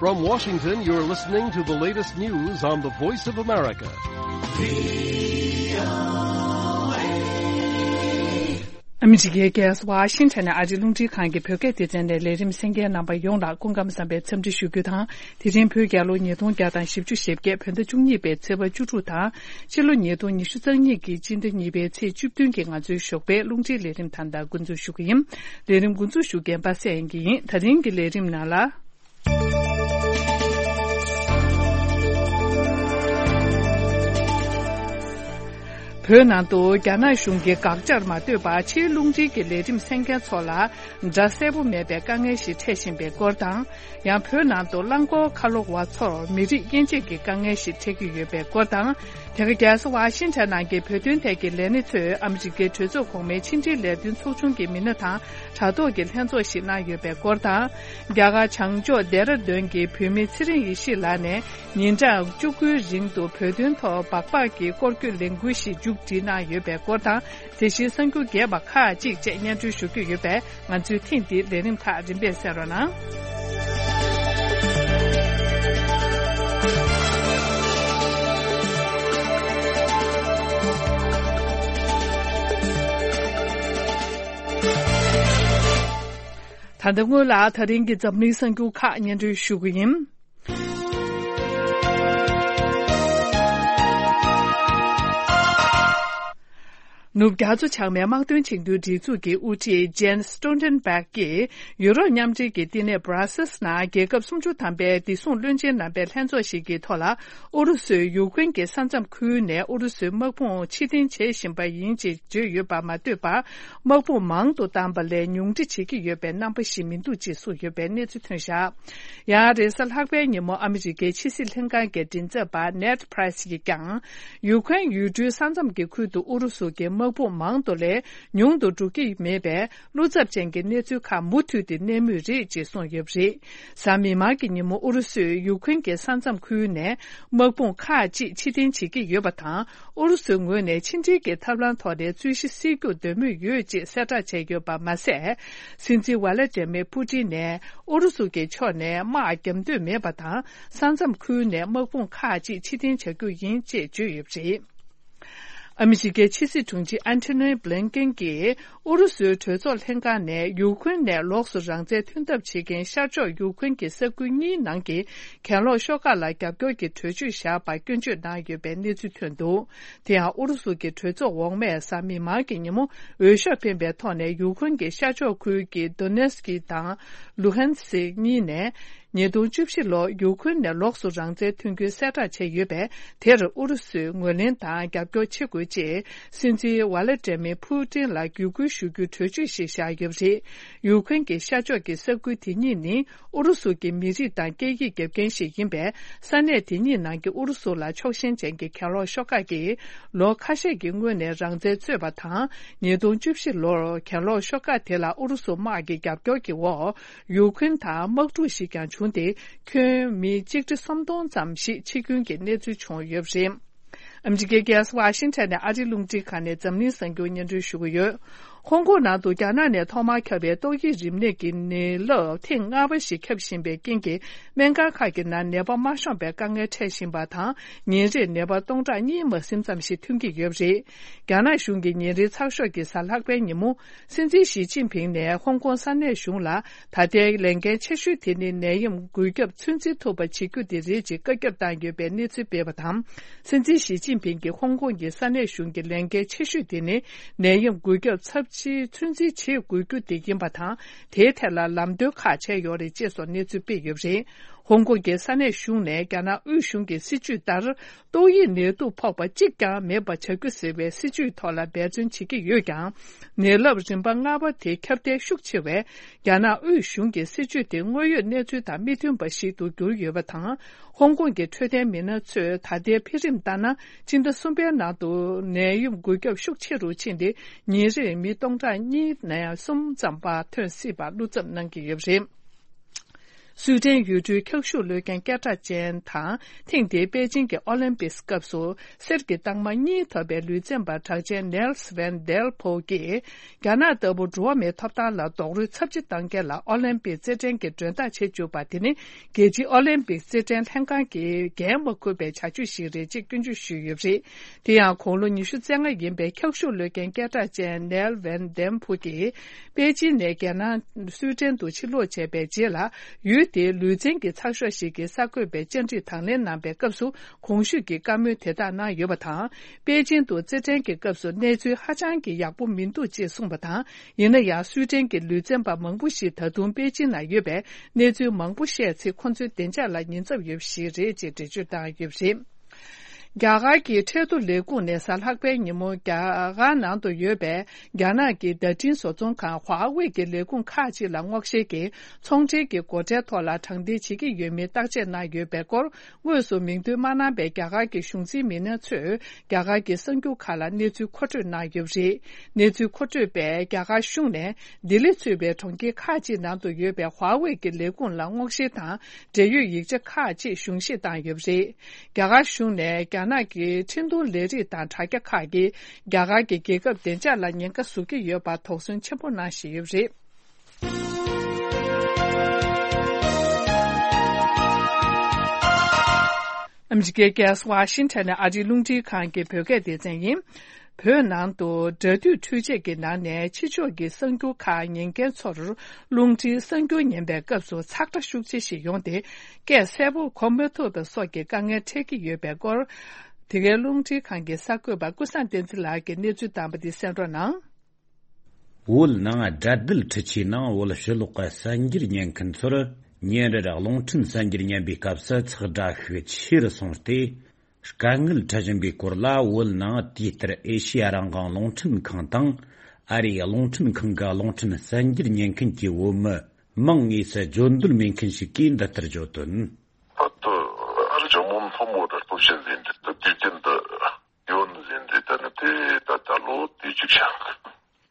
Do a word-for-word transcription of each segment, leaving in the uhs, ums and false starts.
From Washington, you're listening to the latest news on the Voice of America. ཨ་མི་རི་ཀའི་རྒྱལ་ས་ཝ་ཤིང་ཊོན་ནས་ཨ་རིའི་རླུང་འཕྲིན་ཁང་གི་བོད་སྐད་སྡེ་ཚན་ནས་ལས་རིམ་གསན་མཁན་རྣམ་པ་ཡོངས་ལ་སྐུ་ཁམས་བཟང་བའི་འཚམས་འདྲི་ཞུ་རྒྱུ་དང་། དེ་རིང་བོད་རྒྱལ་ལོ་ཉིས་སྟོང་བརྒྱ་དང་བཞི་བཅུ་ཞེ་བརྒྱད། བོད་ཟླ་བཅུ་གཉིས་པའི་ཚེས་པ་བཅུ་དྲུག་དང་། ཕྱི་ལོ་ཉིས་སྟོང་ཉི་ཤུ་རྩ་གཉིས་ཀྱི་སྤྱི་ཟླ་གཉིས་པའི་ཚེས་བཅུ་བདུན་གྱི་ང་ཚོའི་ཞོགས་པའི་རླུང་འཕྲིན་ལས་རིམ་ད་ལྟ་འགོ་འཛུགས་ཞུ་གི་ཡིན། ལས་རིམ་འགོ་འཛུགས་ཞུ་མཁན་པ་སངས་དབྱངས་སྐྱིད་ཡིན། ད་རིང་གི་ལས་རིམ་ནང་ལ། བོད་ནང་དུ་རྒྱ་ནག་གཞུང་གིས་དགག་བྱར་མ་ལྟོས་པར་ཕྱིའི་རླུང་འཕྲིན་གྱི་ལས་རིམ་གསན་མཁན་ཚོ་ལ་སྒྲ་གསལ་པོ་མེད་པའི་དཀའ་ངལ་ཞིག་འཕྲད་བཞིན་པའི་སྐོར་དང་། ཡང་བོད་ནང་དུ་རླངས་འཁོར་ཁ་ལོ་བ་ཚོར་མི་རིགས་དབྱེ་འབྱེད་ཀྱི་དཀའ་ངལ་ཞིག་འཕྲད་ཀྱི་ཡོད་པའི་སྐོར་དང་། དེ་ག་རྒྱལ་ས་ཝ་ཤིང་ཊོན་ནང་གི་བོད་དོན་ཐད་ཀྱི་ལས་སྣེ་ཚོས་ཨ་མི་རི་ཀའི་གྲོས་ཚོགས་གོང་མའི་ཕྱི་འབྲེལ་ལས་དོན་ཚོགས་ཆུང་གི་མི་སྣ་དང་དྲ་ཐོག་གི་ལྷན་ཚོགས་ཤིག་གནང་ཡོད་པའི་སྐོར་དང་། རྒྱ་གར་བྱང་ཕྱོགས་ལྡེ་ར་ལྡུན་གྱི་བོད་མི་ཚེ་རིང་ཡེ་ཤེས་ལགས་ནས་ཉིན་གྲངས་བཅུ་དགུའི་རིང་དུ་བོད་དོན་ཐོག་སྦག་སྦག་གི་སྐོར་སྐྱོད་ལས་འགུལ་ཞིག་མཇུག་སྒྲིལ་གནང་ཡོད་པའི་སྐོར་དང་། དེ་བཞིན་གསར་འགྱུར་རྒྱས་པ་ཁག་ཅིག་བཅས་སྙན་སྒྲོན་ཞུ་རྒྱུ་ཡོད་པས། ང་ཚོའི་ཐེངས་འདིའི་ལས་རིམ་ཁག་རིམ་པས་གསན་རོགས་གནང་། ད་ལྟ་སྔོན་ལ་ད་རིང་གི་འཛམ་གླིང་གསར་འགྱུར་ཁག་སྙན་སྒྲོན་ཞུ་གི་ཡིན། ནུབ་རྒྱ་མཚོ་བྱང་མའི་དམག་དོན་བྱེད་མཁན་སྒྲིག་འཛུགས་ཀྱི་དབུ་ཁྲིད་Jens Stoltenberg་གྱིས་ཡུ་རོབ་མཉམ་འབྲེལ་གྱི་བསྟི་གནས་Brussels་ནང་རྒྱལ་ཁབ་སུམ་ཅུ་ཐམ་པའི་བདེ་སྲུང་བློན་ཆེན་རྣམ་པའི་ལྷན་ཚོགས་ཤིག་གི་ཐོག་ལ། ཨུ་རུ་སུས་ཡུ་ཁུན་གྱི་ས་མཚམས་ཁུལ་ནས་ཨུ་རུ་སུའི་དམག་དཔུང་ཕྱིར་འཐེན་བྱེད་བཞིན་པ་ཡིན་ཅེས་བརྗོད་ཡོད་པར་མ་ལྟོས་པར། དམག་དཔུང་མང་དུ་བཏང་པ་ལས་ཉུང་འཕྲི་བྱེད་ཀྱི་ཡོད་པའི་རྣམ་པ་ཞིག་མི་འདུག་ཅེས་གསུངས་ཡོད་པའི་གནས་ཚུལ་ཐོན་བཞག་ཡང་རེས་གཟའ་ལྷག་པའི་ཉིན་མོ་ཨ་མི་རི་ཀའི་ཕྱི་སྲིད་ལྷན་ཁང་གི་མགྲིན་ཚབ་པ་Ned Price་ཡིས་ཀྱང་། ཡུ་ཁུན་ཡུལ་གྲུའི་ས་མཚམས་ཀྱི་ཁུལ་དུ་ཨུ་རུ་སུ་གྱི་དམག་དཔུང་མང་དུ་ལས་ཉུང་དུ་འགྲོ་གི་མེད་པས། བློ་འཚབ་ཅན་གྱི་གནས་ཚུལ་ཁག་མུ་མཐུད་དེ་གནས་མུས་རེད་ཅེས་གསུངས་ཡོད་པ་རེད། གཟའ་མིག་དམར་གྱི་ཉིན་མོ་ཨུ་རུ་སུས་ཡུ་ཁུན་གྱི་ས་མཚམས་ཁུལ་ནས་དམག་དཔུང་ཁག་ཅིག་ཕྱིར་འཐེན་བྱེད་ཀྱི་ཡོད་པ་དང་། ཨུ་རུ་སུའི་ངོས་ནས་ཕྱི་འབྲེལ་གྱི་ཐབས་ལམ་ཐོག་ནས་རྩོད་གཞི་སེལ་རྒྱུར་འདོད་མོས་ཡོད་ཅེས་གསལ་བསྒྲགས་བྱས་ཡོད་པ་མ་ཟད། སྲིད་འཛིན་ཝ་ལ་ཏྲེ་མེ་ཕུ་ཏིན་ནས་ཨུ་རུ་སུ་གྱི་ཕྱོགས་ནས་དམག་རྒྱག་འདོད་མེད་པ་དང་། ས་མཚམས་ཁུལ་ནས་དམག་དཔུང་ཁག་ཅིག་ཕྱིར་འཐེན་བྱ་རྒྱུ་ཡིན་ཅེས་བརྗོད་ཡོད་པ་རེད། ཨ་མི་རི་ཀའི་ཕྱི་སྲིད་དྲུང་ཆེ་ཨན་ཐོ་ནི་བྷི་ལིན་ཀེན་གྱིས་ཨུ་རུ་སུའི་གྲོས་ཚོགས་ལྷན་ཁང་ནས་ཡུ་ཁུན་ནས་ལོགས་སུ་རང་བཙན་ཐོན་ཐབས་བྱེད་མཁན་ཤར་ཕྱོགས་ཡུ་ཁུན་གྱི་ས་ཁུལ་གཉིས་ནང་གི་གྱེན་ལོག་ཤོག་ཁག་ལ་རྒྱབ་སྐྱོར་གྱི་གྲོས་ཆོད་བཞག་པར་སྐྱོན་བརྗོད་གནང་ཡོད་པའི་གནས་ཚུལ་ཐོན་འདུག་དེ་ཡང་ཨུ་རུ་སུ་གྱི་གྲོས་ཚོགས་འོག་མས་གཟའ་མིག་དམར་གྱི་ཉིན་མོ་འོས་ཤོག་འཕེན་པའི་ཐོག་ནས་ཡུ་ཁུན་གྱི་ཤར་ཕྱོགས་ཁུལ་གྱི་Donetsk་དང་Luhansk་གཉིས་ནས། ཉིས་སྟོང་བཅུ་བཞི་ལོར་ཡུ་ཁུན་ནས་ལོགས་སུ་རང་བཙན་ཐོན་རྒྱུའི་གསལ་བསྒྲགས་བྱས་ཡོད་པས། དེར་ཨུ་རུ་སུས་ངོས་ལེན་དང་རྒྱབ་སྐྱོར་བྱེད་དགོས་ཅེས་སྲིད་འཛིན་ཝ་ལ་ཏྲེ་མེ་ཕུ་ཏིན་ལ་བརྒྱུད་སྐུལ་ཞུ་རྒྱུའི་གྲོས་ཆོད་ཞིག་བཞག་ཡོད་པ་རེད། ཡུ་ཁུན་གྱི་ཤར་ཕྱོགས་ཀྱི་ས་ཁུལ་དེ་གཉིས་ནི་ཨུ་རུ་སུ་གྱི་མི་རིགས་དང་སྐད་ཡིག་རྒྱབ་མཁན་ཞིག་ཡིན་པས། ས་གནས་དེ་གཉིས་ནང་གི་ཨུ་རུ་སུ་ལ་ཕྱོགས་ཞེན་ཅན་གྱི་གྱེན་ལོག་ཤོག་ཁག་གིས་ལོ་ཁ་ཤས་ཀྱི་སྔོན་ནས་རང་བཙན་རྩོད་པ་དང་། ཉིས་སྟོང་བཅུ་བཞི་ལོར་གྱེན་ལོག་ཤོག་ཁག་དེ་ལ་ཨུ་རུ་སུ་དམག་གི་རྒྱབ་སྐྱོར་གྱི་འོག་ཡུ་ཁུན་དང་དམག་འཁྲུག་ཞིག་ཀྱང་བྱུང་སྟེ། ཁྱོན་མི་གཅིག་ཁྲི་སུམ་སྟོང་ཙམ་ཞིག་འཆི་སྐྱོན་གྱི་གནས་ཚུལ་བྱུང་ཡོད་པ་རེད། ཨ་མི་རི་ཀའི་རྒྱལ་ས་ཝ་ཤིང་ཊོན་ནས་ཨ་རིའི་རླུང་འཕྲིན་ཁང་ནས་འཛམ་གླིང་གསར་འགྱུར་སྙན་སྒྲོན་ཞུ་གི་ཡོད། ཧོང་ཀོང་ནང་དུ་རྒྱ་ནག་ནས་ཐོག་མར་ཁྱབ་པའི་ཏོག་དབྱིབས་རིམས་ནད་ཀྱི་ནད་རླབས་ཐེངས་ལྔ་པ་ཞིག་ཁྱབ་བཞིན་པའི་རྐྱེན་གྱིས། སྨན་ཁང་ཁག་གི་ནང་ནད་པ་མ་ཤོང་པའི་དཀའ་ངལ་འཕྲད་བཞིན་པ་དང་། ཉིན་རེར་ནད་པ་སྟོང་ཕྲག་གཉིས་མ་ཟིན་ཙམ་ཞིག་ཐོན་གྱི་ཡོད་པ་རེད། རྒྱ་ནག་གཞུང་གིས་ཉིན་རེའི་ཚགས་ཤོག་གི་གཟའ་ལྷག་པའི་ཉིན་མོ། སྲིད་འཛིན་ཞི་ཅིན་ཕིང་ནས་ཧོང་ཀོང་ས་གནས་གཞུང་ལ། ད་ལྟའི་ལས་འགན་ཆེ་ཤོས་དེ་ནི་ནད་ཡམས་འགོས་ཁྱབ་ཚོད་འཛིན་ཐུབ་པ་བྱེད་རྒྱུ་དེ་རེད་ཅེས་བཀའ་ཁྱབ་བཏང་ཡོད་པའི་གནས་ཚུལ་སྤེལ་བ་དང་། སྲིད་འཛིན་ཞི་ཅིན་ཕིང་གིས་ཧོང་ཀོང་གི་ས་གནས་གཞུང་གི་ལས་འགན་ཆེ་ཤོས་དེ་ནི་ནད་ཡམས་འགོས་ཁྱབ་ཚབས་ཆེའི་ཚོད་འཛིན་བྱེད་དགོས་རྒྱུ་དེ་ཡིན་པ་དང་། དེའི་ཐད་ལ་ལམ་སྟོན་ཁག་བྱས་ཡོད་རེད་ཅེས་སོགས་གནས་ཚུལ་སྤེལ་ཡོད་པ་རེད། ཧོང་ཀོང་གི་ས་གནས་གཞུང་ནས་རྒྱ་ནག་དབུས་གཞུང་གི་སྲིད་ཇུས་ལྟར། ཏོག་དབྱིབས་ནད་དུག་ཕོག་པ་གཅིག་ཀྱང་མེད་པ་བྱ་རྒྱུ་ཟེར་བའི་སྲིད་ཇུས་ཐོག་ལ་འབད་བརྩོན་བྱེད་ཀྱི་ཡོད་ཀྱང་། ནད་རླབས་རིམ་པ་ལྔ་པ་དེ་ཁྱབ་གདལ་ཤུགས་ཆེ་བས། རྒྱ་ནག་དབུས་གཞུང་གི་སྲིད་ཇུས་དེ་དངོས་ཡོད་གནས་ཚུལ་དང་མི་མཐུན་པ་ཞིག་ཏུ་གྱུར་ཡོད་པ་དང་། ཧོང་ཀོང་གི་འཕྲོད་བསྟེན་མི་སྣ་ཚོས་ད་ལྟའི་འཕེལ་རིམ་ལྟར་ན། སྤྱི་ཟླ་གསུམ་པའི་ནང་དུ་ནད་ཡམས་འགོས་ཁྱབ་ཤུགས་ཆེ་རུ་ཕྱིན་ཏེ། ཉིན་རེར་མི་སྟོང་ཕྲག་གཉིས་ནས་གསུམ་ཙམ་བར་ཐོན་སྲིད་པར་བློ་འཚབ་གནང་གི་ཡོད་པ་རེད། སུའེ་ཏེན་ཡུལ་གྲུའི་འཁྱག་ཤུགས་གློད་མཁན་སྐད་གྲགས་ཅན་དང་། ཐེངས་འདིའི་པེ་ཅིང་གི་ཨོ་ལིམ་པིག་སྐབས་སུ་གསེར་གྱི་རྟགས་མ་གཉིས་ཐོབ་པའི་ལུས་རྩལ་པ་གྲགས་ཅན་ནེལ་སི་ཝན་དེལ་ཕོ་གིས། རྒྱ་ནག་ལྟ་བུ་འགྲོ་བ་མིའི་ཐོབ་ཐང་ལ་རྡོག་རོལ་ཚབས་ཆེ་བཏང་མཁན་ལ་ཨོ་ལིམ་པིག་རྩེད་འགྲན་གྱི་མགྲོན་བདག་བྱེད་བཅུག་པ་དེ་ནི། རྒྱལ་སྤྱིའི་ཨོ་ལིམ་པིག་རྩེད་འགྲན་ལྷན་ཁང་གིས་འགན་མ་འཁུར་བའི་བྱ་སྤྱོད་ཞིག་རེད་ཅེས་སྐྱོན་བརྗོད་ཞུས་ཡོད་པ་རེད། དེ་ཡང་། དགུང་ལོ་ཉི་ཤུ་རྩ་ལྔ་ཡིན་པའི་འཁྱག་ཤུགས་གློད་མཁན་སྐད་གྲགས་ཅན་ནེལ་ཝན་དེམ་ཕུ་གིས། པེ་ཅིན་ནས་རྒྱ་ནག་སུའེ་ཏེན་དུ་ཕྱིར་ལོག་བྱས་པའི་རྗེས་ལ། ཡུལ་དེའི་ལུས་རྩལ་གྱི་ཚགས་ཤོག་ཞིག་གིས་གསར་འགོད་པའི་བཅར་འདྲི་དང་ལེན་གནང་པའི་སྐབས་སུ། གོང་ཞུས་ཀྱི་བཀའ་མོལ་དེ་དག་གནང་ཡོད་པ་དང་། པེ་ཅིན་དུ་རྩེད་འགྲན་གྱི་སྐབས་སུ་གནས་ཚུལ་ཧ་ཅང་གི་ཡག་པོ་མི་འདུག་ཅེས་གསུངས་པ་དང་། ཡིན་ན་ཡང་། སུའེ་ཏེན་གྱི་ལུས་རྩལ་པ་མང་པོ་ཞིག་ད་དུང་པེ་ཅིན་ན་ཡོད་པས། གནས་ཚུལ་མང་པོ་བཤད་ཚེ། ཁོ་ཚོའི་བདེ་འཇགས་ལ་ཉེན་ཚབས་ཡོད་པ་ཞིག་རེད་ཅེས་འགྲེལ་བརྗོད་བཏང་ཡོད་པ་རེད། རྒྱ་གར་གྱི་ཁྲལ་བསྡུ་ལས་ཁུངས་ནས་གཟའ་ལྷག་པའི་ཉིན་མོ། རྒྱ་གར་ནང་དུ་ཡོད་པའི་རྒྱ་ནག་གི་བརྡ་འཕྲིན་བཟོ་ཚོང་ཁང་ཧྭ་ཝེ་གི་ལས་ཁུངས་ཁག་ཅིག་ལ་སྔོག་བཤེར་གྱིས། ཚོང་འབྲེལ་གྱི་སྒོ་ཁྲལ་ཐོག་ལ་དྲང་བདེན་བྱེད་ཀྱི་ཡོད་མེད་བརྟག་དཔྱད་གནང་ཡོད་པའི་སྐོར། དངོས་སུ་མིང་འདོན་མ་གནང་པའི་རྒྱ་གར་གྱི་གཞུང་འཛིན་མི་སྣ་ཚོས། རྒྱ་གར་གྱི་གསར་འགྱུར་ཁག་ལ་གནས་ཚུལ་མཁོ་སྤྲོད་གནང་ཡོད་པ་རེད། གནས་ཚུལ་མཁོ་སྤྲོད་པས། རྒྱ་གར་གཞུང་ནས། ལྡི་ལི་གཙོས་པའི་གྲོང་ཁྱེར་ཁག་ཅིག་ནང་དུ་ཡོད་པའི་ཧྭ་ཝེ་གི་ལས་ཁུངས་ལ་སྔོག་བཤེར་དང་། འབྲེལ་ཡོད་ཡིག་ཆ་ཁག་ཅིག་གཞུང་བཞེས་བཏང་ཡོད་པ་རེད། རྒྱ་གར་གཞུང་ནས། རྒྱ་ནག་གི་འཕྲིན་གཏོང་ལས་རིགས་དང་དྲ་རྒྱ་ཁག་གིས། རྒྱ་གར་གྱི་རྒྱལ་ཁབ་བདེ་འཇགས་ལ་ཉེན་ཁ་བཟོ་གི་ཡོད་པར་དོགས་ཟོན་ཆེན་པོ་གནང་བཞིན་ཡོད་པ་རེད། ཨ་མི་རི་ཀའི་རྒྱལ་ས་ཝ་ཤིང་ཊོན་ནས་ཨ་རིའི་རླུང་འཕྲིན་ཁང་གི་བོད་སྐད་སྡེ་ཚན་ཡིན། བོད་ནང་དུ་དགྲ་འདུལ་འཕྲུལ་ཆས་ཀྱི་ནང་ནས་ཕྱི་ཕྱོགས་ཀྱི་གསར་འགྱུར་ཁག་ཉན་མཁན་ཚོར། རླུང་འཕྲིན་གསར་འགྱུར་ཉན་པའི་སྐབས་སུ་ཚགས་སྒྲ་ཤུགས་ཆེ་ཞིག་ཡོང་སྟེ། སྐད་གསལ་པོ་གོ་མ་ཐུབ་པ་སོགས་ཀྱི་དཀའ་ངལ་འཕྲད་ཀྱི་ཡོད་པའི་སྐོར། དེ་གའི་རླུང་འཕྲིན་ཁང་གི་གསར་འགོད་པ་ཀུན་བཟང་བསྟན་འཛིན་ལགས་ཀྱིས་གནས་ཚུལ་དམ་པ་འདི་གསན་རོགས་གནང་། བོད་ནང་དགྲ་འདུལ་འཕྲུལ་ཆས་ནང་བོད་ཕྱི་ལོགས་ཀྱི་གསར་འགྱུར་ཉན་མཁན་ཚོར་ཉིན་རེར་རླུང་འཕྲིན་གསར་འགྱུར་ཉན་པའི་སྐབས་སུ་ཚགས་སྒྲ་ཤུགས་ཆེ་རུ་སོང་སྟེ། དཀའ་ངལ་འཕྲད་བཞིན་པའི་སྐོར་ལ། བོད་ནང་དུས་ལྟར་ཨེ་ཤི་ཡ་རང་དབང་རླུང་འཕྲིན་ཁང་དང་། ཨ་རིའི་རླུང་འཕྲིན་ཁང་གི་རླུང་འཕྲིན་གསར་འགྱུར་ཉན་མཁན་གྱི་བོད་མི་མང་དངོས་སུ་བརྗོད་འདོད་མེད་མཁན་ཞིག་གིས་འདི་ལྟར་བརྗོད་དོན། ད་ལྟ་ཨ་རི་ཇོ་མོ་མཐོན་པོ་དང་སྟོབས་ཆེན་ཟིན་འདི་ལྟ་དུས་རྒྱུན་དུ་ཡོད་ཟིན་འདི་ལྟ་ནི་དེ་ད་ལྟ་ལོ་དུས་གཅིག་ཤང་།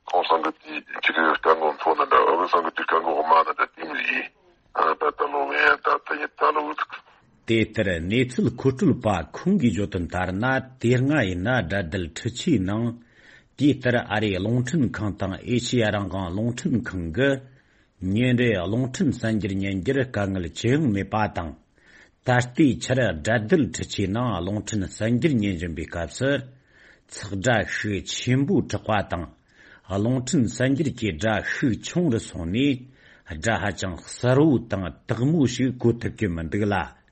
ཁོང་ཚང་གི་དེའི་ཁྱི་རེ་དཀའ་ངལ་མཐོ་ན་འདྲ། ཨ་ཁུ་ཚང་གི་དེ་དཀའ་ངལ་དམའ་ན་འདྲ། དེ་མི་ཡིན། ཨ་ད་ལྟ་ལོ་ངས་ད་ལྟ་ཡིན་ད་ལོ་འུ་ཐུག་དེ་ལྟར་གནས་ཚུལ་མཁོ་སྤྲོད་པ་ཁོང་གིས་བརྗོད་དོན་ལྟར་ན། དེ་སྔ་ཡིན་ན་དགྲ་འདུལ་འཕྲུལ་ཆས་ནང་། དུས་ལྟར་ཨ་རིའི་རླུང་འཕྲིན་ཁང་དང་ཨེ་ཤི་ཡ་རང་དབང་རླུང་འཕྲིན་ཁང་གི་ཉིན་རེའི་རླུང་འཕྲིན་གསར་འགྱུར་ཉན་རྒྱུར་དཀའ་ངལ་ཅི་ཡང་མེད་པ་དང་། ད་ལྟའི་ཆར་དགྲ་འདུལ་འཕྲུལ་ཆས་ནང་རླུང་འཕྲིན་གསར་འགྱུར་ཉན་བཞིན་པའི་སྐབས་སུ། ཚགས་སྒྲ་ཤུགས་ཆེན་པོས་གྲགས་པ་དང་། རླུང་འཕྲིན་གསར་འགྱུར་གྱི་སྒྲ་ཤུགས་ཆུང་རུ་སོང་ནས། སྒྲ་ཧ་ཅང་གསལ་བོ་དང་དག་མོ་ཞིག་གོ་ཐུབ་ཀྱི་མི་འདུག་ལ།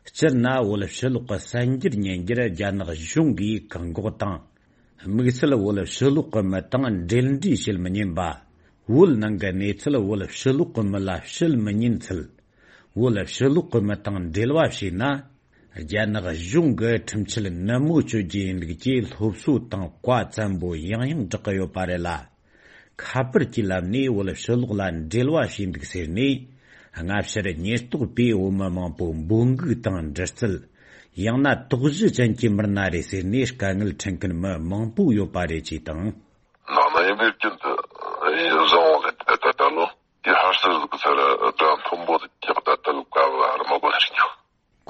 སྤྱིར་ན་བོད་ཕྱི་ལོགས་ཀྱི་གསར་འགྱུར་ཉན་རྒྱུར་རྒྱ་ནག་གཞུང་གིས་བཀག་འགོག་དང་། དམིགས་བསལ་བོད་ཕྱི་ལོགས་ཀྱི་མི་དང་འབྲེལ་འདྲིས་བྱེད་མི་ཉན་པ། བོད་ནང་གི་གནས་ཚུལ་བོད་ཕྱི་ལོགས་ཀྱི་མི་ལ་བཤད་མི་ཉན་ཚུལ། བོད་ཕྱི་ལོགས་ཀྱི་མི་དང་འབྲེལ་བ་བྱས་ན། རྒྱ་ནག་གཞུང་གི་ཁྲིམས་ཆད་ནན་མོ་གཅོད་རྒྱུ་ཡིན་ལུགས་ཀྱི་སློབ་གསོ་དང་བཀའ་བཙན་པོ་ཡང་ཡང་བསྒྲགས་ཀྱི་ཡོད་པ་རེད་ལ། ཁ་པར་གྱི་ལམ་ནས་བོད་ཕྱི་ལོགས་ལ་འབྲེལ་བ་བྱས་འདུག་ཟེར་ནས། སྔ་ཕྱིར་ཉེན་རྟོག་པས་བོད་མི་མང་པོ་འབོད་འགུག་དང་འདྲི་རྩད། ཡང་ན་དོགས་གཞི་ཅན་གྱི་མི་སྣ་རེད་ཟེར་ནས་དཀའ་ངལ་འཕྲད་མཁན་མི་མང་པོ་ཡོད་པ་རེད་ཅེས་དང་། ནང་ན་ཡིན་པའི་རྐྱེན་དུ་ཡིན་བཟང་བ་ལས་ད་ལྟ་ལོ་དེ་ཧར་སར་ཟིག་ཚར་སྒྲ་མཐོན་པོ་དེ་རྒྱག་ད་ལྟ་ལ་དཀའ་བ་ར་མ་གོ་ནས་རྒྱག་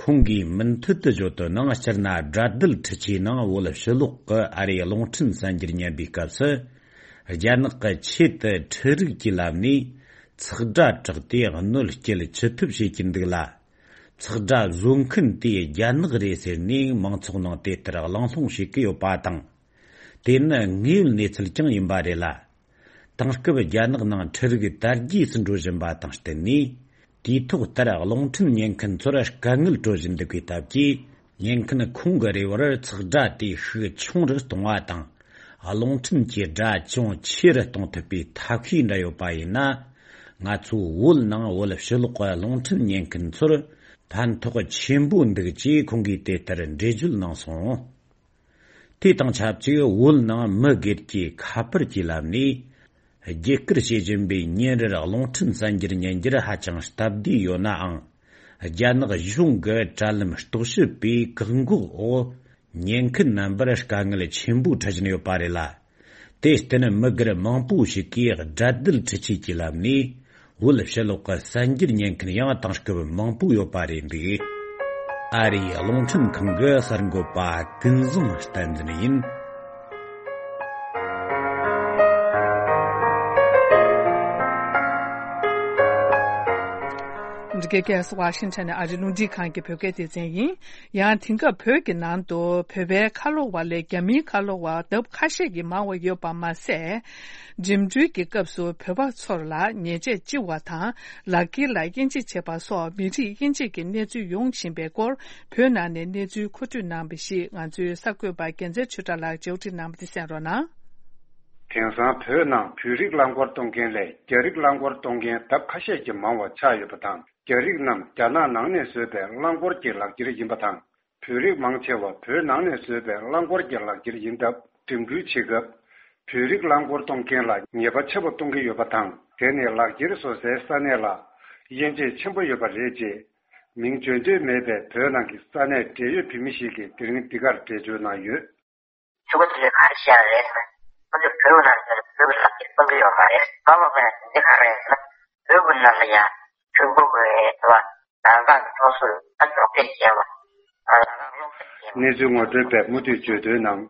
ཁོང་གིས་མུ་མཐུད་དུ་བརྗོད་དོན་ནང་། སྤྱིར་ན་དགྲ་འདུལ་འཕྲུལ་ཆས་ནང་བོད་ཕྱི་ལོགས་ཀྱི་ཨ་རིའི་རླུང་འཕྲིན་གསར་འགྱུར་ཉན་པའི་སྐབས་སུ། རྒྱ་ནག་གི་ཆེད་དུ་འཕྲུལ་རིག་གི་ལམ་ནས་ཚགས་སྒྲ་བསྒྲགས་ཏེ་གནོད་སྐྱེལ་ཅི་ཐུབ་བྱེད་ཀྱི་འདུག་ལ། ཚགས་སྒྲ་བཟོ་མཁན་དེ་རྒྱ་ནག་རེད་ཟེར་ནས་མང་ཚོགས་ནང་དེ་ལྟར་གླེང་སློང་བྱེད་ཀྱི་ཡོད་པ་དང་། དེ་ནི་དངོས་ཡོད་གནས་ཚུལ་ཀྱང་ཡིན་པ་རེད་ལ། དེང་སྐབས་རྒྱ་ནག་ནང་འཕྲུལ་རིག་དར་རྒྱས་སུ་འགྲོ་བཞིན་པ་དང་བསྟུན་ནས། དུས་ཐོག་ལྟར་རླུང་འཕྲིན་ཉན་མཁན་ཚོར་དཀའ་ངལ་སྤྲོད་བཞིན་འདུག་པའི་སྟབས་ཀྱིས། ཉན་མཁན་ཁོང་གི་རེ་བར་ཚགས་སྒྲ་དེ་ཤུགས་ཆུང་རུ་གཏོང་བ་དང་། རླུང་འཕྲིན་གྱི་སྒྲ་ཅུང་ཆེ་རུ་གཏོང་ཐུབ་པའི་ཐབས་ཤེས་འདྲ་ཡོད་པ་ཡིན་ན། ང་ཚོའི་བོད་ནང་བོད་ཕྱི་ལོགས་ཀྱི་རླུང་འཕྲིན་ཉན་མཁན་ཚོར་ཕན་ཐོགས་ཆེན་པོ་འདུག་ཅེས་ཁོང་གིས་དེ་ལྟར་འགྲེལ་བརྗོད་གནང་སོང་། དེ་དང་ཆབས་ཅིག་བོད་ནང་མི་སྒེར་གྱི་ཁ་པར་གྱི་ལམ་ནས་བརྒྱུད་སྐུར་བྱེད་བཞིན་པའི་ཉིན་རེར་རླུང་འཕྲིན་གསར་འགྱུར་ཉན་རྒྱུར་ཧ་ཅང་སྟབས་བདེ་ཡོད་ནའང་། རྒྱ་ནག་གཞུང་གི་དྲ་ལམ་རྟོག་ཞིབ་པས་བཀག་འགོག་འོག་ཉན་མཁན་རྣམ་པར་དཀའ་ངལ་ཆེན་པོ་འཕྲད་བཞིན་ཡོད་པ་རེད་ལ། དེར་བརྟེན་མི་སྒེར་མང་པོ་ཞིག་གིས་དགྲ་འདུལ་འཕྲུལ་ཆས་ཀྱི་ལམ་ནས་ བོད་ཕྱི་ལོགས་ཀྱི་གསར་འགྱུར་ཉན་མཁན་ཡང་དེང་སྐབས་མང་པོ་ཡོད་པ་རེད་འདུག་ཨ་རིའི་རླུང་འཕྲིན་ཁང་གི་གསར་འགོད་པ་ཀུན་བཟང་བསྟན་འཛིན་ཡིན། འདི་གའི་ཁ་སང་ཝ་ཤིང་ཊོན་ནས་ཨ་རིའི་རླུང་འཕྲིན་ཁང་གི་བོད་སྐད་སྡེ་ཚན་ཡིན། ཡང་དེང་སྐབས་བོད་ཀྱི་ནང་དུ་བོད་པའི་ཁ་ལོ་བ་ལས་རྒྱ་མིའི་ཁ་ལོ་བ་ལྡབ་ཁ་ཤས་ཀྱིས་མང་བ་ཡོད་པ་མ་ཟད། འགྲིམ་འགྲུལ་གྱི་སྐབས་སུ་བོད་པ་ཚོར་ལ་ཉེས་ཆད་ལྕི་བ་དང་། ལག་འཁྱེར་ལ་དབྱེ་འབྱེད་བྱེད་པ་སོགས་མི་རིགས་དབྱེ་འབྱེད་ཀྱི་གནས་ཚུལ་ཡོང་བཞིན་པའི་སྐོར། བོད་ནང་ནས་གནས་ཚུལ་མཁོ་སྤྲོད་གནང་བ་ཞིག་ང་ཚོའི་གསར་འགོད་པ་རྒྱལ་མཚན་ཆོས་གྲགས་ལགས་མཇལ་འཕྲད་གནང་བ་དེ་གསན་རོགས་གནང་། དེང་སང་བོད་ནང་བོད་རིགས་རླངས་འཁོར་གཏོང་མཁན་ལས་རྒྱ་རིགས་རླངས་འཁོར་གཏོང་མཁན་ལྡབ་ཁ་ཤས་ཀྱིས་མང་བ་ཆགས་ཡོད་པ་དང་། རྒྱ་རིགས་རྣམས་རྒྱ་ནག་ནང་ནས་བཟོས་པའི་རླངས་འཁོར་གྱི་ལག་འཁྱེར་ཡིན་པ་དང་། བོད་རིགས་མང་ཆེ་བ་བོད་ནང་ནས་བཟོས་པའི་རླངས་འཁོར་གྱི་ལག་འཁྱེར་ཡིན་སྟབས། འགྲིམ་འགྲུལ་བྱེད་སྐབས། བོད་རིགས་རླངས་འཁོར་གཏོང་མཁན་ལ་ཉེས་པ་ཆེ་བ་གཏོང་གི་ཡོད་པ་དང་། དེ་ནི་ལག་འཁྱེར་བཟོ་སའི་ས་གནས་ལ་དབྱེ་འབྱེད་ཆེན་པོ་ཡོད་པ་རེད། ཅེས་མིང་བརྗོད་འདོད་མེད་པའི་བོད་ནང་གི་ས་གནས་འབྲེལ་ཡོད་བོད་མི་ཞིག་གིས་དེ་རིང་འདི་གར་འགྲེལ་བརྗོད་གནང་ཡོད། ཕྲུ་གུ་དེ་ཚོས་ག་རེ་བཤད་རེད་ཟེར་ན། ཁོ་ཚོས་བོད་ནང་ལ་བོད་ཀྱི་ལག་འཁྱེར་གཏོང་གི་ཡོད་མ་རེད། ག་པར་ཕེབས་ན་དེ་ག་རེ་ཟེར་ན། བོད་ཀྱི་ནང་ལ་ཡང་ཕྲུ་གུ་གི་དེ་བ་ནང་ཚང་གི་ཚོགས་སུ་ད་འཇོག་འདེགས་བྱས་པ། ཨ། གནས་ཚུལ་ངོ་སྤྲོད་པས་མུ་མཐུད་བརྗོད་དོན་ནང་།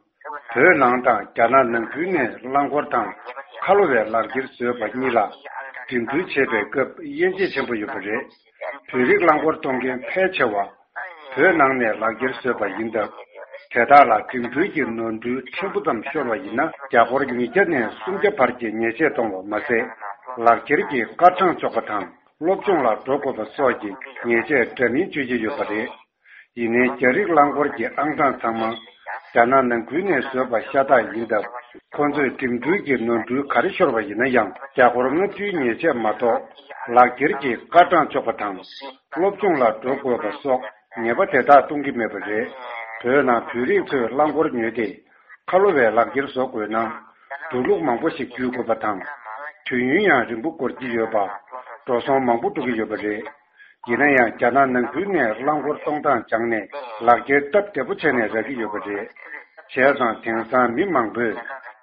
བོད་ནང་དང་རྒྱ་ནག་ནང་ཁུལ་ནས་རླངས་འཁོར་དང་ཁ་ལོ་བའི་ལག་འཁྱེར་བཟོས་པ་གཉིས་ལ་འགྲིམ་འགྲུལ་བྱེད་པའི་སྐབས་དབྱེ་འབྱེད་ཆེན་པོ་ཡོད་པ་རེད། བོད་རིགས་རླངས་འཁོར་གཏོང་མཁན་ཕལ་ཆེ་བ། བོད་ནང་ནས་ལག་འཁྱེར་བཟོས་པ་ཡིན་སྟབས། དེ་དག་ལ་འགྲིམ་འགྲུལ་གྱི་ནོར་འཁྲུལ་ཕྲན་བུ་ཙམ་ཤོར་བ་ཡིན་ན། རྒྱ་སྒོར་ཉིས་བརྒྱ་ནས་སུམ་བརྒྱ་བར་གྱི་ཉེས་ཆད་གཏོང་བ་མ་ཟད། ལག་འཁྱེར་གྱི་སྐར་གྲངས་གཅོག་པ་དང་། སློབ་སྦྱོང་ལ་འགྲོ་དགོས་པ་སོགས་ཀྱི་ཉེས་ཆད་འདྲ་མིན་གཅོད་ཀྱི་ཡོད་པ་རེད། ཡིན་ནའི་རྒྱ་རིགས་རླངས་འཁོར་གྱི་ཨང་གྲངས་ཚང་མ་རྒྱ་ནག་ནང་ཁུལ་ནས་བཟོས་པ་ཤ་སྟག་ཡིན་སྟབས། ཁོ་ཚོས་འགྲིམ་འགྲུལ་གྱི་ནོར་འཁྲུལ་ག་རེ་ཤོར་བ་ཡིན་ན་ཡང་རྒྱ་སྒོར་ལྔ་བཅུའི་ཉེས་ཆད་མ་གཏོགས། ལག་འཁྱེར་གྱི་སྐར་གྲངས་གཅོག་པ་དང་། སློབ་སྦྱོང་ལ་འགྲོ་དགོས་པ་སོགས་ཉེས་པ་དེ་དག་གཏོང་གི་མེད་པ་རེད། བོད་ནང་བོད་རིགས་ཚོས་རླངས་འཁོར་ཉོས་ཏེ། ཁ་ལོ་བའི་ལག་འཁྱེར་བཟོ་དགོས་ན། འགྲོ་ལུགས་མང་པོ་ཞིག་བརྒྱུད་དགོས་པ་དང་། དུས་ཡུན་ཡང་རིང་པོ་འགོར་གྱི་ཡོད་པ། འགྲོ་སོང་མང་པོ་འགྲོ་གི་ཡོད་པ་རེད། ཡིན་ན་ཡང་རྒྱ་ནག་ནང་ཁུལ་ནས་རླངས་འཁོར་གཏོང་སྟངས་སྦྱངས་ནས་ལག་འཁྱེར་སྟབས་བདེ་པོ་བྱས་ནས་རག་གི་ཡོད་པ་རེད། བྱས་ཙང་དེང་སང་མི་མང་པོས་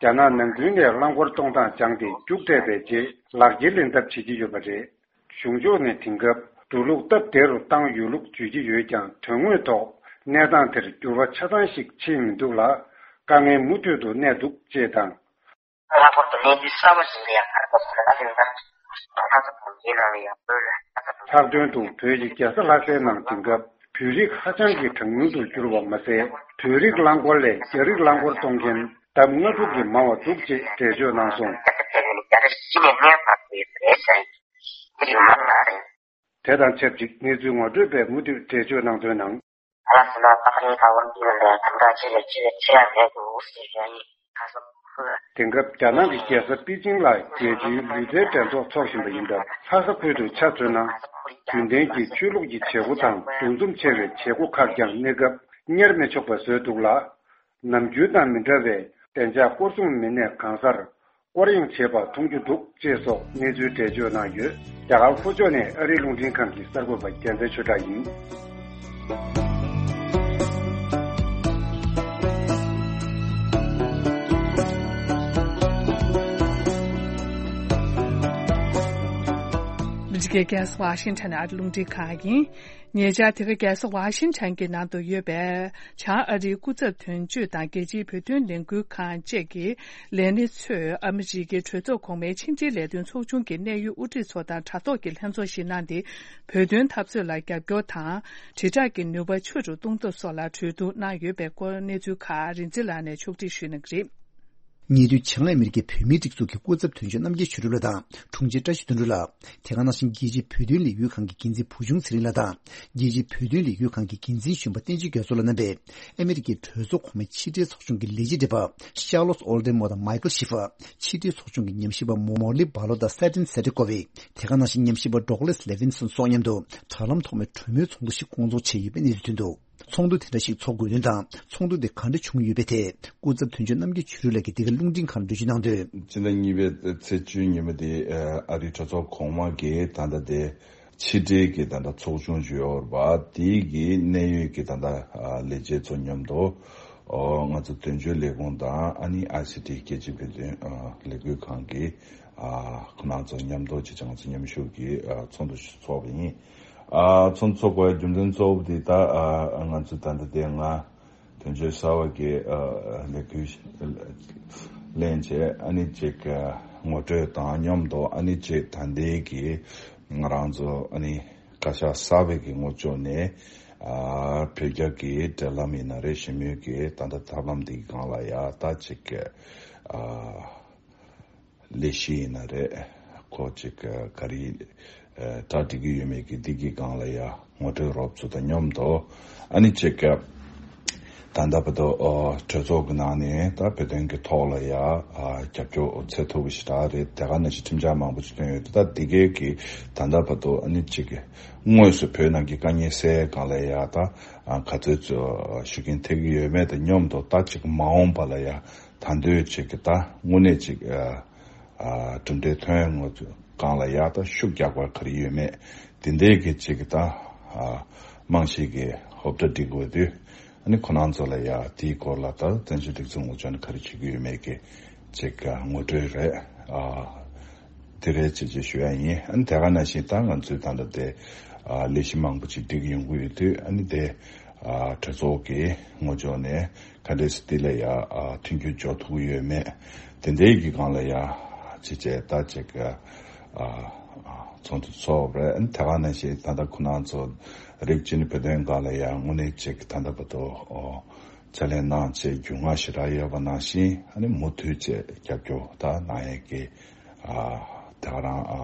རྒྱ་ནག་ནང་ཁུལ་ནས་རླངས་འཁོར་གཏོང་སྟངས་སྦྱངས་ཏེ་རྒྱུགས་སྤྲད་པའི་རྗེས་ལག་འཁྱེར་ལེན་ཐབས་བྱེད་ཀྱི་ཡོད་པ་རེད། གཞུང་ཕྱོགས་ནས་དེང་སྐབས་འགྲོ་ལུགས་སྟབས་བདེ་རུ་བཏང་ཡོད་ལུགས་བརྗོད་ཀྱི་ཡོད་ཀྱང་། དོན་དངོས་ཐོག་གནས་སྟངས་དེར་འགྱུར་བ་ཆ་ཚང་ཞིག་ཕྱིན་མི་འདུག་ལ། དཀའ་ངལ་མུ་མཐུད་དུ་གནས་འདུག་ཅེས་དང་། ལྷག་པར་དུ་གནས་ཚུལ་གསར་པ་ཞིག་ལ་ཡང་ག་རེ་གོ་སོང་ལ་ཨ་ལེ་ན་ཁ་ཚ་གོང་རྒྱལ་ནང་ལ་ཡང་བོད་ལ་ཁ་ཚ་གོང་ལྷག་དོན་དུ་བོད་ཀྱི་རྒྱལ་ས་ལྷ་སའི་ནང་དེང་སྐབས་བོད་རིགས་ཧ་ཅང་གི་གྲངས་ཉུང་དུ་གྱུར་བ་མ་ཟད། བོད་རིགས་རླངས་འཁོར་ལས་རྒྱ་རིགས་རླངས་འཁོར་གཏོང་མཁན་ལྡབ་ལྔ་དྲུག་གིས་མང་བ་འདུག་ཅེས་འགྲེལ་བརྗོད་གནང་སོང་། རྒྱལ་ས་ཕེབས་ནས་རྒྱལ་ས་གཞི་ནས་གནས་སྤར་དགོས་ཡོད་པ་རེད་ཟེར། དེ་རིང་མང་ང་རེད། དེ་དང་ཆབས་ཅིག་གནས་ཚུལ་ངོ་སྤྲོད་པས་མུ་མཐུད་འགྲེལ་བརྗོད་གནང་དོན་ནང་། ཨ་ལ་སི་ན་ཏག་རིང་ཁ་ཝར་འདི་ལ་དམ་དྲག་ཆེ་ལ་ཆེ་ལ་ཆེ་ཡ་མེད་འདུག་ཟེར་ཡ་ཡིན། ཁ་སང་ཁོས། དེང་སྐབས་རྒྱ་ནག་གི་རྒྱལ་ས་པེ་ཅིང་ལ་རྒྱལ་སྤྱིའི་ལུས་རྩལ་འགྲན་ཚོགས་འཚོགས་བཞིན་པ་ཡིན་སྟབས། ལྷ་ས་ཁུལ་དུ་ཆ་མཚོན་ན། རྒྱུན་ལྡན་གྱི་ཆོས་ལུགས་ཀྱི་བྱེད་སྒོ་དང་འདུ་འཛོམས་ཆེ་བའི་བྱེད་སྒོ་ཁག་ཀྱང་གནས་སྐབས་གཉེར་མི་ཆོག་པ་བཟོས་འདུག་ལ། ནམ་རྒྱུན་དང་མི་འདྲ་བའི་བདེ་འཇགས་སྐོར་སྲུང་མི་སྣས་གང་སར་སྐོར་གཡེང་བྱེད་པ་མཐོང་རྒྱུ་འདུག་ཅེས་སོགས་གནས་ཚུལ་འགྲེལ་བརྗོད་གནང་ཡོད། རྒྱ་གར་ལྷོ་ཕྱོགས་ནས་ཨ་རིའི་རླུང་འཕྲིན་ཁང་གི་གསར་འགོད་པ་རྒྱལ་མཚན་ཆོས་གྲགས་ཡིན། ཨ་མི་རི་ཀའི་རྒྱལ་ས་ཝ་ཤིང་ཊོན་ནས་ཨ་རིའི་རླུང་འཕྲིན་ཁང་ཡིན། ཉེ་ཆར་དེ་ག་རྒྱལ་ས་ཝ་ཤིང་ཊོན་གྱི་ནང་དུ་ཡོད་པའི་བྱང་ཨ་རིའི་སྐུ་ཚབ་དོན་གཅོད་དང་རྒྱལ་སྤྱིའི་བོད་དོན་ལས་འགུལ་ཁང་བཅས་ཀྱི་ལས་སྣེ་ཚོས་ཨ་མི་རི་ཀའི་གྲོས་ཚོགས་གོང་མའི་ཕྱི་འབྲེལ་ལས་དོན་ཚོགས་ཆུང་གི་གནད་ཡོད་དབུ་ཁྲིད་ཚོ་དང་དྲ་ཐོག་གི་ལྷན་ཚོགས་ཤིག་གནང་སྟེ། བོད་དོན་འཐབ་རྩོད་ལ་རྒྱབ་སྐྱོར་དང་། དྲིལ་བསྒྲགས་ཀྱི་ནུས་པ་ཆེ་རུ་གཏོང་ཐབས་སོགས་ལ་གྲོས་བསྡུར་གནང་ཡོད་པའི་སྐོར་གནས་ཚུལ་ཁག་རིག་འཛིན་ལགས་ནས་ཕྱོགས་སྒྲིག་ཞུས་གནང་གི་རེད། ཉེ་དུས་བྱང་ཨ་མི་རི་ཀའི་བོད་མིའི་སྒྲིག་འཛུགས་ཀྱི་སྐུ་ཚབ་དོན་གཅོད་རྣམ་རྒྱལ་ཆོས་གྲུབ་ལགས་དང་དྲུང་ཆེ་བཀྲ་ཤིས་དོན་གྲུབ་ལགས། དེ་ག་ནང་བཞིན་རྒྱལ་སྤྱིའི་བོད་དོན་ལས་འགུལ་ཁང་གི་འགན་འཛིན་བུ་ཆུང་ཚེ་རིང་ལགས་དང་། རྒྱལ་སྤྱིའི་བོད་དོན་ལས་འགུལ་ཁང་གི་འགན་འཛིན་གཞོན་པ་བསྟན་ཆོས་རྒྱ་མཚོ་ལགས་རྣམ་པས་ཨ་མི་རི་ཀའི་གྲོས་ཚོགས་གོང་མའི་ཕྱི་འབྲེལ་ཚོགས་ཆུང་གི་ལས་བྱེད་བགྲེས་པ་ཤར་ལོ་ཨོལ་ཌེན་མོ་དང་མའི་ཀལ་ཤི་ཧྥར། ཕྱི་འབྲེལ་ཚོགས་ཆུང་གི་ཉམས་ཞིབ་པ་མོ་མོ་ལི་བྷ་ལོ་དང་སེ་ཏིན་སེ་ཏི་ཀོ་ཝི། དེ་ག་ནང་བཞིན་ཉམས་ཞིབ་པ་ཌོག་ལེ་སི་ལེ་ཝིན་སོན་སོགས་མཉམ་དུ་དྲ་ལམ་ཐོག་མའི་གྲོས་མོལ་ཚོགས་འདུ་ཞིག་སྐོང་ཚོགས་བྱས་ཡོད་པའི་གནས་ཚུལ་ཐོན་འདུག་ཚོགས་འདུ་དེ་འདྲ་ཞིག་ཚོགས་དགོས་དོན་དང་ཚོགས་འདུ་དེ་ག་འདྲ་བྱུང་ཡོད་པའི་ཐད་སྐུ་ཚབ་དོན་གཅོད་རྣམ་རྒྱལ་ཆོས་གྲུབ་ལགས་ཀྱིས་འདི་ག་རླུང་འཕྲིན་ཁང་ལ་འགྲེལ་བརྗོད་གནང་དོན། སྤྱི་ཟླ་གཉིས་པའི་ཚེས་བཅུའི་ཉིན་མོ་དེ་ཨ་རིའི་གྲོས་ཚོགས་གོང་མ་གི་ད་ལྟ་དེ་ཕྱི་འབྲེལ་གྱི་ད་ལྟ་ཚོགས་ཆུང་ཞིག་ཡོད་རེད་པ། དེ་གི་གནད་ཡོད་ཀྱི་ད་ལྟ་ལས་བྱེད་ཚོ་མཉམ་དུ་ ཨོ། ང་ཚོ་དོན་གཅོད་ལས་ཁུངས་དང་ཨ་ནི་ཨའི་སི་ཊི་རྒྱལ་སྤྱིའི་བོད་དོན་ཨ་ལས་འགུལ་ཁང་གི་ཨ་ཁོང་རྣམ་ཚོ་མཉམ་དུ་ཅིག་ང་ཚོ་མཉམ་ཞུགས་ཀྱིས་ཨ་ཚོགས་འདུ་ཞིག་ཚོགས་པ་ཡིན། ཨ་ཚོགས་འདུ་ཚོགས་པའི་རྒྱུ་མཚན་གཙོ་བོ་དེ་ད་ཨ་ང་ཚོ་ད་ལྟ་དེ་སྔ་དོན་གཅོད་གསར་པ་གི་ཨ་ལས་འགུལ་ལེན་བྱས། ཨ་ནི་ཅིག་ཨ་ངོ་སྤྲོད་དང་མཉམ་དུ་ཨ་ནི་ཅིག་ད་ལྟའི་གི་ང་རང་ཚོ་ཨ་ནི་བཀའ་ཤག་གསར་པའི་གི་ངོས་ཕྱོགས་ནས་ཨ་བོད་རྒྱ་གི་འབྲེལ་ལམ་ཡིན་ན་རེད། ཞི་མོལ་གི་ད་ལྟ་ཐབས་ལམ་འདི་སྒང་ལ་ཡ་ད་ཅིག་ཨ་ལས་གཞི་ཡིན་ན་རེད། ཁོ་ཅིག་ག་རེ་ཨ་གྲ་སྒྲིག་གི་ཡོད་མེད་ཀྱི་འདི་གི་སྒང་ལ་ཡ་ངོ་སྤྲོད་རོབ་ཙམ་དང་མཉམ་དུ་ཨ་ནི་ཅིག་ད་ལྟ་བར་དུ་ཨ་གྲོས་ཚོགས་ཀྱི་ནང་ནས་ད་བོད་དོན་གྱི་ཐོག་ལ་ཡ་ཨ་རྒྱབ་སྐྱོར་འོ་ཚད་མཐོ་པོ་ཞེ་དྲག་རེད། དེ་ག་ནང་བཞིན་ཁྲིམས་འཆར་མང་པོ་ཞིག་བཏོན་ཡོད་དེ། ད་འདི་གའི་གི་ད་ལྟ་བར་དུ་ཨ་ནི་ཅིག་དངོས་སུ་བོད་ནང་གི་དཀའ་ངལ་སེལ་སྒང་ལ་ཡ་ད་ཨ་ག་ཚོད་ཚོད་ཤུགས་རྐྱེན་ཐེབས་ཀྱི་ཡོད་མེད་དང་མཉམ་དུ་ད་ཅིག་མ་འོངས་པ་ལ་ཡ་ད་འདོད་ཅིག་གི་ད་དངོས་གནས་ཅིག་ཨ་ཨ་གྲུབ་འབྲས་ཐོན་ཡོང་སྒང་ལ་ཡ་ད་ཤུགས་རྒྱག་པ་ག་རེ་ཡོད་མེད་དེ་འདྲའི་གི་ཅིག་གི་ད་ཨ་རྨང་གཞི་གི་ཧོབ་སྒྲ་སྒྲིག་དགོས་དུས། ཨ་ནི་ཁོ་རང་ཚོ་ལ་ཡ་དེའི་སྐོར་ལ་ད་བཙན་བྱོལ་སྒྲིག་འཛུགས་ངོས་ཕྱོགས་ནས་ག་རེ་བྱེད་ཀྱི་ཡོད་མེད་ཀྱི་ཅིག་ངོ་སྤྲོད་རེད། ཨ་དེ་རེད་ཅེས་ཅེས་ཞུ་ཡ་ཡིན། ཨ་ནི་དེ་ག་ནང་བཞིན་ད་ང་ཚོས་ད་ལྟ་དེ་ཨ་ལས་གཞི་མང་པོ་ཅིག་སྒྲིག་ཡོང་གི་ཡོད་དུས། ཨ་ནི་དེ་ཨ་གྲོས་ཚོགས་ཀྱི་ངོས་ཕྱོགས་ནས་ག་འདྲས་སེ་དེ་ལ་ཡ་ཨ་མཐུན་འགྱུར་འཇོག་ཐུབ་ཀྱི་ཡོད་མེད་དེ་འདྲའི་གི་སྒང་ལ་ཡ་ཅེས་ཅེས་ད་ཅིག་ཨ་ཚོགས་འདུ་ཚོགས་རེད། ཨ་ནི་དེ་ག་ནང་བཞིན་ད་ལྟ་ཁོ་རང་ཚོ་རིགས་གཅིག་ནི་བོད་དོན་སྒང་ལ་ཡ་དངོས་གནས་ཅིག་ད་ལྟ་བར་དུ་ཨོ་ཕྱག་ལས་གནང་བྱས་རྒྱུས་མངའ་ཞེ་དྲག་ཡོད་པ་ནང་བཞིན། ཨ་ནི་མུ་མཐུད་བྱས་རྒྱབ་སྐྱོར་ད་གནང་ཡས་ཀྱི་ཨ་དེ་ག་རང་ཨ་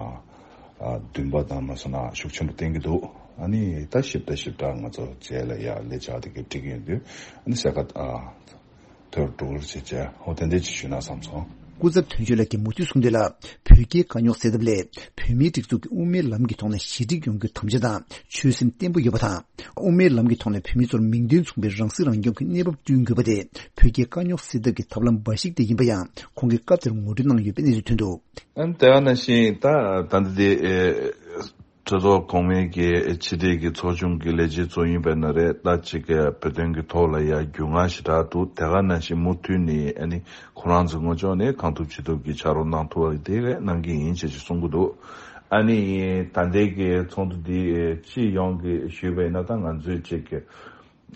ཨ་འདུན་པ་དང་མ་སོང་ན་ཤུགས་ཆེན་པོ་བསྟན་གྱི་འདུག་ཨ་ནི་ད་ཞིབ་ཕྲ་ཞིབ་ཕྲ་ང་ཚོ་རྗེས་ལ་ཡ་ལས་འཆར་དེ་གའི་སྒྲིག་གི་ཡོད་དུས། ཨ་ནི་གསལ་ཁ་ཨ་ཐོར་འགྲོ་གི་རེད་ཅེས་བྱས། ཨོ་དེ་འདྲས་ཅིག་ཞུས་ན་བསམ་སོང་། སྐུ་ཚབ་དོན་གཅོད་ལགས་ཀྱིས་མུ་མཐུད་གསུངས་དོན་ལ། བོད་རྒྱའི་དཀའ་རྙོག་སེལ་ཐབས་སླད་བོད་མིའི་སྒྲིག་འཛུགས་ཀྱི་དབུ་མའི་ལམ་གྱི་ཐོག་ནས་ཞི་འགྲིག་ཡོང་རྒྱུའི་དམ་བཅའ་དང་ཆོད་སེམས་བརྟན་པོ་ཡོད་པ་དང་། དབུ་མའི་ལམ་གྱི་ཐོག་ནས་བོད་མི་ཚོར་མིང་དོན་མཚུངས་པའི་རང་སྲིད་རང་སྐྱོང་གི་གནས་བབ་བསྐྲུན་དགོས་པ་དེ་བོད་རྒྱའི་དཀའ་རྙོག་སེལ་ཐབས་ཀྱི་ཐབས་ལམ་འབའ་ཞིག་དེ་ཡིན་པ་ཡང་ཁོང་གིས་སྐབས་དེར་ངོ་སྤྲོད་གནང་ཡོད་པའི་གནས་ཚུལ་ཐོན་འདུག་ཨ་ནི་དེ་ག་ནང་བཞིན་ད་ད་ལྟ་དེ་ཨེ་གྲོས་ཚོགས་གོང་མའི་གི་ཕྱི་དྲིལ་གྱི་ཚོགས་ཆུང་གི་ལས་བྱེད་ཚོ་ཡིན་པ་ན་རེད། ད་ཅིག་བོད་དོན་གྱི་ཐོག་ལ་ཡ་རྒྱུས་མངའ་ཞེ་དྲག་འདུག་དེ་ག་ནང་བཞིན་མུ་མཐུད་ནས་ཨ་ནི་ཁོ་རང་ཚོའི་ངོས་ཕྱོགས་ནས་གང་ཐུབ་ཅི་ཐུབ་ཀྱི་ཕྱག་རོགས་གནང་ཐུབ་པ་དེ་གས་གནང་གི་ཡིན་ཅེས་ཅིག་གསུང་གི་འདུག་ཨ་ནི་ད་ལྟའི་གི་ཚོགས་འདུ་འདི་སྤྱི་ཡོངས་ཀྱི་ཞུས་པ་ཡིན་ན། ད་ང་ཚོས་ཅིག་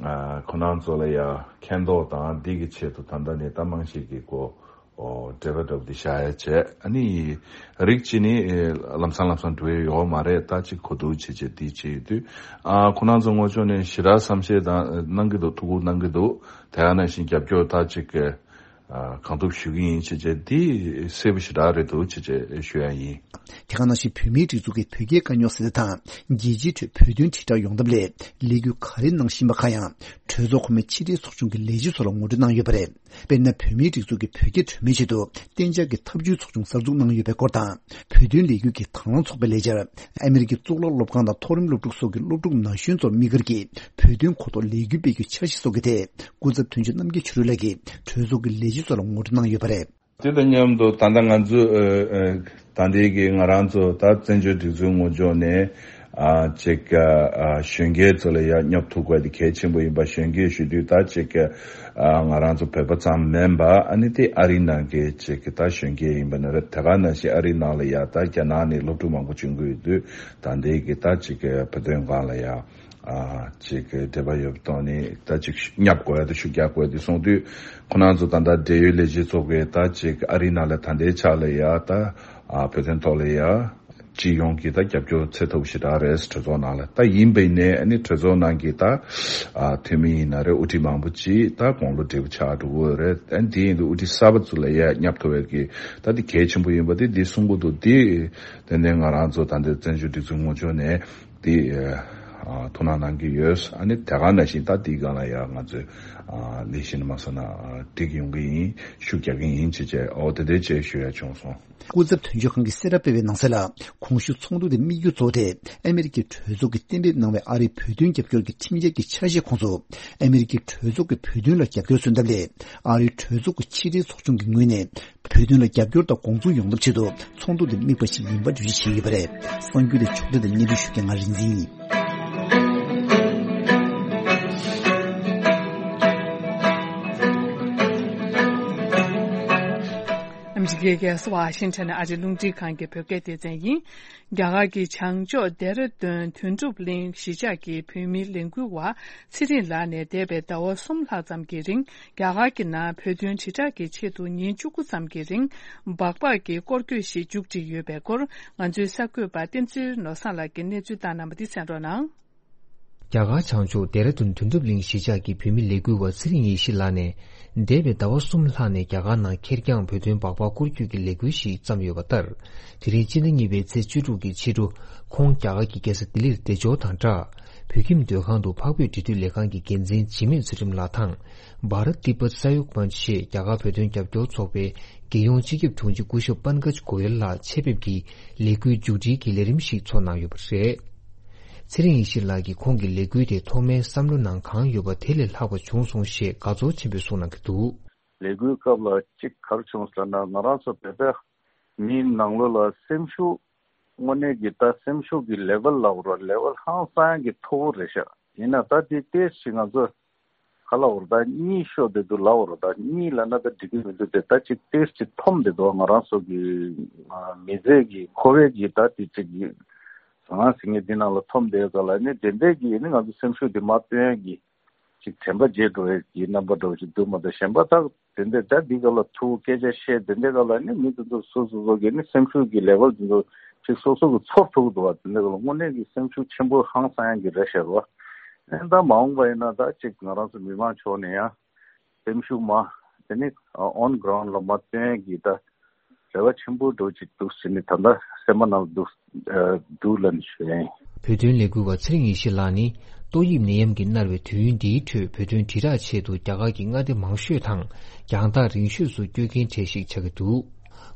ཨ་ཁོ་རང་ཚོ་ལ་ཡ་མཁྱེན་རྟོགས་དང་འདི་གི་ཆེད་དུ་ད་ལྟ་ནས་ད་རྨང་གཞི་གི་སྒོ་ཨོ་འབྲེལ་བ་འདྲ་པོ་འདི་བཞག་ཡ་བྱས། ཨ་ནི་རིགས་གཅིག་ནི་ཨེ་ལམ་སང་ལམ་སང་འགྲོ་ཡ་ཡོད་མ་རེད། ད་ཅིག་གོ་བསྡུར་བྱེད་བྱེད་འདི་བྱེད་ཡོད་དུས། ཨ་ཁོ་རང་ཚོ་ངོས་ཕྱོགས་ནས་ཞེ་དྲག་བསམ་ཤེས་དང་གནང་གི་འདུག་ཐུགས་ཁུར་གནང་གི་འདུག་དེ་ག་ནང་བཞིན་རྒྱབ་སྐྱོར་ད་ཅིག་ཨ་གང་ཐུབ་ཞུ་གི་ཡིན་བྱེད་བྱེད་འདི་གསལ་པོ་ཞེ་དྲག་རེད་འདུག་བྱེད་བྱེད་ཞུ་ཡ་ཡིན། དེ་ག་ནང་བཞིན་བོད་མིའི་སྒྲིག་འཛུགས་ཀྱིས་བོད་རྒྱའི་དཀའ་རྙོག་སེལ་ཐབས་དང་རྒྱལ་སྤྱིའི་ཁྲོད་བོད་དོན་དྲིལ་བསྒྲགས་ཡོང་ཐབས་སླད་ལས་འགུལ་ག་རེ་གནང་བཞིན་པ་ཁག་ཡང་གྲོས་ཚོགས་གོང་མའི་ཕྱི་དྲིལ་ཚོགས་ཆུང་གི་ལས་བྱེད་ཚོ་ལ་ངོ་སྤྲོད་གནང་ཡོད་པ་རེད། དཔེར་ན། བོད་མིའི་སྒྲིག་འཛུགས་ཀྱིས་བོད་རྒྱ་གྲོས་མོལ་ཆེད་དུ་གཏན་འཇགས་ཀྱི་ཐབས་བྱུས་ཚོགས་ཆུང་གསར་འཛུགས་གནང་ཡོད་པའི་སྐོར་དང་། བོད་དོན་ལས་འགུལ་གྱི་དང་བླངས་ཚོགས་པའི་ལས་འཆར། ཨ་མི་རི་ཀའི་གཙུག་ལག་སློབ་ཁང་དང་མཐོ་རིམ་སློབ་ཕྲུག་སོགས་ཀྱི་སློབ་ཕྲུག་ན་གཞོན་ཚོར་དམིགས་བཀར་གྱིས་བོད་དོན་གོ་རྟོགས་ལས་འགུལ་སྤེལ་རྒྱུའི་འཆར་གཞི་སོགས་ཀྱི་ཐད། སྐུ་ཚབ་དོན་གཅོད་རྣམ་རྒྱལ་ཆོས་སྒྲོན་ལགས་ཀྱིས་གྲོས་ཚོགས་ཀྱི་ལས་བྱེད་ཚོ་ལ་ངོ་སྤྲོད་གནང་ཡོད་པ་རེད། དེ་དང་མཉམ་དུ་ད་ལྟ་ང་ཚོ་ཨ་ཨ་ད་ལྟའི་གི་ང་རང་ཚོ་ད་བཙན་བྱོལ་སྒྲིག་འཛུགས་ངོས་ཕྱོགས་ནས་ཨ་ཅིག་ཨ་གཞོན་སྐྱེས་ཚོ་ལ་ཡ་སྙོབ་ཐུབ་དགོས་དེ་གལ་ཆེན་པོ་ཡིན་པ། གཞོན་སྐྱེས་ཞུ་དུས་ད་ཅིག་ཨ་ང་རང་ཚོ་བོད་པ་ཙམ་མིན་པ། ཨ་ནི་དེ་ཨ་རི་ནང་གི་ཅིག་ད་གཞོན་སྐྱེས་ཡིན་པ་ན་རེད། དེ་ག་ནང་བཞིན་ཨ་རི་ནང་ལ་ཡ་ད་རྒྱ་ནག་ནས་སློབ་ཕྲུག་མང་པོ་བྱོན་གྱི་ཡོད་དུས། ད་ལྟའི་གི་ད་ཅིག་བོད་དོན་སྒང་ལ་ཡ། ཨ་ཅིག་འབྲེལ་བ་ཡོད་པ་དང་ནི་ད་ཅིག་བསྙབ་དགོས་ཡ་དང་ཤུགས་རྒྱག་དགོས་ཡ་དེ་གསུངས་དུས། ཁོ་རང་ཚོ་ད་ལྟ་འབྲེལ་ཡོད་ལས་བྱེད་ཚོ་གིས་ད་ཅིག་ཨ་རི་ནང་ལ་ད་ལྟའི་ཆ་ལ་ཡ་ད་ཨ་བོད་དོན་ཐོག་ལ་ཡ་སྤྱི་ཡོངས་ཀྱི་ད་རྒྱབ་སྐྱོར་ཚད་མཐོ་པོ་ཞེ་དྲག་རེད། གྲོས་ཚོགས་ནང་ལ་ད་ཡིན་པ་ཡིན་ནའི་ཨ་ནི་གྲོས་ཚོགས་ནང་གི་ད་ཨ་འཐུས་མི་ཡིན་ན་རེད། དབུ་ཁྲིད་མང་པོ་ཅིག་ད་དགུང་ལོ་བགྲེས་པོ་ཆགས་འགྲོ་གི་རེད། ཨ་ནི་དེ་ཡིན་དུས་དབུ་ཁྲིད་གསར་པ་ཚོ་ལ་ཡ་བསྙབ་ཐུབ་ཡ་གི་ད་དེ་གལ་ཆེན་པོ་ཡིན་པ་དེ་དེ་གསུང་གི་འདུག་དེ་དེ་ནས་ང་རང་ཚོ་ད་ལྟའི་བཙན་བྱོལ་སྒྲིག་འཛུགས་ངོས་ཕྱོགས་ནས། དེ་ཨ་ཐུགས་སྣང་གནང་གི་ཡོད། ཨ་ནི་དེ་ག་ནང་བཞིན་ད་དེའི་སྒང་ལ་ཡ་ང་ཚོས་ཨ་ལས་གཞི་ནས་མ་སོང་ན་ཨ་འགྲིག་ཡོང་གི་ཡིན། ཤུགས་རྒྱག་གི་ཡིན་ཅེས་བྱས། ཨོ་དེ་འདྲའི་བྱས་ཞུ་ཡ་བྱུང་སོང་། སྐུ་ཚབ་དོན་གཅོད་ཁང་གིས་གསལ་བསྒྲགས་སྤེལ་བའི་ནང་གསལ་ལ། གོང་ཞུས་ཚོགས་འདུ་དེ་དམིགས་ཡུལ་གཙོ་བོ་དེ་ཨ་མི་རི་ཀའི་གྲོས་ཚོགས་ཀྱིས་གཏན་འབེབས་གནང་བའི་ཨ་རིའི་བོད་དོན་རྒྱབ་སྐྱོར་གྱི་ཁྲིམས་འཆར་གྱི་འཆར་གཞིའི་ཁོངས་སུ། ཨ་མི་རི་ཀའི་གྲོས་ཚོགས་ཀྱིས་བོད་དོན་ལ་རྒྱབ་སྐྱོར་སོན་ཐབས་སླད། ཨ་རིའི་གྲོས་ཚོགས་ཀྱི་ཕྱི་དྲིལ་ཚོགས་ཆུང་གི་ངོས་ནས། བོད་དོན་ལ་རྒྱབ་སྐྱོར་དང་དགོངས་ཚུལ་ཡོང་ཐབས་ཆེད་དུ་ཚོགས་འདུ་འདི་དམིགས་པ་ཞིག་ཡིན་པ་འགྲེལ་བརྗོད་བྱས་ཡོད་པ་རེད། གསར་འགྱུར་དེ་ཕྱོགས་སྒྲིག་དང་སྙན་སྒྲོན་ཞུ་མཁན་ང་རིག་འཛིན་ཡིན། ཨ་མི་རི་ཀའི་རྒྱལ་ས་ཝ་ཤིང་ཊོན་ཨ་རིའི་རླུང་འཕྲིན་ཁང་གི་བོད་སྐད་སྡེ་ཚན་ཡིན། རྒྱ་གར་གྱི་བྱང་ཕྱོགས་ལྡེ་ར་ལྡུན་དོན་གྲུབ་གླིང་གཞིས་ཆགས་ཀྱི་བོད་མིའི་ལས་འགུལ་བ་ཚེ་རིང་ལགས་ནས་འདས་པའི་ཟླ་བ་གསུམ་ལྷག་ཙམ་གྱི་རིང་རྒྱ་གར་གྱི་ནང་བོད་དོན་དྲིལ་བསྒྲགས་ཀྱི་ཆེད་དུ་ཉིན་བཅུ་དགུ་ཙམ་གྱི་རིང་སྦག་སྦག་གི་སྐོར་སྐྱོད་ཞིག་མཇུག་བསྒྲིལ་ཡོད་པའི་སྐོར་ང་ཚོའི་གསར་འགོད་པ་བསྟན་འཛིན་ནོར་བཟང་ལགས་ཀྱིས་གནས་ཚུལ་བཏང་གནང་བ་འདི་གསན་རོགས་གནང་། རྒྱ་གར་བྱང་ཕྱོགས་ལྡེ་ར་ལྡུན་དོན་གྲུབ་གླིང་གཞིས་ཆགས་ཀྱི་བོད་མི་ལས་འགུལ་བ་ཚེ་རིང་ཡེ་ཤེས་ལགས་ནས། འདས་པའི་ཟླ་བ་གསུམ་ལྷག་ནས་རྒྱ་གར་ནང་ཁེར་རྐྱང་བོད་དོན་སྦག་སྦག་སྐོར་སྐྱོད་ཀྱི་ལས་འགུལ་ཞིག་བརྩམས་ཡོད་པ་ལྟར། དེ་རིང་སྤྱི་ཟླ་གཉིས་པའི་ཚེས་བཅུ་དྲུག་གི་ཕྱི་དྲོ། ཁོང་རྒྱ་གར་གྱི་རྒྱལ་ས་ལྡི་ལིར་བདེ་འབྱོར་དང་སྦྲགས། བོད་ཁྱིམ་སྡོད་ཁང་དུ་འཕགས་བོད་འབྲེལ་མཐུད་ལས་ཁང་གི་འགན་འཛིན་འཇིགས་མེད་ཚུལ་ཁྲིམས་ལགས་དང་། བྷ་ར་ཏི་པ་ས་ཡོག་མན་ཅེས་རྒྱ་གར་བོད་དོན་རྒྱབ་སྐྱོར་ཚོགས་པའི་རྒྱལ་ཡོངས་སྤྱི་ཁྱབ་དྲུང་ཆེ་སྐུ་ཞབས་པན་ཀཇ་གོ་ཡལ་ལགས་ཆེད་ཕེབས་ཀྱིས་ལས་འགུལ་མཇུག་སྒྲིལ་གྱི་ལས་རིམ་ཞིག་ཚོགས་གནང་ཡོད་པ་རེད། ཚེ་རིང་ཡེ་ཤེས་ལགས་ཀྱིས་ཁོང་གི་ལས་འགུལ་དེ་ཐོག་མའི་བསམ་བློ་ནང་གང་ཡོད་པ་དེ་ལས་ལྷག་པ་བྱུང་སོང་ཞེས་དགའ་ཚོར་ཆེན་པོས་གསུངས་གནང་གི་འདུག། ལས་འགུལ་སྐབས་ལ་གཅིག་ག་རེ་བྱུང་ཟེར་ན་ང་རང་ཚོ་བོད་པའི་མིའི་ནང་ལོགས་ལ་སེམས་ཤུགས་དངོས་གནས་ཀྱི་ད་སེམས་ཤུགས་ཀྱི་ལེ་ཝལ་ལབ་དགོས་རེད། ལེ་ཝལ་ཧང་སང་ཡག་གི་མཐོ་བོ་རེད་ཤག། ཡིན་ན་ད་དེ་ཏོག་ཙམ་ང་ཚོ་ག་ལབ་དགོས་རེད། ད་གཉིད་ཤོར་བསྡད་འདུག་ལབ་དགོས་རེད། ད་གཉིད་ལབ་ན་ད་འགྲིག་གི་མི་འདུག་སྟེ། ད་ཅིག་ཏོག་ཙམ་ཅིག་འཐོམ་བསྡད་འདུག། ང་རང་ཚོ་གི་མི་ཚེ་གི་འཁོར་བའི་གི་ད་དེ་ཅིག་གི་ཟང་ངེ་ཟིང་ངེ་འདི་ནང་ལ་འཐོམ་བསྡད་ག་ལ་ནི་དེ་འདྲའི་གི་ནི་ང་ཚོ་སེམས་ཤུགས་དེ་མར་བཏོན་ཡག་གི་ཅིག་དྲན་པ་བརྗེད་འགྲོ་བའི་གི་རྣམ་པ་འདྲ་བོ་ཞིག་འདུག་མ་གཏོགས། གཞན་པ་ད་དེ་འདྲའི་ད་འདི་ག་ལ་ཐུག་སྐད་ཆ་བཤད་དེ་འདྲའི་ག་ལ་ནི་མི་དེ་ཚོ་སོ་སོ་སོ་གི་ནི་སེམས་ཤུགས་ཀྱི་ལེ་ཝལ་དེ་ཚོ་ཅིག་སོ་སོ་གི་ཚོར་ཐུབ་འདུག་བ། དེ་འདྲའི་ག་ལ་དངོས་གནས་ཀྱི་སེམས་ཤུགས་ཆེན་པོ་ཧང་སང་ཡག་གི་རེད་ཤག་བ། ཨེ་ད་མ་འོངས་པ་ཡིན་ན་ད་ཅིག་ང་རང་ཚོ་མི་མང་ཕྱོགས་ནས་ཡང་སེམས་ཤུགས་མ་དེ་ནི་ཨོན་གྷི་རའུན་ཌ་ལ་མ་བཏོན་གི་ད་རེ་བ་ཆེན་པོ་འདྲ་བོ་ཅིག་འདུག་ཟེར་ནས་ད་ལྟ་སེམས་པ་ནང་ལ་འདུག་འདུག་ལབ་ནས་ཞུ་ཡ་ཡིན། བོད་དོན་ལས་འགུལ་བ་ཚེ་རིང་ཡེ་ཤེས་ལགས་ནི་ཏོག་དབྱིབས་ནད་ཡམས་ཀྱིས་མནར་བའི་དུས་ཡུན་འདིའི་ཁྲོད་བོད་དོན་དྲིལ་བསྒྲགས་ཆེད་དུ་རྒྱ་གར་གྱི་མངའ་སྡེ་མང་ཤོས་དང་རྒྱང་ཐག་རིང་ཤོས་སུ་བསྐྱོད་མཁན་གྲས་ཤིག་ཆགས་ཀྱི་འདུག།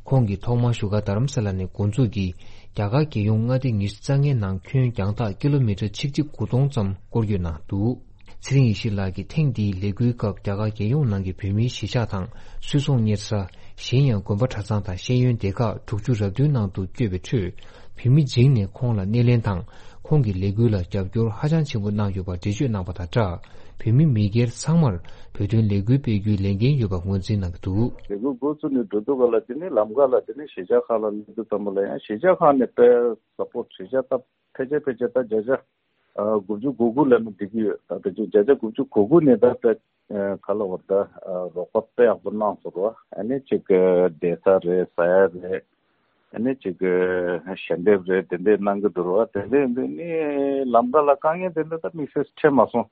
ཁོང་གིས་ཐོག་མར་བཞུགས་སྒར་རྡ་རམ་ས་ལ་ནས་འགོ་འཛུགས་ཀྱིས་རྒྱ་གར་རྒྱལ་ཡོངས་མངའ་སྡེ་ཉི་ཤུ་རྩ་ལྔའི་ནང་ཁྱོན་རྒྱང་ཐག་ཀི་ལོ་མི་ཊར་ཆིག་ཁྲི་དགུ་སྟོང་ཙམ་སྐོར་སྐྱོད་གནང་འདུག། ཚེ་རིང་ཡེ་ཤེས་ལགས་ཀྱིས་ཐེངས་འདིའི་ལས་འགུལ་སྐབས་རྒྱ་གར་རྒྱལ་ཡོངས་ནང་གི་བོད་མིའི་གཞིས་ཆགས་དང་སུད་ཚོང་གཉེར་ས། གཞན་ཡང་དགོན་པ་གྲྭ་ཚང་དང་ཤེས་ཡོན་སྡེ་ཁག་དྲུག་ཅུ་རེ་བདུན་ནང་དུ་བསྐྱོད་པའི་ཁྲོད། བོད་མི་བྱིངས་ནས་ཁོང་ལ་སྣེ་ལེན་དང་། ཁོང་གི་ལས་འགུལ་ལ་རྒྱབ་སྐྱོར་ཧ་ཅང་ཆེན་པོ་གནང་ཡོད་པ་འགྲེལ་བརྗོད་གནང་བ་དང་སྦྲགས། བོད་མི་མི་སྒེར་ཚང་མར་བོད་དོན་ལས་འགུལ་སྤེལ་རྒྱུའི་ལས་འགན་ཡོད་པ་ངོས་འཛིན་གནང་གི་འདུག། ལས་འགུལ་འགོ་བཙུགས་ནས་འགྲོ་དུས་ག་ལ་དེ་ནི་ལམ་ཁ་ལ་དེ་ནི་གཞིས་ཆགས་ཁག་ལ་སླེབས་དུས་ཙམ་པ་ལ་ཡང་གཞིས་ཆགས་ཁག་ནས་དཔེ་ས་པོར་ཊི་གཞིས་ཆགས་ད་ཕལ་ཆེར་ཕལ་ཆེར་ད་བརྒྱ་ཆ་ཨ་དགུ་བཅུ་གོ་དགུ་ལབ་ན་འགྲིག་གི་ཡོད། ད་ཕལ་ཆེར་བརྒྱ་ཆ་དགུ་བཅུ་གོ་དགུ་ནས་ད་དཔེ་ཨ་ག་ལབ་དགོས་རེད། ད་ཨ་རོགས་པ་དཔེ་ཡག་པོ་གནང་སོང་ར། ཨ་ནི་ཅིག་ཨ་བསྡད་ས་རེད། ཟ་ཡ་རེད། ཨ་ནི་ཅིག་ཨ་ཞལ་འདེབས་རེད། དེ་འདྲས་གནང་གི་འདུག་ར། དེ་འདྲས་འདི་ནི་ལམ་ཁ་ལ་དཀའ་ངལ་དེ་འདྲ་ད་དམིགས་བསལ་འཕྲད་མ་སོང་།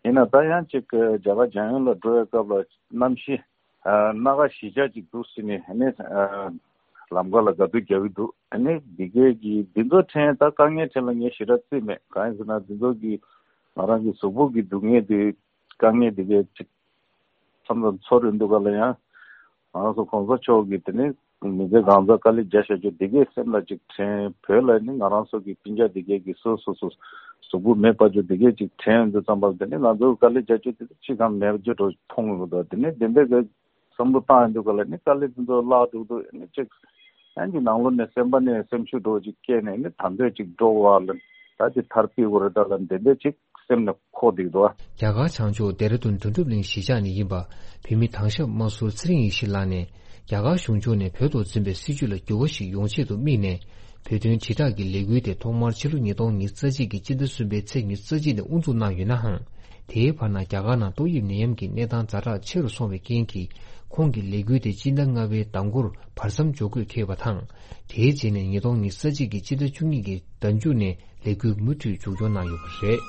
ཡིན་ན་ད་ཡང་ཅིག་ཨ་རྒྱ་གར་རྒྱལ་ཡོངས་ལ་འགྲོ་བའི་སྐབས་ལ་གནམ་གཤིས་ཨ་སྣ་ཁ་གཞིས་ཆགས་ཅིག་འདུག་ཟེར་ནས། ཨ་ནི་ཨ་ལམ་ཁ་ལ་དགའ་སྡུག་རྒྱག་གི་འདུག། ཨ་ནི་འདི་གས་ཀྱི་འདི་ཚོ་ཕྲན་ད་དཀའ་ངལ་ཕྲན་ལ་ངས་ཞེ་དྲག་བརྩི་མེད། གང་ཡིན་ཟེར་ན་འདི་ཚོ་གི་ང་རང་གི་གཟུགས་པོ་གི་སྡུག་བསྔལ་དེ་དཀའ་ངལ་འདི་གས་ཅིག་མཚམས་མཚམས་ཚོར་ཡོང་དུས་ག་ལ་ཡང་ང་རང་ཚོ་གོང་ས་མཆོག་གིས་དེ་ནི་མི་ཚེ་གང་ཚ་དཀའ་ལས་རྒྱག་བཞག་རྒྱུ་འདི་གས་སེམས་ལ་ཅིག་དྲན། བོད་ལ་ནི་ང་རང་ཚོ་གི་སྤུན་ཀྱག་འདི་གས་ཀྱི་སོ་སོ་སོ་གཟུགས་པོ་མེ་སྤར་རྒྱུ་འདི་གས་ཅིག་དྲན་ཡོང་དུས་ཙམ་པ་ལ་དེ་ནི་ང་ཚོ་གི་དཀའ་ལས་རྒྱག་རྒྱུ་དེ་ཅི་གང་མེད་རྒྱུ་འདྲ་མཐོང་ཡོང་གི་འདུག། དེ་ནི་དེ་འདྲ་གི་བསམ་བློ་བཏང་ཡོང་དུས་ག་ལ་ནི་དཀའ་ལས་དེ་ཚོ་བརླག་འགྲོ་དུས་ནི་ཅིག་ཡང་གི་ནང་ལོགས་ནས་སེམས་པ་ནས་སེམས་ཤུགས་འདྲ་བོ་ཅིག་སྐྱེས་ནས་ནི་ད་འདོད་ཅིག་འགྲོ་བ་ལ་ད་ཅིག་ཐར་པའི་འོ་རེ་ད་ལ་འདི་འདྲ་ཅིག་སེམས་ནས་འཁོར་བསྡད་འདུག། རྒྱ་གར་བྱང་ཕྱོགས་ལྡེ་ར་ལྡུན་དོན་གྲུབ་གླིང་གཞིས་ཆགས་ནས་ཡིན་པ་བོད་མི་དྭང་ཞབས་དམར་ཟུར་ཚེ་རིང་ཡེ་ཤེས་ལགས་ནས་རྒྱ་གར་གཞུང་ཕྱོགས་ནས་བོད་ཐོག་འཛིན་པའི་སྲིད་བྱུས་ལ་འགྱུར་བ་ཞིག་ཡོང་ཆེད་དུ་དམིགས་ནས་བོད་དོན་དྲིལ་བསྒྲགས་ཀྱི་ལས་འགུལ་དེ་ཐོག་མར་ཕྱི་ལོ་ཉིས་སྟོང་ཉི་ཤུ་རྩ་གཅིག་གི་སྤྱི་ཟླ་གསུམ་པའི་ཚེས་ཉི་ཤུ་རྩ་གཅིག་ནས་དབུ་འཛུགས་གནང་ཡོད་ནའང་། དེའི་བར་ན་རྒྱ་གར་ནང་ཏོག་དབྱིབས་ནད་ཡམས་ཀྱི་གནས་སྟངས་ཛ་དྲག་ཆེ་རུ་སོང་བའི་རྐྱེན་གྱིས་ཁོང་གི་ལས་འགུལ་དེ་སྤྱི་ཟླ་ལྔ་པའི་ཟླ་འགོར་བར་མཚམས་འཇོག་དགོས་འཁེལ་བ་དང་། དེའི་རྗེས་ནས་ཉིས་སྟོང་ཉི་ཤུ་རྩ་གཅིག་གི་སྤྱི་ཟླ་བཅུ་གཉིས་ཀྱི་ཟླ་མཇུག་ནས་ལས་འགུལ་མུ་མཐུད་མཇུག་སྐྱོང་གནང་ཡོད་པ་རེད།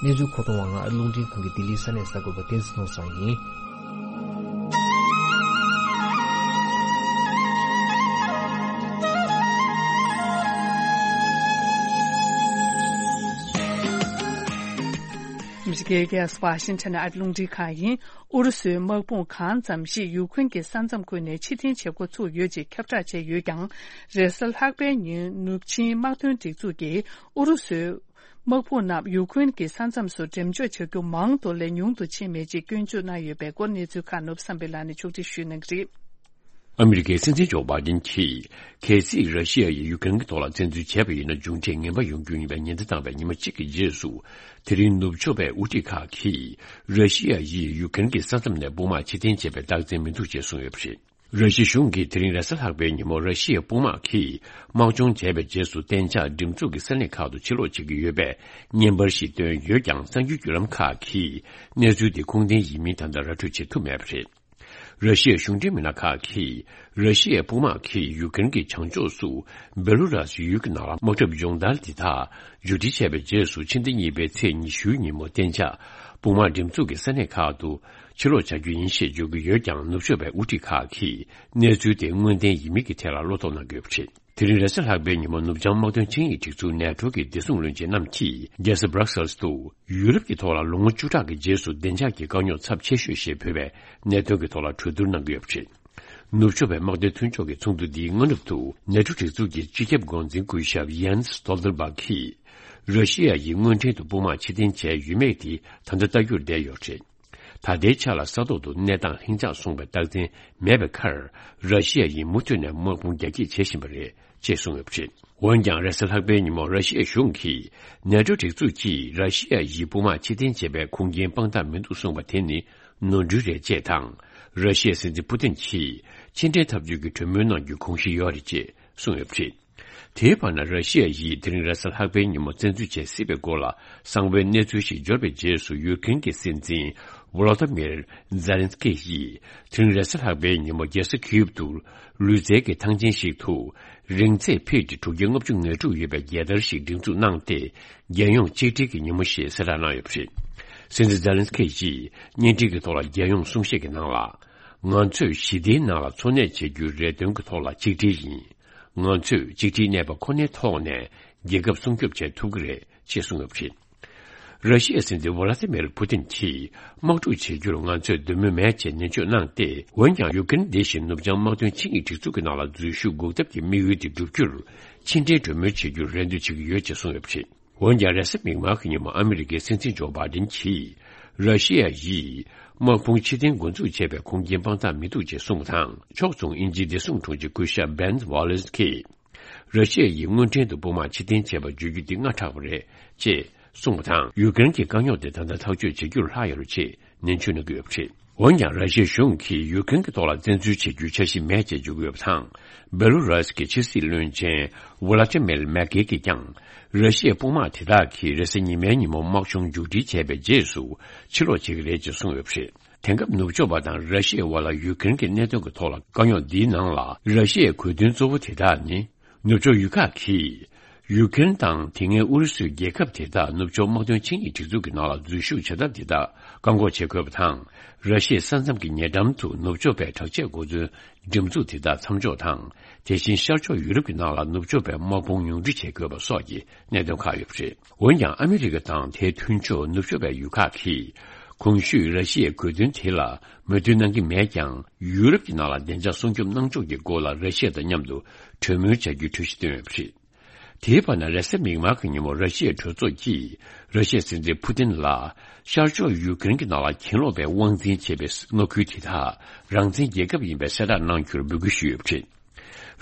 གནས་ཚུལ་མཁོ་གཏོང་བ་ང་ཨ་རླུང་འཕྲིན་ཁང་གི་ལྡི་ལིའི་ས་གནས་གསར་འགོད་པ་བསྟན་འཛིན་ནོར་བཟང་ཡིན། ཨ་མི་རི་ཀའི་རྒྱལ་ས་ཝ་ཤིང་ཊོན་ཨ་རླུང་འཕྲིན་ཁང་ཡིན། ཨུ་རུ་སུའི་དམག་དཔུང་གང་ཙམ་ཞིག་ཡུ་ཁུན་གྱི་ས་མཚམས་ཁུལ་ནས་ཕྱིར་འཐེན་བྱེད་འགོ་ཚུགས་ཡོད་ཅེས་ཁྱབ་བསྒྲགས་བྱས་ཡོད་ཀྱང་། རེས་གཟའ་ལྷག་པའི་ཉིན་ནུབ་ཆིངས་དམག་དོན་སྒྲིག་འཛུགས་ཀྱིས་ཨུ་རུ་སུའི་དམག་དཔུང་རྣམས་ཡུ་ཁུན་གྱི་ས་མཚམས་སུ་འགྲེམས་འཇོག་བྱ་རྒྱུ་མང་དུ་ལས་ཉུང་དུ་ཕྱིན་མེད་ཅེས་སྐྱོན་བརྗོད་གནང་ཡོད་པའི་སྐོར་གནས་ཚུལ་ཁག་ནུབ་བསམ་འཕེལ་ལགས་ནས་ཕྱོགས་སྒྲིག་ཞུས་གནང་གི་རེད། ཨ་མི་རི་ཀའི་སྲིད་འཛིན་ཇོ་བྷའི་ཌེན་གྱིས། གལ་སྲིད་ར་ཤི་ཡ་ཡིས་ཡུ་ཀེ་རེན་གྱི་ཐོག་ལ་བཙན་འཛུལ་བྱས་པ་ཡིན་ན། མཇུག་འབྲས་ངན་པ་ཡོང་རྒྱུ་ཡིན་པའི་ཉེན་བརྡ་བཏང་བའི་ཉི་མ་གཅིག་གི་རྗེས་སུ། དེ་རིང་ནུབ་ཕྱོགས་པའི་དབུ་ཁྲིད་ཁག་གིས། ར་ཤི་ཡ་ཡིས་ཡུ་ཀེ་རེན་གྱི་ས་མཚམས་ནས་དཔུང་དམག་ཕྱིར་འཐེན་བྱས་པའི་རྟགས་མཚན་མི་འདུག་ཅེས་གསུངས་ཡོད་པ་རེད། ར་ཤི་ཡ་གཞུང་གིས་དེ་རིང་རེས་གཟའ་ལྷག་པའི་ཉིན་མོ་ར་ཤི་ཡའི་དཔུང་དམག་གིས་དམག་སྦྱོང་བྱས་པའི་རྗེས་སུ་གཏན་འཇགས་འགྲེམས་འཛུགས་ཀྱི་ས་གནས་ཁག་ཏུ་ཕྱིར་ལོག་བྱེད་ཀྱི་ཡོད་པའི་བརྙན་པར་ཞིག་བཏོན་ཡོད་ཀྱང་། གསར་འགྱུར་བརྒྱུད་ལམ་ཁག་གིས་གནས་ཚུལ་དེ་ཁུངས་ལྡན་ཡིན་མིན་ད་ལྟ་ར་སྤྲོད་བྱེད་ཐུབ་མེད་པ་རེད། ར་ཤི་ཡའི་གཞུང་འབྲེལ་མི་སྣ་ཁག་གིས། ར་ཤི་ཡའི་དཔུང་དམག་གིས་ཡུ་ཀེ་རེན་གྱི་བྱང་ཕྱོགས་སུ་བེ་ལུ་རཱས་ཡུལ་གྱི་ནང་ལ་དམག་འཁྲབ་སྦྱོང་བརྡར་འདི་དག་མཇུག་སྒྲིལ་བྱས་པའི་རྗེས་སུ། ཕྱི་ཟླ་གཉིས་པའི་ཚེས་ཉི་ཤུའི་ཉིན་མོ་གཏན་འཇགས་དཔུང་དམག་འགྲེམས་འཛུགས་ཀྱི་ས་གནས་ཁག་ཏུ་ཕྱིར་ལོག་བྱ་རྒྱུ་ཡིན་ཞེས་བརྗོད་ཀྱི་ཡོད་ཀྱང་། ནུབ་ཕྱོགས་པའི་དབུ་ཁྲིད་ཁག་གིས་གནས་ཚུལ་དེ་དངོས་བདེན་ཡིན་མིན་གྱི་ཐད་ལ་བློ་དོགས་གནང་གི་ཡོད་པ་རེད། དེ་རིང་རེས་གཟའ་ལྷག་པའི་ཉིན་མོ། ནུབ་བྱང་དམག་དོན་ཆིངས་ཡིག་སྒྲིག་འཛུགས་ནེ་ཊོ་གི་བདེ་སྲུང་བློན་ཆེན་རྣམས་ཀྱིས་རྒྱལ་ས་སྦྲག་སེལ་སུ་ཡུ་རོབ་ཀྱི་ཐོག་ལ་ལོ་ངོ་བཅུ་ཕྲག་གི་རྗེས་སུ་བདེ་འཇགས་ཀྱི་དཀའ་རྙོག་ཚབས་ཆེ་ཤོས་ཞེས་འབོད་པའི་གནད་དོན་གྱི་ཐོག་ལ་གྲོས་བསྡུར་གནང་གི་ཡོད་པ་རེད། ནུབ་ཕྱོགས་པའི་དམག་དོན་མཐུན་ཕྱོགས་ཀྱི་ཚོགས་འདུ་འདིའི་སྔ་ནུབ་ཏུ་ནེ་ཊོ་སྒྲིག་འཛུགས་ཀྱི་སྤྱི་ཁྱབ་འགོ་འཛིན་སྐུ་ཞབས་ཡན་སི་སྟོལ་ཏེན་སྦག་གིས། ར་ཤི་ཡ་ཡིས་དངོས་འབྲེལ་དུ་དཔུང་དམག་ཕྱིར་འཐེན་བྱས་ཡོད་མེད་དེ་ད་ལྟ་ལྟ་རྒྱུར་བསྡད་ཡོད་པ་རེད། ད་ལྟའི་ཆ་ལ་ས་ཐོག་ཏུ་གནས་སྟངས་ལྷིང་འཇགས་སོང་བའི་རྟགས་མཚན་མེད་པའི་ཁར། ར་ཤི་ཡ་ཡིས་མུ་མཐུད་ནས་དམག་དཔུང་རྒྱ་སྐྱེད་བྱེད་བཞིན་པ་རེད་ཅེས་གསུངས་ཡོད་པ་རེད། འོན་ཀྱང་། རེས་གཟའ་ལྷག་པའི་ཉིན་མོ་ར་ཤི་ཡའི་གཞུང་གིས་ནེ་ཊོ་སྒྲིག་འཛུགས་ཀྱིས་ར་ཤི་ཡ་ཡིས་དཔུང་དམག་ཕྱིར་འཐེན་བྱས་པའི་ཁུངས་སྐྱེལ་དཔང་རྟགས་མི་འདུག་གསུངས་པ་དེ་ནི་ནོར་འཁྲུལ་རེད་ཅེས་དང་། ར་ཤི་ཡའི་སྲིད་འཛིན་ཕུ་ཏིན་གྱིས་ཕྱིར་འཐེན་འཐབ་རྩོད་ཀྱི་གྲོས་མོལ་གནང་རྒྱུའི་དགོངས་གཞི་ཡོད་རེད་ཅེས་གསུངས་ཡོད་པ་རེད། དེའི་བར་ན། ར་ཤི་ཡ་ཡིས་དེ་རིང་རེས་གཟའ་ལྷག་པའི་ཉིན་མོ་བཙན་འཛུལ་བྱེད་སྲིད་པའི་སྐོར་ལ་གསང་བའི་གནས་ཚུལ་ཞིག་འབྱོར་བའི་རྗེས་སུ། ཡུ་ཀེ་རེན་གྱི་སྲིད་འཛིན་ཝོ་ལོ་ཏི་མིར་ཛེ་ལན་སི་ཀི་ཡིས་དེ་རིང་རེས་གཟའ་ལྷག་པའི་ཉིན་མོ་རྒྱལ་ས་ཁིའུབ་ཏུ་ལུས་རྩལ་གྱི་ཐང་ཆེན་ཞིག་ཏུ། རིང་ཚད་ཕི་ཊི་དྲུག་བརྒྱ་ལྔ་བཅུ་ང་དྲུག་ཡོད་པའི་རྒྱལ་དར་ཞིག་སྒྲེང་འཛུགས་གནང་སྟེ། རྒྱལ་ཡོངས་གཅིག་སྒྲིལ་གྱི་ཉིན་མོ་ཞེས་གསལ་བསྒྲགས་གནང་ཡོད་པ་རེད། སྲིད་འཛིན་ཛེ་ལན་སི་ཀི་ཡིས་བརྙན་འཕྲིན་གྱི་ཐོག་ལ་རྒྱལ་ཡོངས་གསུང་བཤད་ཀྱི་ནང་ལ། ང་ཚོས་ཞི་བདེའི་ནང་ལ་འཚོ་གནས་བྱེད་རྒྱུའི་རེ་འདུན་གྱི་ཐོག་ལ་གཅིག་སྒྲིལ་ཡིན། ང་ཚོས་གཅིག་སྒྲིལ་གནས་པ་ཁོ་ནའི་ཐོག་ནས་རྒྱལ་ཁབ་སྲུང་སྐྱོབ་བྱེད་ཐུབ་ཀྱི་རེད་ཅེས་གསུངས་ཡོད་པ་རེད། ར་ཤི་ཡའི་སྲིད་འཛིན་ཝ་ལ་ཏི་མིར་ཕུ་ཏིན་གྱིས་དམག་འཁྲུག་བྱེད་རྒྱུར་ང་ཚོས་འདོད་མོས་མེད་ཅེས་ནན་བརྗོད་གནང་སྟེ། འོན་ཀྱང་། ཡུ་ཀེ་རེན་འདི་བཞིན་ནུབ་བྱང་དམག་དོན་ཆིངས་ཡིག་སྒྲིག་འཛུགས་ཀྱི་ནང་ལ་འཛུལ་ཞུགས་འགོག་ཐབས་ཀྱི་དམིགས་ཡུལ་དེ་བསྒྲུབ་རྒྱུར་ཕྱི་འབྲེལ་གྲོས་མོལ་བྱེད་རྒྱུར་རེ་འདུན་བྱེད་ཀྱི་ཡོད་ཅེས་གསུངས་ཡོད་པ་རེད། འོན་ཀྱང་། རེས་གཟའ་མིག་དམར་གྱི་ཉིན་མོ་ཨ་མི་རི་ཀའི་སྲིད་འཛིན་ཇོ་བྷའི་ཏིན་གྱིས། ར་ཤི་ཡ་ཡིས་དམག་དཔུང་ཕྱིར་འཐེན་འགོ་འཛུགས་བྱས་པའི་ཁུངས་སྐྱེལ་དཔང་རྟགས་མི་འདུག་ཅེས་གསུངས་པ་དང་། ཕྱོགས་མཚུངས་དབྱིན་ཇིའི་བདེ་སྲུང་དྲུང་ཆེ་སྐུ་ཞབས་བྷེན་ཝ་ལེ་སི་ཀྱིས། ར་ཤི་ཡ་ཡིས་དངོས་འབྲེལ་དུ་དཔུང་དམག་ཕྱིར་འཐེན་བྱས་པ་བརྗོད་རྒྱུ་འདི་སྔ་དྲགས་པ་རེད་ཅེས་གསུངས་པ་དང་། ཡུ་ཀེ་རེན་གྱི་དཀའ་རྙོག་དེ་ད་ལྟ་ཐག་གཅོད་བྱེད་རྒྱུར་ལྷག་ཡོད་རེད་ཅེས་ནན་བརྗོད་གནང་གི་ཡོད་པ་རེད། འོན་ཀྱང་། ར་ཤི་ཡའི་གཞུང་གིས་ཡུ་ཀེ་རེན་གྱི་ཐོག་ལ་བཙན་འཛུལ་བྱེད་རྒྱུའི་འཆར་གཞི་མེད་ཅེས་བརྗོད་ཀྱི་ཡོད་པ་དང་། བེ་ལུ་རཱས་ཀྱི་ཕྱི་སྲིད་བློན་ཆེན་ཝོ་ལ་ཏི་མེར་མེག་ཀེ་གིས་ཀྱང་། ར་ཤི་ཡའི་དཔུང་དམག་དེ་དག་གིས་རེས་གཟའ་ཉི་མའི་ཉིན་མོ་དམག་སྦྱོང་མཇུག་སྒྲིལ་བྱས་པའི་རྗེས་སུ་ཕྱིར་ལོག་བྱེད་ཀྱི་རེད་ཅེས་གསུངས་ཡོད་པ་རེད། དེང་སྐབས་ནུབ་ཕྱོགས་པ་དང་ར་ཤི་ཡའི་དབར་ལ་ཡུ་ཀེ་རེན་གྱི་གནད་དོན་གྱི་ཐོག་ལ་དཀའ་རྙོག་འདིའི་ནང་ལ། ར་ཤི་ཡའི་གོ་དོན་གཙོ་བོ་དེ་དག་ནི། ནུབ་ཕྱོགས་ཡུལ་ཁག་གིས་ཡུ་ཀེ་རེན་དང་དེ་སྔའི་ཨུ་རུ་སུའི་རྒྱལ་ཁབ་དེ་དག་ནུབ་ཕྱོགས་དམག་དོན་ཆིངས་ཡིག་སྒྲིག་འཛུགས་ཀྱི་ནང་ལ་འཛུལ་ཞུགས་བྱ་ཐབས་དེ་དག་བཀག་འགོག་བྱེད་དགོས་པ་དང་། ར་ཤི་ཡའི་ས་མཚམས་ཀྱི་ཉེ་འགྲམ་དུ་ནུབ་ཕྱོགས་པའི་དྲག་ཆས་གོ་མཚོན་འགྲེམས་འཛུགས་དེ་དག་མཚམས་འཇོག་དང་། དེ་བཞིན་ཤར་ཕྱོགས་ཡུ་རོབ་ཀྱི་ནང་ལ་ནུབ་ཕྱོགས་པའི་དམག་དཔུང་ཉུང་འཕྲི་བྱེད་དགོས་པ་སོགས་ཀྱི་གནད་དོན་ཁག་ཡོད་པ་རེད། འོན་ཀྱང་། ཨ་མི་རི་ཀ་དང་དེའི་མཐུན་ཕྱོགས་ནུབ་ཕྱོགས་པའི་ཡུལ་ཁག་གིས་གོང་ཞུས་ར་ཤི་ཡའི་དགོས་འདུན་དེ་ལ་མོས་མཐུན་གནང་གི་མེད་ཀྱང་། ཡུ་རོབ་ཀྱི་ནང་ལ་བདེ་འཇགས་སྲུང་སྐྱོབ་གནང་ཕྱོགས་ཀྱི་སྐོར་ལ་ར་ཤི་ཡ་དང་མཉམ་དུ་གྲོས་མོལ་བྱ་རྒྱུའི་གྲོས་གཞི་བཏོན་ཡོད་པ་རེད། དེའི་བར་ན། རེས་གཟའ་མིག་དམར་གྱི་ཉིན་མོ་ར་ཤི་ཡའི་གྲོས་ཚོགས་ཀྱིས་ར་ཤི་ཡའི་སྲིད་འཛིན་ཕུ་ཏིན་ལ་ཤར་ཕྱོགས་ཡུ་ཀེ་རེན་གྱི་ནང་ལ་གྱེན་ལོག་པའི་དབང་འཛིན་བྱེད་པའི་མངའ་ཁུལ་དེ་དག་རང་བཙན་རྒྱལ་ཁབ་ཡིན་པའི་གསལ་བསྒྲགས་གནང་རྒྱུར་འབོད་སྐུལ་ཞུས་ཡོད་པ་རེད།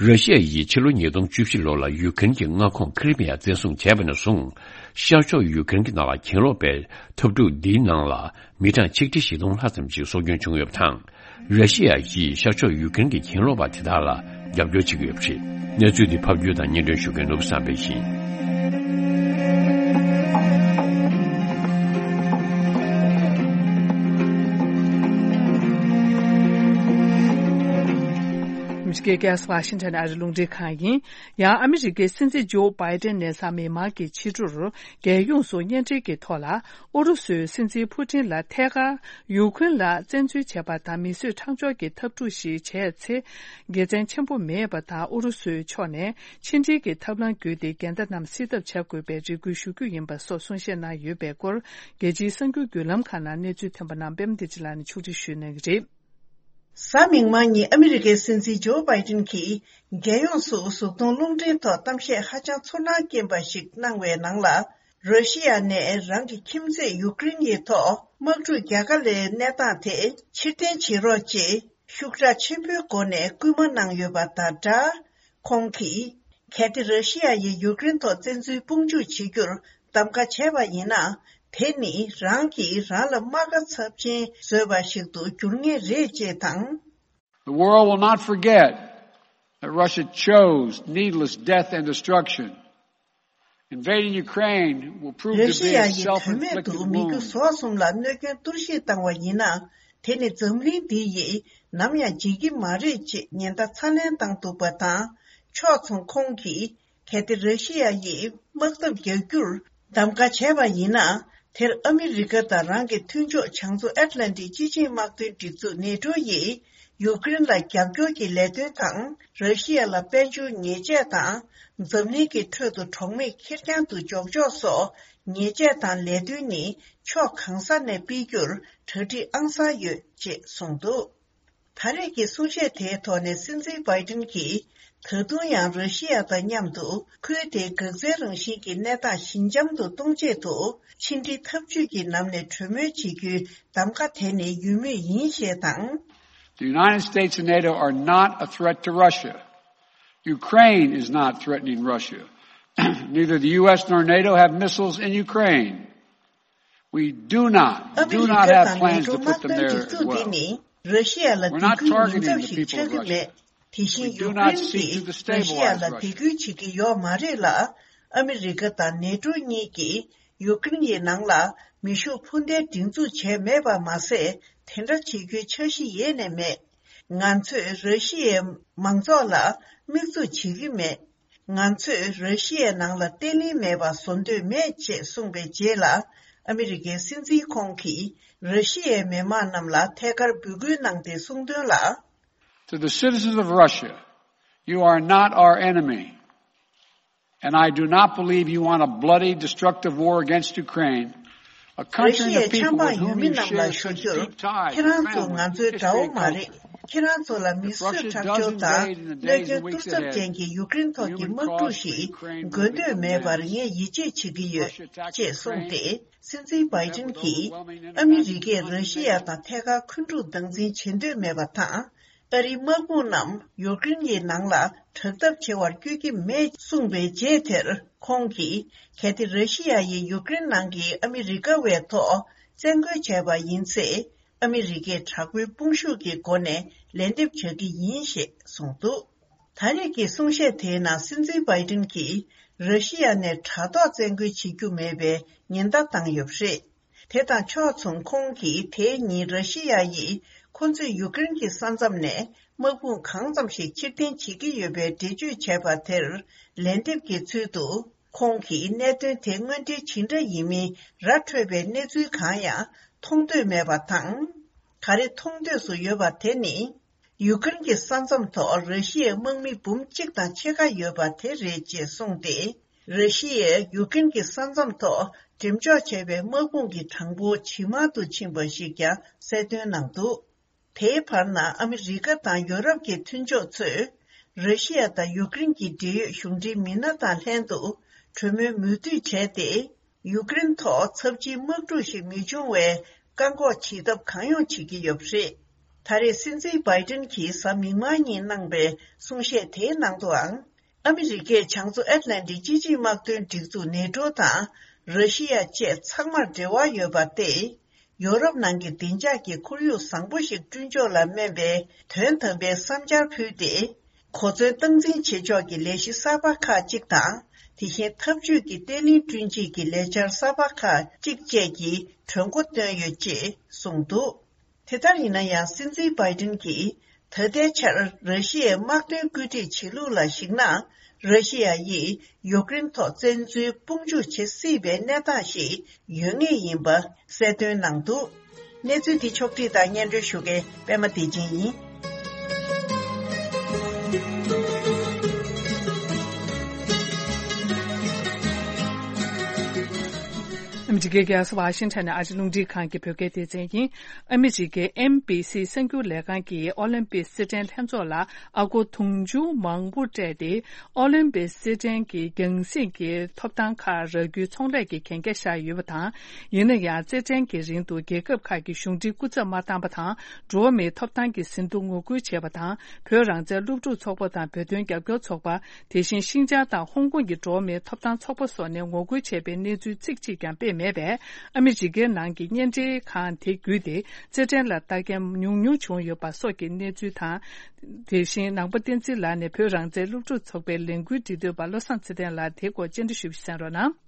ར་ཤི་ཡ་ཡིས་ཕྱི་ལོ་ཉིས་སྟོང་བཅུ་བཞི་ལོ་ལ་ཡུ་ཀེ་རེན་གྱི་མངའ་ཁོངས་ཁི་རི་མི་ཡ་བཙན་བཟུང་བྱས་པ་ནས་བཟུང་། ཤར་ཕྱོགས་ཡུ་ཀེ་རེན་གྱི་ནང་ལ་གྱེན་ལོག་པའི་འཐབ་འཁྲུག་འདིའི་ནང་ལ་མི་གྲངས་ཆིག་ཁྲི་བཞི་སྟོང་ལྷག་ཙམ་ཞིག་སྲོག་སྐྱོན་བྱུང་ཡོད་པ་དང་། ར་ཤི་ཡ་ཡིས་ཤར་ཕྱོགས་ཡུ་ཀེ་རེན་གྱི་གྱེན་ལོག་པ་དེ་དག་ལ་རྒྱབ་སྐྱོར་བྱེད་ཀྱི་ཡོད་པ་རེད། གནས་ཚུལ་འདི་ཕབ་སྒྱུར་དང་སྙན་སྒྲོན་ཞུ་མཁན་ནོར་བུ་བསམ་འཕེལ་ཡིན། ཨ་མི་རི་ཀའི་རྒྱལ་ས་ཝ་ཤིང་ཊོན་ཨ་རི་རླུང་འཕྲིན་ཁང་ཡིན། ཡང་ཨ་མི་རི་ཀའི་སྲིད་འཛིན་ཇོ་བྷའི་ཏན་ནས་གཟའ་མིག་དམར་གྱི་ཕྱི་དྲོར་རྒྱལ་ཡོངས་སུ་བརྙན་འཕྲིན་གྱི་ཐོག་ལ། ཨུ་རུ་སུའི་སྲིད་འཛིན་ཕུ་ཏིན་ལ་ཐད་ཀར་ཡུ་ཁུན་ལ་བཙན་འཛུལ་བྱས་པ་དང་མིས་བཟོས་མཐའ་འཁྱོངས་ཀྱི་འཐབ་འཁྲུག་ཞིག་བྱས་ཚེ། དགེ་མཚན་ཆེན་པོ་མེད་པ་དང་། ཨུ་རུ་སུའི་ཕྱོགས་ནས་ཕྱི་འབྲེལ་གྱི་ཐབས་ལམ་བརྒྱུད་དེ་འགལ་ཟླ་རྣམས་སེལ་ཐབས་བྱ་དགོས་པའི་རེ་སྐུལ་ཞུ་རྒྱུ་ཡིན་པ་སོགས་གསུང་བཤད་གནང་ཡོད་པའི་སྐོར། རྒྱལ་སྤྱིའི་གསར་འགྱུར་བརྒྱུད་ལམ་ཁག་ནང་གནས་ཚུལ་ཐོན་པ་རྣམས་པད་མ་བདེ་ཆེན་ལགས་ནས་ཕྱོགས་སྒྲིག་ཞུས་གནང་གི་རེད། གཟའ་མིག་དམར་ཉིན་ཨ་མི་རི་ཀའི་སྲིད་འཛིན་ཇོ་བྷའི་ཏིན་གྱིས་རྒྱལ་ཡོངས་སུ་གཟུགས་མཐོང་རླུང་འཕྲིན་ཐོག་གཏམ་བཤད་ཧ་ཅང་ཚོར་སྣང་སྐྱེན་པ་ཞིག་གནང་བའི་ནང་ལ། ར་ཤི་ཡ་ནས་རང་གི་ཁྱིམ་མཚེས་ཡུ་ཀེ་རེན་ཡི་ཐོག་དམག་འཁྲུག་རྒྱག་ག་ལའི་གནས་སྟངས་དེ་ཕྱིར་འཐེན་བྱེད་རོགས་ཅེས་ཤུགས་དྲག་ཆེན་པོའི་སྒོ་ནས་སྐུལ་མ་གནང་ཡོད་པ་དང་སྦྲགས། ཁོང་གིས། གལ་ཏེ་ར་ཤི་ཡ་ཡིས་ཡུ་ཀེ་རེན་ཐོག་བཙན་འཛུལ་དཔུང་འཇུག་བྱེད་རྒྱུར་གདམ་ག་བྱས་པ་ཡིན་ན། དེ་ནི་རང་གིས་རང་ལ་རྨ་ཁ་ཚབས་ཆེན་བཟོས་པ་ཞིག་ཏུ་འགྱུར་ངེས་རེད་ཅེས་དང་། The world will not forget that Russia chose needless death and destruction. Invading Ukraine will prove to be a self-inflicted wound. ར་ཤི་ཡ་ཡིས་དོན་མེད་དུ་མི་རྒྱུ་ཟོག་གསུམ་ལ་གནོད་སྐྱོན་གཏོར་བཤིག་བཏང་བ་ཡིན་ན། དེ་ནི་འཛམ་གླིང་འདི་ཡིས་ནམ་ཡང་བརྗེད་ཀྱི་མ་རེད་ཅེས་ཉེན་བརྡ་ཚ་ནན་བཏང་འདུག་པ་དང་། ཕྱོགས་མཚུངས་ཁོང་གིས། གལ་ཏེ་ར་ཤི་ཡ་ཡིས་དམག་འཐབ་རྒྱག་རྒྱུར་གདམ་ག་བྱས་པ་ཡིན་ན། དེར་ཨ་མི་རི་ཀ་དང་རང་གི་མཐུན་ཕྱོགས་བྱང་མཚོ་ཨེཊ་ལན་ཊིག་སྤྱི་ཆིངས་དམག་དོན་སྒྲིག་འཛུགས་ནེ་ཊོ་ཡིས་ཡུཀ་རེན་ལ་རྒྱབ་སྐྱོར་གྱི་ལས་དོན་དང་། ར་ཤི་ཡ་ལ་དཔལ་འབྱོར་ཉེས་ཆད་དང་། འཛམ་གླིང་གི་ཁྲོད་དུ་གྲོགས་མེད་ཁེར་རྐྱང་དུ་འཇོག་ཕྱོགས་སོགས་ཉེས་ཆད་དང་ལས་དོན་ནི་ཕྱོགས་གང་ས་ནས་སྤེལ་རྒྱུར་གྲ་སྒྲིག་ཨང་གསར་ཡོད་ཅེས་གསུངས་འདུག་ད་རེས་ཀྱི་གསུང་བཤད་དེའི་ཐོག་ནས་སྲིད་འཛིན་བྷའི་ཏིན་གྱིས། ད་དུང་ཡང་ར་ཤི་ཡ་དང་མཉམ་དུ་ཁུལ་དེའི་འགག་རྩའི་རང་བཞིན་གྱི་གནས་སྟངས་ཞི་འཇམ་དུ་གཏོང་ཆེད་དུ། ཕྱི་འབྲེལ་འཐབ་ཇུས་ཀྱི་ནང་ནས་གྲོས་མོལ་བྱེད་རྒྱུའི་གདམ་ག་དེ་ནི་ཡོད་མུས་ཡིན་ཞེས་དང་། The United States and NATO are not a threat to Russia. Ukraine is not threatening Russia. Neither the U S nor NATO have missiles in Ukraine. We do not, ཨ་མི་do རི་not ཀ་have དང་ནེ་plans ཊོ་to put དམག་དོན་them there སྒྲིག་འཛུགས་འདི་well. ནི་ར་ཤི་ཡ་ལ་We're སྡིགས་not སྐུལ་ཉེན་ཚབས་ཤིག་ཆགས་ཀྱི་མེད། དེ་བཞིན་ཡུཀ་རེན་གྱིས་ར་ཤི་ཡ་ལ་སྡིགས་སྐུལ་བྱེད་ཀྱི་ཡོད་མ་རེད་ལ། ཨ་མི་རི་ཀ་དང་ནེ་ཊོ་གཉིས་ཀྱིས་ཡུཀ་རེན་ཡི་ནང་ལ་མེ་ཤུགས་འཕུར་མདེལ་སྒྲིག་འཛུགས་བྱས་མེད་པ་མ་ཟད། དེ་འདྲ་བྱེད་རྒྱུའི་འཆར་གཞི་ཡེ་ནས་མེད། ང་ཚོས་ར་ཤི་ཡའི་མང་ཚོགས་ལ་དམིགས་འཛུགས་བྱེད་ཀྱི་མེད། ང་ཚོས་ར་ཤི་ཡའི་ནང་ལ་བརྟན་ལྷིང་མེད་པ་བཟོ་འདོད་མེད་ཅེས་གསུངས་པའི་རྗེས་ལ། ཨ་མི་རི་ཀའི་སྲིད་འཛིན་ཁོང་གིས་ར་ཤི་ཡའི་མི་མང་རྣམས་ལ་ཐད་ཀར་འབོད་སྐུལ་གནང་སྟེ་གསུངས་དོན་ལ། To the citizens of Russia, you are not our enemy. And I do not believe you want a bloody, destructive war against Ukraine, a ར་country ཤི་and a ཡའི་ཆབ་people འབངས་with ཡུལ་whom མི་you རྣམས་ལ་share ཞུ་such རྒྱུར། deep ties ཁྱེད་རང་ཚོ་ང་ཚོའི་དགྲ་བོ་མ་རེད། ཁྱེད་རང་ཚོ་ལ་མི་གསོད་ཁྲག་སྦྱོར་དང་གནོད་སྐྱོན་གཏོར་ཚབས་ཅན་གྱི་ཡུཀ་རེན་ཐོག་གི་དམག་འཁྲུག་ཞིག་དགོས་འདོད་མེད་པར་ངས་ཡིད་ཆེས་བྱེད་ཀྱི་ཡོད་ཅེས་གསུངས་ཏེ། སྲིད་འཛིན་བྷའི་ཏིན་གྱིས་ཨ་མི་རི་ཀས་ར་ཤི་ཡ་དང་ཐད་ཀར་འཁོན་འཁྲུག་སྟངས་འཛིན་བྱེད་འདོད་མེད་པ་དང་། ཨ་རིའི་དམག་དཔུང་རྣམས་ཡུཀ་རེན་གྱི་ནང་ལ་དྲག་འཐབ་བྱེད་པར་བསྐྱོད་ཀྱི་མེད་གསུངས་པའི་རྗེས་དེར་ཁོང་གིས། གལ་ཏེ་ར་ཤི་ཡ་ཡིས་ཡུཀ་རེན་ནང་གི་ཨ་མི་རི་ཀ་བའི་ཐོག་བཙན་རྒོལ་བྱས་པ་ཡིན་ཚེ། ཨ་མི་རི་ཀས་དྲག་པོའི་དཔུང་ཤུགས་ཀྱི་སྒོ་ནས་ལན་འདེབས་བྱ་གི་ཡིན་ཞེས་གསུངས་འདུག་ད་རེས་ཀྱི་གསུང་བཤད་དེའི་ནང་སྲིད་འཛིན་བྷའི་ཏིན་གྱིས་ར་ཤི་ཡ་ནས་དྲ་ཐོག་བཙན་རྒོལ་བྱེད་རྒྱུ་མེད་པའི་ཉེན་བརྡ་བཏང་ཡོད་པ་རེད། དེ་དང་ཕྱོགས་མཚུངས་ཁོང་གིས་དེའི་ཉིན་ར་ཤི་ཡ་ཡིས་ཁོ་ཚོས་ཡུཀ་རེན་གྱི་ས་མཚམས་ནས་དམག་དཔུང་གང་ཙམ་ཞིག་ཕྱིར་འཐེན་བྱེད་ཀྱི་ཡོད་པའི་འགྲེལ་བརྗོད་བྱས་པ་དེར་ལན་འདེབས་ཀྱི་ཚུལ་དུ། ཁོང་གིས་གནད་དོན་དེ་དངོས་འབྲེལ་ཇི་འདྲ་ཡིན་མིན་ར་འཕྲོད་པའི་གནས་ཚུལ་གང་ཡང་མཐོང་འདོད་མེད་པ་དང་། ག་རེ་མཐོང་འདོད་སུ་ཡོད་པ་དེ་ནི། ཡུཀ་རེན་གྱི་ས་མཚམས་ཐོག་ར་ཤི་ཡའི་དམག་མི་འབུམ་གཅིག་དང་ཕྱེད་ཀ་ཡོད་པ་དེ་རེད་ཅེས་གསུངས་ཏེ། ར་ཤི་ཡས་ཡུཀ་རེན་གྱི་ས་མཚམས་ཐོག་འགྲེམས་འཇོག་བྱས་པའི་དམག་དཔུང་གི་གྲངས་འབོར་ཇེ་མང་དུ་ཕྱིན་པ་ཞིག་ཀྱང་གསལ་སྟོན་གནང་འདུག་དེའི་བར་ན་ཨ་མི་རི་ཀ་དང་ཡོ་རོབ་ཀྱི་མཐུན་ཕྱོགས་ཚོས། ར་ཤི་ཡ་དང་ཡུཀ་རེན་གྱི་འབྲེལ་ཡོད་གཞུང་འབྲེལ་མི་སྣ་དང་ལྷན་དུ་གྲོས་མོལ་མུ་མཐུད་བྱས་ཏེ། ཡུཀ་རེན་ཐོག་ཚབས་ཆེའི་དམག་འཁྲུག་ཞིག་མི་འབྱུང་བའི་བཀག་འགོག་བྱེད་ཐབས་གང་ཡོང་བྱེད་ཀྱི་ཡོད་པ་རེད། ད་རེས་སྲིད་འཛིན་བྷའི་ཏིན་གྱིས་གཟའ་མིག་དམར་ཉིན་གནང་པའི་གསུང་བཤད་དེའི་ནང་དུའང་། ཨ་མི་རི་ཀས་བྱང་མཚོ་ཨེཊ་ལན་ཊིག་སྤྱི་ཆིངས་དམག་དོན་སྒྲིག་འཛུགས་ནེ་ཊོ་དང་ར་ཤི་ཡ་བཅས་ཚང་མར་འབྲེལ་བ་ཡོད་པ་སྟེ། ཡོ་རོབ་ནང་གི་བདེ་འཇགས་ཀྱི་ཁོར་ཡུག་བཟང་པོ་ཞིག་བསྐྲུན་ཕྱོགས་ལ་སྨན་པའི་དོན་དམ་པའི་བསམ་འཆར་ཕུལ་ཏེ། གོ་མཚོན་སྟངས་འཛིན་བྱེད་ཕྱོགས་ཀྱི་ལས་གཞི་གསར་པ་ཁག་ཅིག་དང་། དེ་བཞིན་འཐབ་ཇུས་ཀྱི་བརྟན་ལྷིང་བསྐྲུན་ཆེད་ཀྱི་ལས་འཆར་གསར་པ་ཁག་ཅིག་བཅས་ཀྱི་གྲོས་འགོ་བཏོན་ཡོད་ཅེས་གསུངས་འདུག་དེ་ལྟར་ཡིན་ན་ཡང་སྲིད་འཛིན་བྷའི་ཏིན་གྱིས་ད་ལྟའི་ཆར་ར་ཤི་ཡའི་དམག་དོན་བཀོད་སྒྲིག་བྱེད་ལུགས་ལ་གཞིགས་ན། ར་ཤི་ཡ་ཡིས་ཡུཀ་རེན་ཐོག་བཙན་འཛུལ་དཔུང་འཇུག་བྱེད་སྲིད་པའི་གནས་སྟངས་ཤིག་ཡོད་ངེས་ཡིན་པ་གསལ་སྟོན་གནང་འདུག་གནས་ཚུལ་འདི་ཕྱོགས་བསྒྲིགས་དང་སྙན་སྒྲོན་ཞུ་མཁན་པད་མ་བདེ་ཆེན་ཡིན། ཨ་མི་རི་ཀའི་རྒྱལ་ས་ཝ་ཤིང་ཊོན་ནས་ཨ་རི་རླུང་འཕྲིན་ཁང་གི་བོད་སྐད་སྡེ་ཚན་ཡིན། ཨ་མི་རི་ཀའི་ཨེན་བྷི་སི་གསར་འགྱུར་ལས་ཁང་གིས་ཨོ་ལིམ་པིག་རྩེད་འགྲན་ལྷན་ཚོགས་ལ་ཨ་སྒོར་དུང་ཕྱུར་མང་པོ་སྤྲད་དེ། ཨོ་ལིམ་པིག་རྩེད་འགྲན་གྱི་རྒྱང་སྲིང་གི་ཐོབ་ཐང་ཁག་རག་རྒྱུའི་ཚོང་ལས་ཀྱི་གན་རྒྱ་བཞག་ཡོད་པ་དང་། ཡིན་ན་ཡང་རྩེད་འགྲན་གྱི་རིང་དུ་རྒྱལ་ཁབ་ཁག་གི་གཞུང་འབྲེལ་སྐུ་ཚབ་མ་བཏང་པ་དང་། འགྲོ་བ་མིའི་ཐོབ་ཐང་གི་ཟིན་ཐོ་ངོ་རྒོལ་བྱས་པ་དང་། བོད་རང་བཙན་སློབ་ཕྲུག་ཚོགས་པ་དང་བོད་དོན་རྒྱབ་སྐྱོར་ཚོགས་པ། དེ་བཞིན་ཤིན་ཅང་དང་ཧོང་ཀོང་གི་འགྲོ་བ་མིའི་ཐོབ་ཐང་ཚོགས་པ་སོགས་ནས་ངོ་རྒོལ་བྱས་པའི་གནས་ཚུལ་ཚིག་གཅིག་ཀྱང་སྤེལ་མེད། མེད་པས། ཨ་མི་རི་ཀའི་ནང་གི་བརྙན་འཕྲིན་ཁང་དེ་བརྒྱུད་དེ་རྩེད་འགྲན་ལ་ལྟ་མཁན་ཉུང་ཉུང་བྱུང་ཡོད་པ་སོགས་ཀྱི་གནས་ཚུལ་དང་། དེ་བཞིན་ནང་པ་བསྟན་འཛིན་ལགས་ནས་བོད་རང་བཙན་སློབ་ཕྲུག་ཚོགས་པའི་ལས་འགུལ་འབྲེལ་མཐུད་པ་བློ་བཟང་ཚེ་བརྟན་ལགས་དེའི་སྐོར་བཅར་འདྲི་ཞུས་པ་གསན་རོགས་གནང་།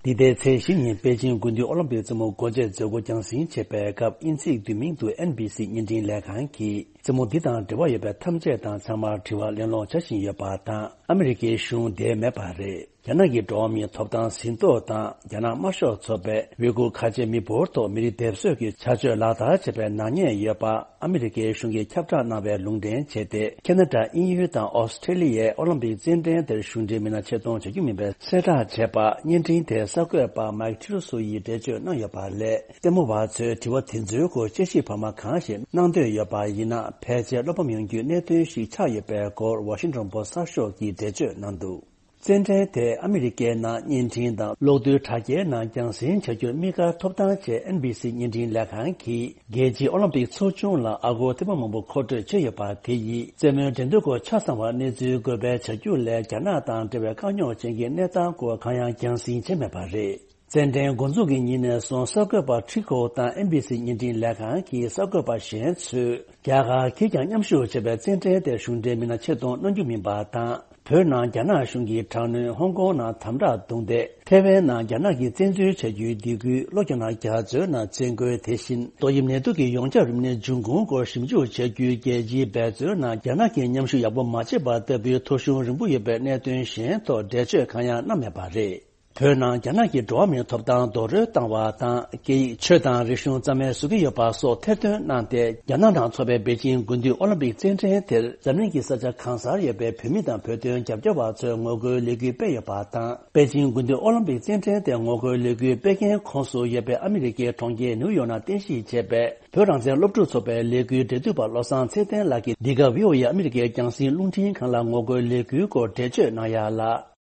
འདི་ཟླའི་ཚེས་བཞི་ཉིན་པེ་ཅིང་དགུན་དུས་ཨོ་ལིམ་པིག་རྩེད་མོ་སྒོ་འབྱེད་མཛད་སྒོ་རྒྱང་སྲིང་བྱེད་པའི་སྐབས་དབྱིན་ཚེས་བདུན་མིན་དུ་ཨེན་བྷི་སི་བརྙན་འཕྲིན་ལས་ཁང་གིས་རྩེད་མོ་འདི་དང་འབྲེལ་བ་ཡོད་པའི་ཐམས་ཅད་དང་ཚང་མར་དྲི་བ་གླེང་སློང་བྱ་བཞིན་ཡོད་པ་དང་ཨ་མི་རི་ཀའི་གཞུང་དེ་མེད་པ་རེད། རྒྱ་ནག་གི་འགྲོ་བ་མིའི་ཐོབ་ཐང་ཟིན་ཐོ་དང་རྒྱ་ནག་དམར་ཤོག་ཚོགས་པས་ཝི་གུར་ཁ་ཆེ་མི་འབོར་ཐོག་མི་རིགས་སྡེབ་གསོད་ཀྱི་བྱ་སྤྱོད་ལག་བསྟར་བྱས་པའི་ནག་ཉེས་ཡོད་པ་ཨ་མི་རི་ཀའི་གཞུང་གིས་ཁྱབ་བསྒྲགས་གནང་བའི་ལུང་འདྲེན་བྱས་ཏེ། ཁེ་ན་ཌ། དབྱིན་ཡུལ་དང་ཨོ་སི་ཁྲེ་ལི་ཡའི་ཨོ་ལིམ་པིག་རྩེད་འགྲན་དེར་གཞུང་འབྲེལ་མི་སྣ་ཆེད་གཏོང་བྱ་རྒྱུ་མིན་པའི་གསལ་བསྒྲགས་བྱས་པ། བརྙན་འཕྲིན་དེར་གསར་འགོད་པ་མཱིག་ཁྲི་རུ་སོ་ཡིས་འགྲེལ་བརྗོད་གནང་ཡོད་པ་ལས། རྩེད་མོ་བ་ཚོས་དྲི་བ་དེ་ཚོའི་སྐོར་དཔྱད་ཞིབ་བར་མ་གང་ཞིག་གནང་འདོད་ཡོད་པ་ཡིན་ན། ཕལ་ཆེར་བློ་ཕམ་ཡོང་རྒྱུའི་གནད་དོན་ཞིག་ཆགས་ཡོད་པའི་སྐོར་ཝ་ཤིང་ཊོན་པོ་སི་གསར་ཤོག་གིས་འགྲེལ་བརྗོད་གནང་འདུག་རྩེད་འགྲན་དེ་ཨ་མི་རི་ཀའི་ནང་བརྙན་འཕྲིན་དང་གློག་རྡུལ་དྲ་རྒྱའི་ནང་རྒྱང་སྲིང་བྱ་རྒྱུར་དམིགས་བཀར་ཐོབ་ཐང་ཆེད་ཨེན་བྷི་སི་བརྙན་འཕྲིན་ལས་ཁང་གིས། རྒྱལ་སྤྱིའི་ཨོ་ལིམ་པིག་ཚོགས་ཆུང་ལ་ཨ་སྒོར་ཐེར་འབུམ་མང་པོ་མཁོ་སྤྲོད་བྱས་ཡོད་པ་དེ་ཡིས་རྩེད་མོའི་འགྲན་བསྡུར་སྐོར་ཆ་ཚང་བར་གནས་ཚུལ་འགོད་སྤེལ་བྱ་རྒྱུ་ལས། རྒྱ་ནག་དང་འབྲེལ་བའི་དཀའ་རྙོག་ཅན་གྱི་གནས་སྟངས་སྐོར་གང་ཡང་རྒྱང་སྲིང་བྱས་མེད་པ་རེད། རྩེད་འགྲན་འགོ་འཛུགས་ཀྱི་ཉིན་ནས་བཟུང་གསར་འགོད་པ་ཁྲི་ཁོ་དང་ཨེན་བྷི་སི་བརྙན་འཕྲིན་ལས་ཁང་གི་གསར་འགོད་པ་གཞན་ཚོས་རྒྱ་གར་གྱིས་ཀྱང་མཉམ་ཞུགས་བྱས་པའི་རྩེད་འགྲན་དེར་གཞུང་འབྲེལ་མི་སྣ་ཆེད་གཏོང་གནང་རྒྱུ་མིན་པ་དང་། བོད་ནང་རྒྱ་ནག་གཞུང་གིས་དྲག་གནོན། ཧོང་ཀོང་ནང་དམ་དྲག་རྡུང་རྡེག་ཐེ་ཝན་ནང་རྒྱ་ནག་གིས་བཙན་འཛུལ་བྱ་རྒྱུའི་སྡིགས་སྐུལ། ལྷོ་རྒྱ་ནག་རྒྱ་མཚོའི་ནང་བཙན་རྒོལ། དེ་བཞིན་ཏོག་དབྱིབས་ནད་དུག་གི་ཡོངས་ཁྱབ་རིམས་ནད་འབྱུང་ཁུངས་སྐོར་ཞིབ་འཇུག་བྱ་རྒྱུའི་རྒྱལ་སྤྱིའི་འབད་རྩོལ་ནང་རྒྱ་ནག་གིས་མཉམ་ཞུགས་ཡག་པོ་མ་བྱས་པ་ལྟ་བུའི་ཐོ་གཞུང་རིང་པོ་ཡོད་པའི་གནད་དོན་གཞན་ཐོག་འགྲེལ་བརྗོད་གང་ཡང་གནང་མེད་པ་རེད། བོད་ནང་རྒྱ་ནག་གིས་འགྲོ་བ་མིའི་ཐོབ་ཐང་རྡོག་རོལ་བཏང་བ་དང་། སྐད་ཡིག་ཆོས་དང་རིག་གཞུང་རྩ་མེད་བཟོ་གི་ཡོད་པ་སོགས་ཐེར་འདོན་གནང་སྟེ། རྒྱ་ནག་ནང་འཚོགས་པའི་པེ་ཅིང་དགུན་དུས་ཨོ་ལིམ་པིག་རྩེད་འགྲན་དེར་འཛམ་གླིང་གི་ས་ཆ་གང་སར་ཡོད་པའི་བོད་མི་དང་བོད་དོན་རྒྱབ་སྐྱོར་བ་ཚོས་ངོ་རྒོལ་ལས་འགུལ་སྤེལ་ཡོད་པ་དང་། པེ་ཅིང་དགུན་དུས་ཨོ་ལིམ་པིག་རྩེད་འགྲན་དེར་ངོ་རྒོལ་ལས་འགུལ་སྤེལ་མཁན་ཁོངས་སུ་ཡོད་པའི་ཨ་མི་རི་ཀའི་གྲོང་ཁྱེར་ནིའུ་ཡོག་ནང་རྟེན་གཞི་བྱས་པའི་བོད་རང་བཙན་སློབ་ཕྲུག་ཚོགས་པའི་ལས་འགུལ་འབྲེལ་མཐུད་པ་བློ་བཟང་ཚེ་བརྟན་ལགས་ཀྱིས་འདི་ག་བྷི་ཨོ་ཨེ་ཨ་མི་རི་ཀའི་རྒྱང་སྲིང་རླུང་འཕྲིན་ཁང་ལ་ངོ་རྒོལ་ལས་འགུལ་སྐོར་འགྲེལ་བརྗོད་གནང་ཡ་ལ།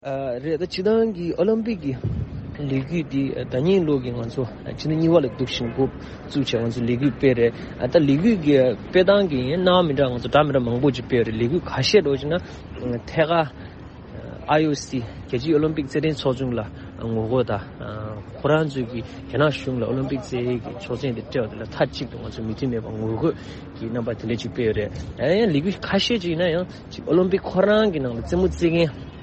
ཨ། རེད། ད་སྤྱིར་བཏང་གི་ཨོ་ལིམ་པིག་གི་ལས་འགུལ་འདི་ད་ཉིན་ལོ་གི་ང་ཚོ་ཕྱི་ཟླ་གཉིས་པ་ལ་འདུག་བཞིན་འགོ་བཙུགས་བྱས་ང་ཚོ་ལས་འགུལ་སྤེལ་རེད། ཨ། ད་ལས་འགུལ་གི་སྤེལ་སྟངས་ཀྱི་སྣང་བ་མི་འདྲ་ང་ཚོ་འདྲ་མི་འདྲ་མང་པོ་ཅིག་སྤེལ་རེད། ལས་འགུལ་ཁ་ཤས་འགྲོ་བྱས་ན་ཐད་ཀར་ཨའི་ཨོ་སི་རྒྱལ་སྤྱིའི་ཨོ་ལིམ་པིག་རྩེད་འགྲན་ཚོགས་ཆུང་ལ་ངོ་རྒོལ་དང་ཁོ་རང་ཚོས་ཀྱི་རྒྱ་ནག་གཞུང་ལ་ཨོ་ལིམ་པིག་རྩེད་འགྲན་གྱི་ཆོག་མཆན་དེ་སྤྲད་པ་དེ་ལ་མཐའ་གཅིག་ཏུ་ང་ཚོ་མོས་མཐུན་མེད་པ་ངོ་རྒོལ་གྱི་རྣམ་པ་དེ་འདྲ་ཅིག་སྤེལ་ཡོད་རེད། ཡང་ལས་འགུལ་ཁ་ཤས་ཅིག་ཡིན་ན་ཡང་ཅིག་ཨོ་ལིམ་པིག་ཁོ་རང་གི་ནང་ལ་རྩེད་མོ་རྩེད་མཁན།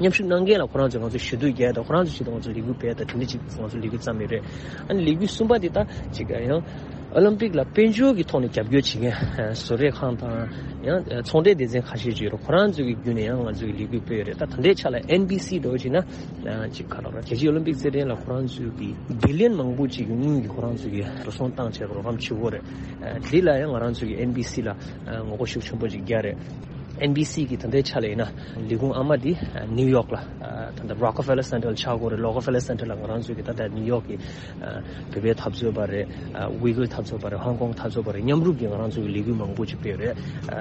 མཉམ་ཞུགས་གནང་མཁན་ལ་ཁོ་རང་ཚོས་ང་ཚོ་ཞུ་གཏུག་རྒྱག་དང་ཁོ་རང་ཚོའི་ཆེད་དུ་ང་ཚོ་ལས་འགུལ་སྤེལ་དང་དེ་འདྲ་ཅིག་ང་ཚོ་ལས་འགུལ་བརྩམས་ཡོད་རེད། ཨ་ནི་ལས་འགུལ་གསུམ་པ་དེ་ད་ཅིག་ཡང་ཨོ་ལིམ་པིག་ལ་དཔལ་འབྱོར་གྱི་ཐོག་ནས་རྒྱབ་སྐྱོར་བྱེད་མཁན་བཟོ་གྲྭ་ཁང་དང་ཡང་ཚོང་འབྲེལ་སྡེ་ཚན་ཁ་ཤས་ཅིག་ཡོད་རེད། ཁོ་རང་ཚོ་གི་བརྒྱུད་ནས་ཡང་ང་ཚོ་གི་ལས་འགུལ་སྤེལ་ཡོད་རེད། ད་ད་ལྟའི་ཆ་ལ་ཨེན་བྷི་སི་འདྲ་བོ་བྱས་ན་ཅིག་ག་རེ་རེད། རྒྱལ་སྤྱིའི་ཨོ་ལིམ་པིག་རྩེད་འགྲན་ལ་ཁོ་རང་ཚོ་གི་བྷི་ལི་ཡན་མང་པོ་ཅིག་གི་དངུལ་གྱི་ཁོ་རང་ཚོ་གི་འགྲོ་སོང་བཏང་བྱས་རོགས་རམ་བྱེད་ཀྱི་ཡོད་རེད། དེ་ལ་ཡང་ང་རང་ཚོ་གི་ཨེན་བྷི་སི་ལ་ངོ་རྒོལ་ཤུགས་ཆེན་པོ་ཅིག་རྒྱག་རེད། ཨེན་བྷི་སི་གི་ད་ལྟའི་ཆ་ལ་ཡིན་ན་ལས་ཁུངས་ཨ་མ་དེ་ནིའུ་ཡོག་ལ་ད་ལྟ་རོ་ཀ་ཕེ་ལར་སེན་ཊར་ལ་ཆགས་ཀྱི་ཡོད་རེད། རོ་ཀ་ཕེ་ལར་སེན་ཊར་ལ་ང་རང་ཚོ་གི་ད་ལྟ་ནིའུ་ཡོག་གི་བོད་པའི་འཐབ་རྩོད་པ་རེད། ཝི་གུར་འཐབ་རྩོད་པ་རེད། ཧོང་ཀོང་འཐབ་རྩོད་པ་རེད། མཉམ་རུབ་ཀྱི་ང་རང་ཚོ་གི་ལས་འགུལ་མང་པོ་ཅིག་སྤེལ་ཡོད་རེད།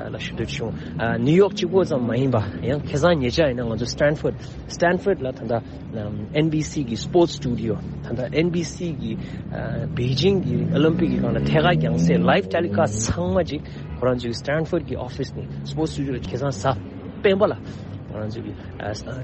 ལ་ཞུ་འདོད་བྱུང་། ནིའུ་ཡོག་གཅིག་པོ་ཙམ་མ་ཡིན་པ་ཡང་ཁ་སང་ཉེ་ཆར་ཡིན་ན་ང་ཚོ་སི་ཊན་ཕོར་ཌི་སི་ཊན་ཕོར་ཌི་ལ་ད་ལྟ་ཨེན་བྷི་སི་གི་སི་པོར་ཊི་སི་ཊུ་ཌི་ཡོ་ད་ལྟ་ཨེན་བྷི་སི་གི་པེ་ཅིང་གི་ཨོ་ལིམ་པིག་གི་སྒང་ལ་ཐད་ཀར་རྒྱང་སྲིང་ལའེབ་ཊེ་ལི་ཀ་སི་ཊི་ཚང་མ་ཅིག་ཁོ་རང་ཚོའི་སི་ཊན་ཕོར་ཌི་གི་ཨོ་ཕི་སི་ནས་སི་པོར་ཊི་སི་ཊུ་ཌི་ཡོ་ལ་ཁ་སང་གཟའ་སྤེན་པ་ལ་ང་རང་ཚོ་གི་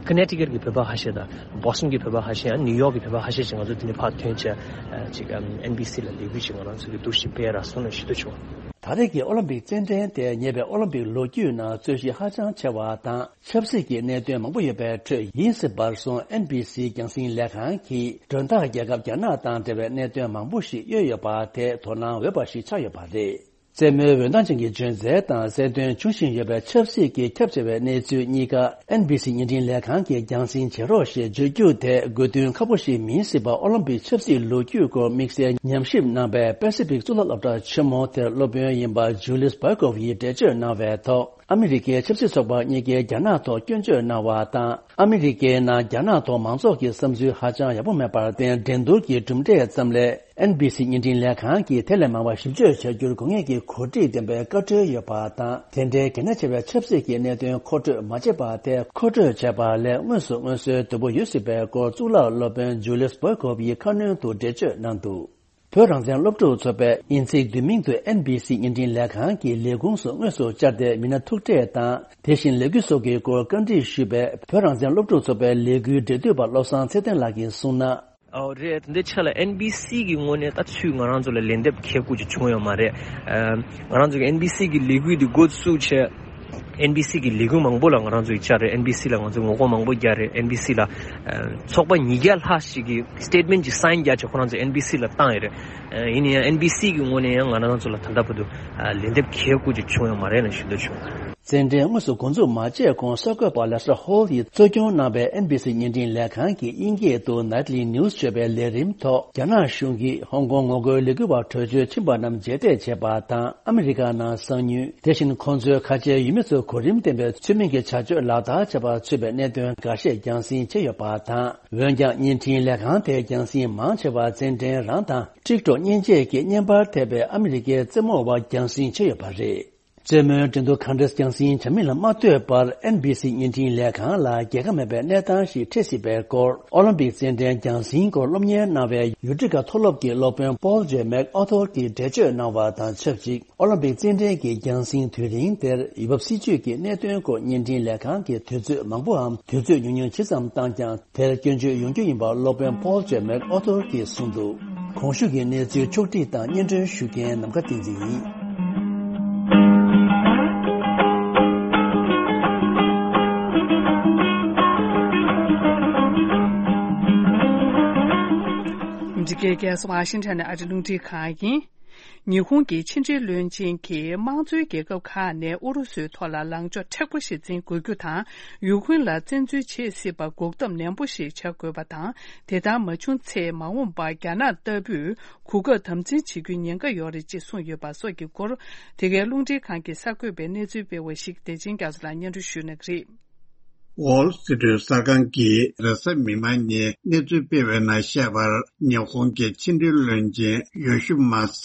ཀོ་ནེ་ཊི་ཀཊ་གི་བོད་པ་ཁ་ཤས་དང་། བྷོ་སི་ཊོན་གྱི་བོད་པ་ཁ་ཤས་ཡང་ནིའུ་ཡོག་གི་བོད་པ་ཁ་ཤས་ཤིག་ང་ཚོ་འདི་ནས་ཕར་ཐོན་བྱས་ཅིག་ཨེན་བྷི་སི་ལ་ལས་འགུལ་ཞིག་ང་རང་ཚོ་གི་འདུག་ཞིག་སྤེལ་ར་སོང་ནས་ཞུ་འདོད་བྱུང་། ད་རེས་ཀྱི་ཨོ་ལིམ་པིག་རྩེད་འགྲན་དེ་ཉེ་བའི་ཨོ་ལིམ་པིག་ལོ་རྒྱུས་ནང་རྩོད་གཞི་ཧ་ཅང་ཆེ་བ་དང་ཆབ་སྲིད་ཀྱི་གནད་དོན་མང་པོ་ཡོད་པའི་ཁྲོད་ཡིན་སྲིད་པར་སོང་། ཨེན་བྷི་སི་རྒྱང་སྲིང་ལས་ཁང་གིས་མགྲོན་བདག་རྒྱལ་ཁབ་རྒྱ་ནག་དང་འབྲེལ་བའི་གནད་དོན་མང་པོ་ཞིག་གཡོལ་ཡོད་པ་དེ་དོ་སྣང་འོས་པ་ཞིག་ཆགས་ཡོད་པ་རེད། རྩེད་མོའི་འོད་མདངས་ཅན་གྱི་འཇོན་རྩལ་དང་གསལ་སྟོན་བྱུང་བཞིན་ཡོད་པའི་ཆབ་སྲིད་ཀྱི་ཁྱབ་ཆེ་བའི་གནས་ཚུལ་གཉིས་ཀ་ཨེན་བྷི་སི་བརྙན་འཕྲིན་ལས་ཁང་གིས་རྒྱང་སྲིང་བྱེད་རོགས་ཞེས་བརྗོད་རྒྱུ་དེ་དགོས་འདུན་ཁག་པོ་ཞིག་མིན་སྲིད་པ། ཨོ་ལིམ་པིག་ཆབ་སྲིད་ལོ་རྒྱུས་སྐོར་དམིགས་བསལ་ཉམས་ཞིབ་གནང་བའི་པེ་སི་ཕིག་གཙུག་ལག་སློབ་གྲྭ་ཆེན་མོ་དེར་སློབ་དཔོན་ཡིན་པ་ཇུ་ལིས་བྷོ་ཀོབ་ཡིས་འགྲེལ་བརྗོད་གནང་བའི་ཐོག་ཨ་མི་རི་ཀའི་ཆབ་སྲིད་ཚོགས་པ་གཉིས་ཀས་རྒྱ་ནག་ཐོག་སྐྱོན་བརྗོད་གནང་བ་དང་། ཨ་མི་རི་ཀའི་ནང་རྒྱ་ནག་ཐོག་མང་ཚོགས་ཀྱི་བསམ་ཚུལ་ཧ་ཅང་ཡག་པོ་མེད་པར་བརྟེན། འགྲན་བསྡུར་གྱི་གྲུབ་འབྲས་ཙམ་ལས། ཨེན་བྷི་སི་བརྙན་འཕྲིན་ལས་ཁང་གིས་དེ་ལས་མང་བ་ཞིབ་དཔྱོད་བྱ་རྒྱུར་དགོས་ངེས་ཀྱི་གོ་སྒྲིག་ལྡན་པའི་བཀའ་འཁྲོལ་ཡོད་པ་དང་། དེ་འདྲའི་གལ་གནད་ཆེ་བའི་ཆབ་སྲིད་ཀྱི་གནད་དོན་མཁོ་སྤྲོད་མ་བྱེད་པ་དེ་མཁོ་སྤྲོད་བྱས་པ་ལས་དངོས་སུ་སྔོན་བཟོའི་དོད་པོ་ཡོད་སྲིད་པའི་སྐོར་གཙུག་ལག་སློབ་དཔོན་ཇུ་ལིས་བྷོ་ཀོབ་ཡིས་ཁ་སྣོན་དུ་འགྲེལ་བརྗོད་གནང་འདུག་བོད་རང་བཙན་སློབ་ཕྲུག་ཚོགས་པས་དབྱིན་ཚིག་བསྡུས་མིང་དུ་ཨེན་བྷི་སི་བརྙན་འཕྲིན་ལས་ཁང་གི་ལས་ཁུངས་སུ་དངོས་སུ་བཅར་ཏེ་མི་སྣ་ཐུག་འཕྲད་དང་། དེ་བཞིན་ལས་འགུལ་སོགས་ཀྱི་སྐོར་བཀའ་འདྲི་ཞུས་པས། བོད་རང་བཙན་སློབ་ཕྲུག་ཚོགས་པའི་ལས་འགུལ་འབྲེལ་མཐུད་པ་བློ་བཟང་ཚེ་བརྟན་ལགས་ཀྱིས་གསུངས་ན། ཨོ་རེད། དེ་འདྲའི་ཆ་ལ་ཨེན་བི་སི་གི་ངོས་ནས་ད་ཚུར་ང་རང་ཚོ་ལ་ལན་འདེབས་གལ་ཀུ་ཅིག་བྱུང་ཡོད་མ་རེད། ཨ་ང་རང་ཚོ་གི་ཨེན་བི་སི་གི་ལས་འགུལ་འདི་འགོ་བཙུགས་བྱས། ཨེན་བི་སི་གི་ལས་འགུལ་མང་པོ་ལ་ང་རང་ཚོ་ཡིག་ཆ་རེད། ཨེན་བི་སི་ལ་ང་ཚོ་ངོ་རྒོལ་མང་པོ་རྒྱག་རེད། ཨེན་བི་སི་ལ་ཨ་ཚོགས་པ་ཉིས་བརྒྱ་ལྷག་ཞིག་གིས་སི་ཊེཊ་མེན་ཊི་ཅིག་སའིན་རྒྱག་བྱས་ཁོ་རང་ཚོ་ཨེན་བི་སི་ལ་བཏང་ཡོད་རེད། ཨ་ཡིན་ན་ཡང་ཨེན་བི་སི་གི་ངོས་ནས་ཡང་ང་རང་ཚོ་ལ་ད་ལྟ་བར་དུ་ཨ་ལན་འདེབས་གལ་ཀུ་ཅིག་བྱུང་ཡོད་མ་རེད་ལབ་ཞུ་འདོད་བྱུང་། བཙན་འཕྲིན་དངོས་སུ་འགོ་འཛུགས་མ་བྱས་གོང་གསར་འགོད་པ་ལེ་སི་ཧོལ་ཡིས་གཙོ་སྐྱོང་གནང་བའི་ཨེན་བི་སི་བརྙན་འཕྲིན་ལས་ཁང་གི་དབྱིན་སྐད་དུ་Nightly News ཞེས་པའི་ལས་རིམ་ཐོག་རྒྱ་ནག་གཞུང་གིས་ཧོང་ཀོང་ངོ་རྒོལ་ལས་འགུལ་བ་བྲོས་བྱོལ་ཕྱིན་པ་རྣམས་རྗེས་འདེད་བྱས་པ་དང་ཨ་མི་རི་ཀ་ནང་གསང་ཉུལ། དེ་བཞིན་ཁོང་ཚོའི་ཁ་ཆེའི་ཡུལ་མི་ཚོའི་གོ་རིམ་ལྡན་པའི་ཚུལ་མིན་གྱི་བྱ་སྤྱོད་ལག་བསྟར་བྱས་པ་ཚུད་པའི་གནད་དོན་འགའ་ཤས་རྒྱང་སྲིང་བྱས་ཡོད་པ་དང་། འོན་ཀྱང་བརྙན་འཕྲིན་ལས་ཁང་དེའི་རྒྱང་སྲིང་མང་ཆེ་བ་བཙན་འཕྲིན་རང་དང་ཊིག་ཊོག་མཉེན་ཆས་ཀྱི་བརྙན་པར་ཐེབས་པའི་ཨ་མི་རི་ཀའི་རྩེད་མོ་བ་རྒྱང་སྲིང་བྱས་ཡོད་པ་རེད། རྩེད་མོའི་འགྲན་བསྡུར་གང་འདྲ་རྒྱང་སྲིང་བྱ་མིན་ལ་མ་ལྟོས་པར་ཨེན་བི་སི་བརྙན་འཕྲིན་ལས་ཁང་ལ་རྒྱལ་ཁ་མེད་པའི་གནས་སྟངས་ཤིག་འཕྲད་སྲིད་པའི་སྐོར། ཨོ་ལིམ་པིག་རྩེད་འགྲན་རྒྱང་སྲིང་སྐོར་སློབ་གཉེར་གནང་བའི་ཡུ་ཊི་ཀ་མཐོ་སློབ་ཀྱི་སློབ་དཔོན་Paul J MacArthur གྱིས་འགྲེལ་བརྗོད་གནང་བ་དང་ཆབས་ཅིག་ཨོ་ལིམ་པིག་རྩེད་འགྲན་གྱི་རྒྱང་སྲིང་དུས་རིང་དེར་འོས་འབབ་སྲིད་ཇུས་ཀྱི་གནད་དོན་སྐོར་བརྙན་འཕྲིན་ལས་ཁང་གི་དུས་ཚོད་མང་པོའམ་དུས་ཚོད་ཉུང་ཉུང་ཇི་ཙམ་བཏང་ཀྱང་། དེར་སྐྱོན་བརྗོད་ཡོང་རྒྱུ་ཡིན་པ་སློབ་དཔོན་Paul J MacArthur གྱིས་གསུངས་འདུག་གོང་ཞུས་ཀྱི་གནས་ཚུལ་ཕྱོགས་བསྒྲིགས་དང་སྙན་སྒྲོན་ཞུ་མཁན་ནམ་མཁའ་བསྟན་འཛིན་ཡིན། འདི་གའི་རྒྱལ་ས་ཝ་ཤིང་ཊོན་ནས་ཨ་རི་རླུང་འཕྲིན་ཁང་ཡིན། ཉི་ཧོང་གི་ཕྱི་འབྲེལ་བློན་ཆེན་གྱིས་དམངས་གཙོའི་རྒྱལ་ཁབ་ཁག་ནས་ཨུ་རུ་སུའི་ཐོག་ལ་ལངས་ཕྱོགས་མཁྲེགས་པོ་ཞིག་འཛིན་དགོས་རྒྱུ་དང་། ཡུཀ་རེན་ལ་བཙན་འཛུལ་བྱེད་སྲིད་པར་འགོག་ཐབས་ནན་པོ་ཞིག་བྱ་དགོས་པ་དང་། དེ་ལྟར་མ་བྱུང་ཚེ་མ་འོངས་པར་རྒྱ་ནག་ལྟ་བུས་གོ་སྐབས་དམ་འཛིན་བྱེད་རྒྱུའི་ཉེན་ཁ་ཡོད་རེད་ཅེས་གསུངས་ཡོད་པ་སོགས་ཀྱི་སྐོར། དེ་གའི་རླུང་འཕྲིན་ཁང་གི་གསར་འགོད་པས་གནས་ཚུལ་སྤེལ་བ་ཞིག་བདེ་ཆེན་རྒྱ་མཚོ་ལགས་སྙན་སྒྲོན་ཞུ་གནང་གི་རེད། Wall Street གསར་ཁང་གིས་རེས་གཟའ་མིག་དམར་ཉིན་གནས་ཚུལ་སྤེལ་བའི་ནང་བཤད་པར། ཉི་ཧོང་གི་ཕྱི་འབྲེལ་བློན་ཆེན་ཡོ་ཤི་མ་ས་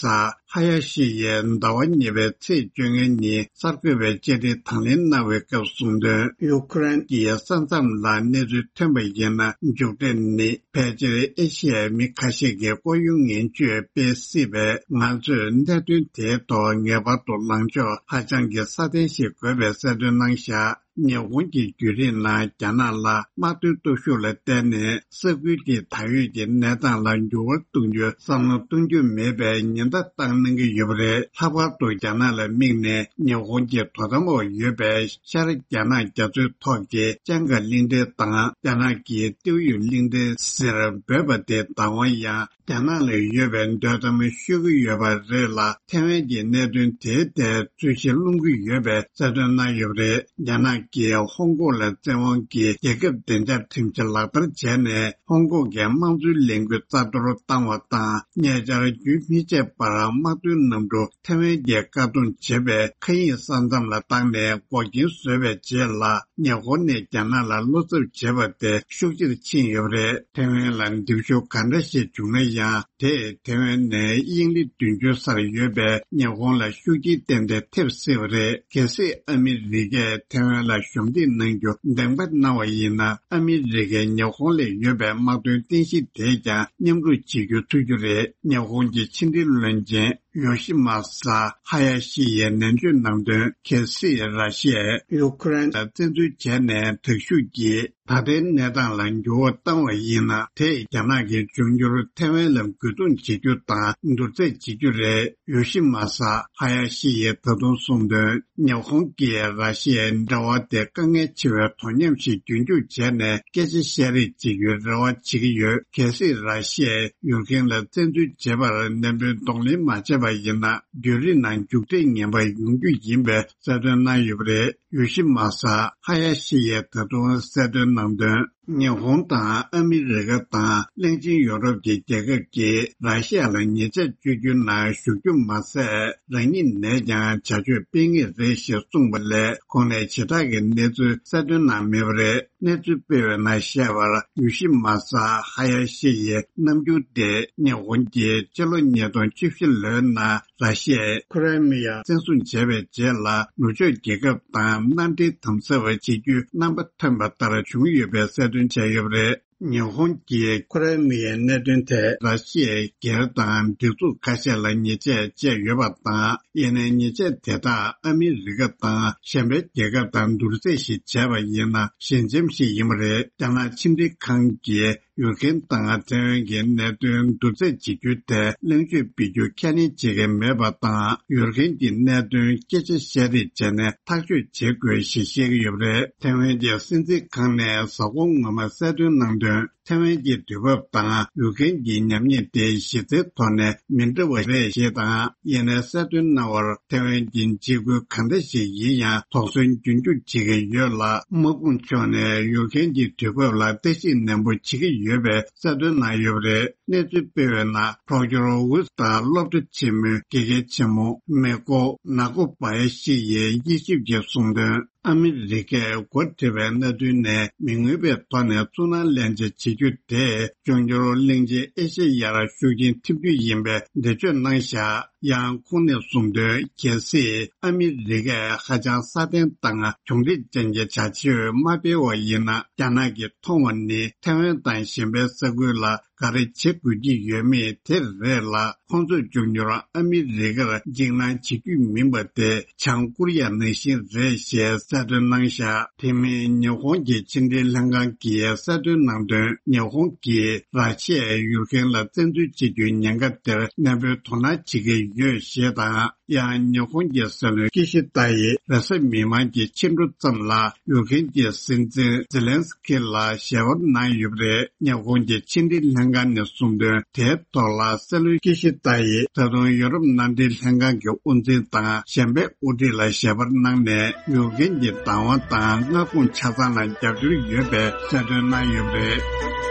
ཧ་ཡ་ཤི་ཡིས་ཟླ་བ་གཉིས་པའི་ཚེས་བཅོ་ལྔ་ཉིན་གསར་འགོད་པའི་བཅར་འདྲི་དང་ལེན་གནང་བའི་སྐབས་གསུངས་དོན། ཡུ་ཀེ་རེན་གྱི་ས་མཚམས་ལ་གནས་ཚུལ་ཐོན་པ་ཡིན་ན། མཇུག་འབྲས་ནི་ཕལ་ཆེར་ཨེ་ཤི་ཡའི་མི་ཁ་ཤས་ཀྱིས་ལྐོག་གཡོ་ངན་ཇུས་སྤེལ་སྲིད་པས། ང་ཚོས་གནད་དོན་དེའི་ཐོག་ངེས་པར་དུ་ལངས་ཕྱོགས་ཧ་ཅང་གི་སྲ་བརྟན་ཞིག་དགོས་པའི་གསལ་སྟོན་གནང་བཞག་ཉི་ཧོང་གི་བརྒྱུད་རིམ་ནང་རྒྱ་ནག་ལ་དམག་དོན་སྟོབས་ཤུགས་ལ་བརྟེན་ནས་ས་ཁུལ་གྱི་ད་ཡོད་ཀྱི་གནས་སྟངས་ལ་འགྱུར་བ་གཏོང་རྒྱུའི་བསམ་བློ་གཏོང་རྒྱུ་མེད་པའི་ཉེན་བརྡ་བཏང་གནང་གི་ཡོད་པ་རེད། ལྷག་པར་དུ་རྒྱ་ནག་ལ་དམིགས་ནས་ཉི་ཧོང་གི་དོ་དམ་འོག་ཡོད་པའི་ཤར་རྒྱ་ནག་རྒྱ་མཚོའི་ཐོག་གི་ཅང་ག་གླིང་ཕྲན་དང་རྒྱ་ནག་གི་ཏེའུ་ཡུ་གླིང་ཕྲན་ཟེར་འབོད་པ་དེ་བདག་དབང་ཡང་རྒྱ་ནག་ལ་ཡོད་པའི་འདོད་གཏམ་ཤོད་ཀྱི་ཡོད་པ་རེད་ལ། ཐེ་ཝན་གྱི་གནད་དོན་དེའི་ཐད་རྩོད་གཞི་སློང་གི་ཡོད་པའི་གསལ་སྟོན་གནང་ཡོད་པ་རེད། རྒྱ་ནག་གིས་ཧོང་ཀོང་ལ་བཙན་དབང་གིས་རྒྱལ་ཁབ་བདེ་འཇགས་ཁྲིམས་གཞི་ལག་བསྟར་བྱས་ནས། ཧོང་ཀོང་གི་དམངས་གཙོའི་ལས་འགུལ་རྩ་གཏོར་བཏང་བ་དང་། ཉེ་ཆར་རྒྱུན་མི་ཆད་པར་དམག་དོན་གནམ་གྲུ་ཐེ་ཝན་གྱིས་བཀག་སྡོམ་བྱས་པའི་མཁའ་དབྱིངས་ས་མཚམས་ལ་བཏང་ནས་འགོག་རྐྱེན་བཟོས་པའི་རྗེས་ལ། ཉི་ཧོང་ནས་རྒྱ་ནག་ལ་བློ་འཚབ་བྱེད་པ་དེ་ཤུགས་ཆེར་ཕྱིན་ཡོད་པ་རེད། ཐེ་ཝན་ལ་འདེམས་ཤོག་ག་འདྲ་ཞིག་བྱུང་ན་ཡང་། དེས་ཐེ་ཝན་ནས་དབྱིངས་ལི་བདུན་ཅུ་སར་ཡོད་པའི་ཉི་ཧོང་ལ་ཤུགས་རྐྱེན་ཏན་ཏན་ཐེབས་སྲིད་པ་རེད། གལ་སྲིད་ཨ་མི་རི་ཀས་ཐེ་ཝན་ལ་གཞོགས་འདེགས་གནང་རྒྱུ་འདེམས་ཀ་གནང་བ་ཡིན་ན། ཨ་མི་རི་ཀས་ཉི་ཧོང་ལ་ཡོད་པའི་དམག་དོན་རྟེན་གཞི་དེས་ཀྱང་མཉམ་རུབ་བྱེད་རྒྱུ་ཐུབ་རྒྱུ་རེད། ཉི་ཧོང་གི་ཕྱི་འབྲེལ་བློན་ཆེན་ཡོ་ཤི་མ་ས་ཧ་ཡ་ཤི་ཡིས་ནན་བརྗོད་གནང་དོན། གལ་སྲིད་ར་ཤི་ཡས་ཡུ་ཀེ་རེན་ལ་བཙན་འཛུལ་བྱས་ནས་དྲག་ཤུགས་ཀྱིས། ད་ལྟའི་གནས་སྟངས་ལ་འགྱུར་བ་བཏང་བ་ཡིན་ན། དེས་རྒྱ་ནག་གི་འབྱུང་འགྱུར་ཐེ་ཝན་ལ་རྒོལ་རྡུང་བྱེད་རྒྱུ་དང་བསྡུར་ཚད་བྱེད་རྒྱུ་རེད། ཡོ་ཤི་མ་ས་ཧ་ཡ་ཤི་ཡིས་ད་དུང་གསུངས་དོན། ཉི་ཧོང་གིས་ར་ཤི་ཡའི་འབྲེལ་བ་དེ་དཀའ་ངལ་ཆེ་བའི་དོ་མཉམ་ཞིག་རྒྱུན་འཁྱོངས་བྱས་ནས་སྐད་ཆ་བཤད་རེས་བྱེད་རྒྱུའི་རེ་བ་བྱེད་ཀྱི་ཡོད། གལ་སྲིད་ར་ཤི་ཡས་ཡུཀ་རེན་ལ་བཙན་འཛུལ་བྱེད་པར་ནན་པོའི་གདོང་ལེན་མ་བྱས་པ་ཡིན་ན། བརྒྱུད་རིམ་ནང་མཇུག་འབྲས་ངན་པ་ཡོང་རྒྱུ་ཡིན་པའི་གསལ་སྟོན་གནང་ཡོད་པ་རེད། ཡོ་ཤི་མ་ས་ཧ་ཡ་ཤི་ཡིས་ད་དུང་གསལ་སྟོན་གནང་དོན། ཉི་ཧོང་དང་ཨ་མི་རི་ཀ་དང་གླིང་ཆེན་ཡོ་རོབ་ཀྱི་རྒྱལ་ཁབ་ཀྱིས་ར་ཤི་ཡ་ལ་ཉེས་ཆད་གཅོད་རྒྱུའི་ནང་ཞུགས་རྒྱུ་མ་ཟད། རང་ཉིད་ནས་ཀྱང་བྱ་སྤྱོད་སྤེལ་ངེས་རེད་ཞེས་གསུངས་པ་ལས། ཁོང་ནས་ཞེ་དྲག་གི་གནས་ཚུལ་གསལ་སྟོན་གནང་མེད་པ་རེད། གནས་ཚུལ་སྤེལ་བའི་ནང་བཤད་པར། ཡོ་ཤི་མ་ས་ཧ་ཡ་ཤི་ཡི་རྣམ་འགྱུར་དེ། ཉི་ཧོང་གིས་ཕྱི་ལོ་ཉིས་སྟོང་བཅུ་བཞི་ལོའི་ནང་ར་ཤི་ཡའི་ཁི་རི་མི་ཡ་བཙན་བཟུང་བྱས་པའི་རྗེས་ལ། ནུབ་ཕྱོགས་རྒྱལ་ཁབ་དང་མནའ་འབྲེལ་དམ་ཟབ་བྱེད་རྒྱུའི་རྣམ་པ་ཐོན་པ་ལྟར་བྱུང་ཡོད་པའི་གསལ་སྟོན་བྱས་ཡོད་པ་རེད། ཉི་ཧོང་གིས་ཁོ་རའི་མི་ཡི་གནད་དོན་ཐད་ར་ཤི་ཡའི་སྒེར་དང་སྒྲིག་འཛུགས་ཁ་ཤས་ལ་ཉེས་ཆད་བཅད་ཡོད་པ་དང་། ཡིན་ནའི་ཉེས་ཆད་དེ་དག་ཨ་མི་རི་ཀ་དང་གཞན་པའི་རྒྱལ་ཁབ་དང་བསྡུར་ཚད་ཞིག་བྱས་པ་ཡིན་ན་ཞན་ཆེམས་ཤིག་ཡིན་པ་རེད། རྒྱ་ནག་ཕྱི་འབྲེལ་ཁང་གིས་ཡུཀ་རེན་དང་ཐེ་ཝན་གྱི་གནད་དོན་བསྡུར་ཚད་བྱེད་རྒྱུའི་ཐད་གླེང་བརྗོད་སྤེལ་རྒྱུ་ཁས་ལེན་བྱེད་ཀྱི་མེད་པ་དང་། ཡུཀ་རེན་གྱི་གནད་དོན་སྐད་ཆ་བཤད་རེས་བྱས་ནས་ཐག་གཅོད་བྱེད་དགོས་ཞེས་བཤད་ཀྱི་ཡོད་པ་རེད། ཐེ་ཝན་གྱི་སྲིད་འཛིན་ཁང་ནས་གཟའ་འཁོར་སྔོན་མ་གསལ་སྟོན་གནང་དོན། ཐེ་ཝན་གྱི་དུས་བབ་དང་ཡུཀ་རེན་གྱི་ཉམས་ཉེས་དེ་གཞི་རྩའི་ཐོག་ནས་མི་འདྲ་བ་རེད་ཞེས་དང་། ཡིན་ནའི་གསལ་སྟོན་གནང་བར་ཐེ་ཝན་གྱི་འཇིགས་སྐུལ་གང་འདྲ་ཞིག་ཡིན་ཡང་དོགས་ཟོན་རྒྱུན་འཁྱོངས་བྱེད་ཀྱི་ཡོད་ལ། དམག་དཔུང་ཕྱོགས་ནས་ཡུཀ་རེན་གྱི་དུས་བབ་ལ་བརྟག་ཞིབ་ནན་པོ་བྱེད་ཀྱི་ཡོད་པའི་གསལ་སྟོན་གནང་ཡོད་པ་རེད། གནས་ཚུལ་སྤེལ་བའི་ནང་པྲོག་ཅོར་ཝུ་དང་སློབ་གྲྭ་ཆེན་མོའི་དགེ་རྒན་ཆེན་མོ་མེ་ཀོ་ནཱ་ཀོ་བྷ་ཡ་ཤི་ཡིས་དབྱེ་ཞིབ་ཀྱིས་གསུངས་དོན། ཨ་མི་རི་ཀས་འགོ་ཁྲིད་པའི་གནད་དོན་ནས་མི་མངོན་པའི་ཐོག་ནས་ཚུར་སྣང་ལེན་བྱ་བྱེད་རྒྱུ་དེ་འབྱུང་འགྱུར་གླིང་ཆེན་ཨེ་ཤེ་ཡར་ཤུགས་རྐྱེན་ཐེབས་རྒྱུ་ཡིན་པའི་འགྲེལ་བརྗོད་གནང་བཞག་ཡང་ཁོང་ནས་གསུངས་དོན། གལ་སྲིད་ཨ་མི་རི་ཀས་ཧ་ཅང་སྲ་བརྟན་དང་གྱོང་རིག་ཅན་གྱི་བྱ་སྤྱོད་མ་སྤེལ་བ་ཡིན་ན། རྒྱ་ནག་གིས་མཐོང་བ་ནི་ཐེ་ཝན་དང་གཞན་པའི་ས་ཁུལ་ལ་ག་རེ་བྱེད་དགོས་ཀྱི་ཡོད་མེད་དེ་རེད་ལ། ཁོང་ཚོས་འབྱུང་འགྱུར་ཨ་མི་རི་ཀར་འཇིགས་སྣང་བྱེད་རྒྱུ་མིན་པ་དེ་བྱང་ཀོ་རི་ཡ་ནང་བཞིན་རེད་ཞེས་གསལ་སྟོན་གནང་བཞག་དེ་མིན་ཉི་ཧོང་གི་ཕྱི་འབྲེལ་ལྷན་ཁང་གིས་གསལ་སྟོན་གནང་དོན། ཉི་ཧོང་གིས་ར་ཤི་ཡས་ཡུཀ་རེན་ལ་བཙན་འཛུལ་བྱེད་རྒྱུའི་ཉེན་ཁ་དེར་ནན་པོའི་དོ་སྣང་བྱེད་ཀྱི་ཡོད་ཞེས་དང་། ཡང་ཉི་ཧོང་གི་སྲིད་བློན་ཀི་ཤི་ཏཱ་ཡིས་རེས་གཟའ་མིག་དམར་གྱི་ཕྱི་དྲོ་ཙམ་ལ་ཡུཀ་རེན་གྱི་སྲིད་འཛིན་ཛེ་ལན་སི་ཁི་ལ་ཞལ་པར་གནང་ཡོད་པ་རེད། ཉི་ཧོང་གི་ཕྱི་འབྲེལ་ལྷན་ཁང་ནས་གསུངས་དོན། དེའི་ཐོག་ལ་སྲིད་བློན་ཀི་ཤི་ཏཱ་ཡིས་ད་དུང་ཡོ་རོབ་མནའ་འབྲེལ་ལྷན་ཁང་གི་དབུ་འཛིན་དང་གཞན་པའི་དབུ་ཁྲིད་ལ་ཞལ་པར་གནང་ནས་ཡུཀ་རེན་གྱི་བདག་དབང་དང་མངའ་ཁོངས་ཆ་ཚང་ལ་རྒྱབ་སྐྱོར་ཡོད་པའི་གསལ་སྟོན་གནང་ཡོད་པ་རེད།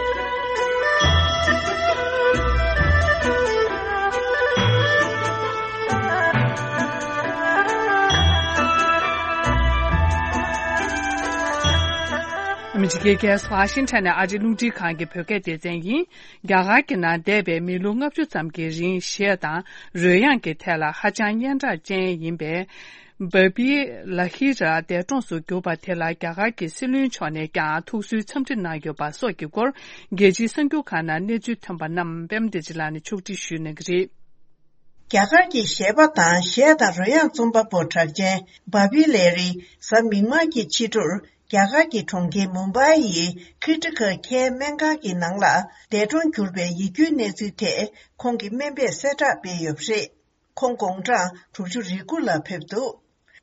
ཨ་མི་རི་ཀའི་རྒྱལ་ས་ཝ་ཤིང་ཊོན་ནས་ཨ་རིའི་རླུང་འཕྲིན་ཁང་གི་བོད་སྐད་སྡེ་ཚན་ཡིན། རྒྱ་གར་གྱི་ནང་འདས་པའི་མི་ལོ་ལྔ་བཅུ་ཙམ་གྱི་རིང་གཞས་དང་རོལ་དབྱངས་ཀྱི་ཐད་ལ་ཧ་ཅང་སྙན་གྲགས་ཅན་ཡིན་པའི་བ་བི་ལ་ཧི་ར་འདས་གྲོངས་སུ་གྱུར་པ་དེ་ལ་རྒྱ་གར་གྱི་སྲིད་བློན་མཆོག་ནས་ཀྱང་ཐུགས་གསོའི་འཚམས་འདྲི་གནང་ཡོད་པ་སོགས་ཀྱི་སྐོར། རྒྱལ་སྤྱིའི་གསར་འགྱུར་ཁག་ནང་གནས་ཚུལ་ཐོན་པ་རྣམས་པད་མ་བདེ་ཆེན་ལགས་ནས་ཕྱོགས་སྒྲིག་ཞུས་གནང་གི་རེད། རྒྱ་གར་གྱི་གཞས་པ་དང་གཞས་དང་རོལ་དབྱངས་རྩོམ་པ་པོ་གྲགས་ཅན་བྷ་བི་ལེ་རི་གཟའ་མིག་དམར་གྱི་ཕྱི་དྲོར་རྒྱ་གར་གྱི་གྲོང་ཁྱེར་མུམ་བྷའི་ཡི་ཀི་ཊི་ཁལ་ཁེ་སྨན་ཁང་གི་ནང་ལ་འདས་གྲོངས་གྱུར་པའི་ཡིད་སྐྱོའི་གནས་ཚུལ་ཐད་ཁོང་གི་སྨན་པས་གསལ་བསྒྲགས་སྤེལ་ཡོད་པ་རེད། ཁོང་དགུང་གྲངས་དྲུག་ཅུ་རེ་དགུ་ལ་ཕེབས་འདུག་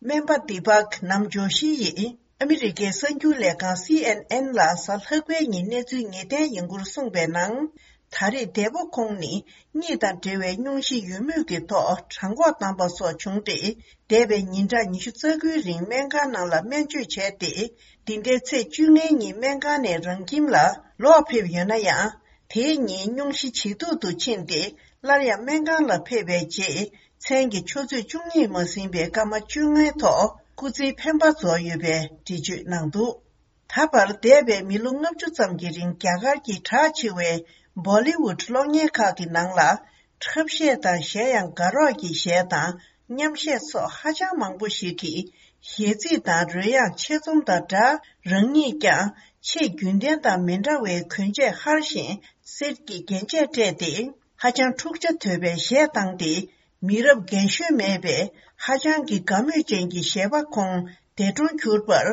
སྨན་པ་དི་པག་ནམ་ཇོ་ཤི་ཡིས་ཨ་མི་རི་ཀའི་གསར་འགྱུར་ལས་ཁང་སི་ཨེན་ཨེན་ལ་གཟའ་ལྷག་པའི་ཉིན་གནས་ཚུལ་ངེས་གཏན་ཡིན་སྐོར་གསུངས་པའི་ནང་། ད་རེས་འདས་པོ་ཁོང་ནི་གཉིད་དང་འབྲེལ་བའི་སྙུང་གཞི་ཡོད་མུས་ཀྱི་ཐོག་གྲང་འགོག་བཏང་པ་སོགས་བྱུང་སྟེ། འདས་པའི་ཉིན་གྲངས་ཉི་ཤུ་རྩ་དགུའི་རིང་སྨན་ཁང་ནང་ལ་སྨན་བཅོས་བྱས་ཏེ། འདི་ཟླའི་ཚེས་བཅོ་ལྔའི་ཉིན་སྨན་ཁང་ནས་རང་ཁྱིམ་ལ་ལོག་ཕེབས་ཡོད་ན་ཡང་། དེའི་ཉིན་སྙུང་གཞི་ཇེ་སྡུག་ཏུ་ཕྱིན་ཏེ། སླར་ཡང་སྨན་ཁང་ལ་ཕེབས་པའི་རྗེས། མཚན་གྱི་ཆུ་ཚོད་བཅུ་གཉིས་མ་ཟིན་པའི་སྐར་མ་བཅོ་ལྔའི་ཐོག་སྐུ་ཚེའི་འཕེན་པ་རྫོགས་ཡོད་པའི་འགྲེལ་བརྗོད་གནང་འདུག་ད་བར་འདས་པའི་མི་ལོ་ལྔ་བཅུ་ཙམ་གྱི་རིང་རྒྱ་གར་གྱི་གྲགས་ཆེ་བའི་བོ་ལི་ཝུད་གློག་བརྙན་ཁག་གི་ནང་ལ། འཁྲབ་གཞས་དང་གཞས་དབྱངས་དགའ་རོགས་ཀྱི་གཞས་དང་མཉམ་གཞས་སོགས་ཧ་ཅང་མང་པོ་ཞིག་གིས་གཞས་ཚིག་དང་རོལ་དབྱངས་ཆེད་རྩོམ་དང་སྦྲགས། རང་ཉིད་ཀྱང་ཆེས་རྒྱུན་ལྡན་དང་མི་འདྲ་བའི་གོན་ཆས་ཧར་ཞིང་གསེར་གྱི་རྒྱན་ཆས་སྤྲས་ཏེ། ཧ་ཅང་འཁྲུག་ཆ་དོད་པའི་གཞས་བཏང་སྟེ། མི་རབས་རྒན་གཞོན་མེད་པའི་ཧ་ཅང་གི་དགའ་མོས་ཅན་གྱི་གཞས་པ་ཁོང་འདས་གྲོངས་གྱུར་པར།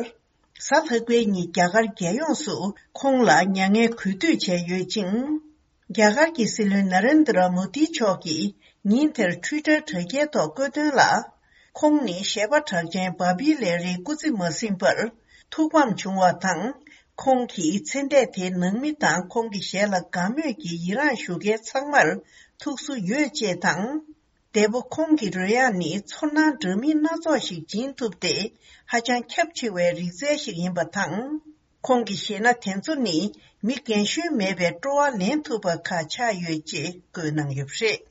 གཟའ་ལྷག་པའི་ཉིན་རྒྱ་གར་རྒྱལ་ཡོངས་སུ་ཁོང་ལ་མྱ་ངན་གུས་འདུད་བྱས་ཡོད་ཅིང་། རྒྱ་གར་གྱི་སྲིད་བློན་ན་རེན་དྲ་མོ་དི་མཆོག་གིས་ཉིན་དེར་ཊུའི་ཊར་དྲ་རྒྱའི་ཐོག་བཀོད་དོན་ལ། ཁོང་ནི་གཞས་པ་གྲགས་ཅན་བྷ་བི་ལེ་རིའི་སྐུ་ཚེ་མ་ཟིན་པར་ཐུགས་ཕམ་བྱུང་བ་དང་། ཁོང་གིས་ཚེ་འདས་དེའི་ནང་མི་དང་ཁོང་གི་གཞས་ལ་དགའ་མོས་ཀྱི་ཡི་རངས་ཞུ་མཁན་ཚང་མར་ཐུགས་གསོ་ཡོད་ཅེས་དང་། འདས་པོ་ཁོང་གི་རོལ་དབྱངས་ནི་ཚོར་སྣང་འདྲ་མིན་སྣ་ཚོགས་ཤིག་སྦྱིན་ཐུབ་སྟེ། ཧ་ཅང་ཁྱབ་ཆེ་བའི་རིག་རྩལ་ཞིག་ཡིན་པ་དང་། ཁོང་གི་གཞས་སྣ་དེ་ཚོ་ནི་མི་རྒན་གཞོན་མེད་པའི་སྤྲོ་བ་ལེན་ཐུབ་པ་ཁག་ཆགས་ཡོད་ཅེས་བཀོད་གནང་ཡོད་པ་རེད།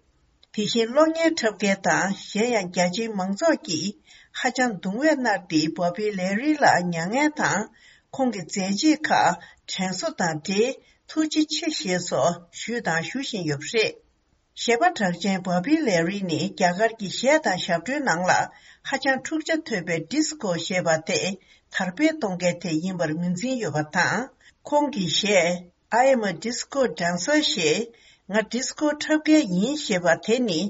དེ་བཞིན་གློག་བརྙན་འཁྲབ་མཁན་དང་གཞན་ཡང་རྒྱ་ཆེའི་མང་ཚོགས་ཀྱིས་ཧ་ཅང་གདུང་བས་མནར་ཏེ། བྷ་བི་ལེ་རི་ལ་མྱ་ངན་དང་། ཁོང་གི་མཛད་རྗེས་ཁག་དྲན་གསོ་དང་འབྲེལ་ཐུགས་རྗེ་ཆེ་ཞེས་སོགས་ཞུས་དང་ཞུ་བཞིན་ཡོད་པ་རེད། གཞས་པ་གྲགས་ཅན་བྷ་བི་ལེ་རི་ནི་རྒྱ་གར་གྱི་གཞས་དང་ཞབས་བྲོའི་ནང་ལ་ཧ་ཅང་འཁྲུག་ཆ་དོད་པའི་ཌི་སི་ཀོ་ཞེས་པ་དེ་དར་སྤེལ་གཏོང་མཁན་དེ་ཡིན་པར་ངོས་འཛིན་ཡོད་པ་དང་། ཁོང་གི་གཞས། I am a disco dancer ཞེས། ང་ཌི་སི་ཀོ་འཁྲབ་མཁན་ཡིན་ཞེས་པ་དེ་ནི།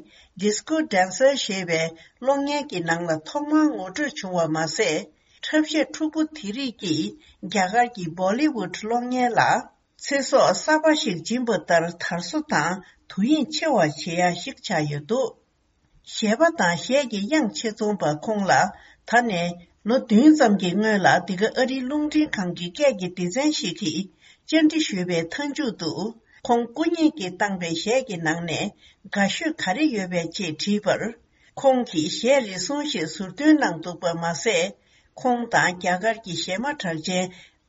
ཌི་སི་ཀོ་ཌན་སར་ཞེས་པའི་གློག་བརྙན་གྱི་ནང་ལ་ཐོག་མར་ངོ་སྤྲོད་བྱུང་བ་མ་ཟད། འཁྲབ་གཞས་འཁྲུག་པོ་དེ་རིགས་ཀྱིས་རྒྱ་གར་གྱི་བོ་ལི་ཝུད་གློག་བརྙན་ལ། ཚེ་སྲོག་གསར་པ་ཞིག་སྦྱིན་པ་ལྟར་དར་སོ་དང་དུས་ཡུན་ཆེ་བ་བྱེད་ཡ་ཞིག་ཆགས་ཡོད་འདུག་གཞས་པ་དང་གཞས་ཀྱི་དབྱངས་ཆེད་རྩོམ་པ་ཁོང་ལ། ད་ནས་ལོ་བདུན་ཙམ་གྱི་སྔོན་ལ། འདི་ག་ཨ་རིའི་རླུང་འཕྲིན་ཁང་གི་སྐད་ཀྱི་སྡེ་ཚན་ཞིག་གིས་བཅར་འདྲི་ཞུས་པའི་མཐའ་མཇུག་ཏུ། ཁོང་སྐུ་ཉིད་ཀྱིས་བཏང་པའི་གཞས་ཀྱི་ནང་ནས་དགའ་ཤོས་ག་རེ་ཡོད་པས་ཅེས་དྲིས་པར། ཁོང་གིས་གཞས་རེ་ཟུང་ཞིག་ཟུར་འདོན་གནང་འདུག་པ་མ་ཟད། ཁོང་དང་རྒྱ་གར་གྱི་གཞས་མ་གྲགས་ཅན་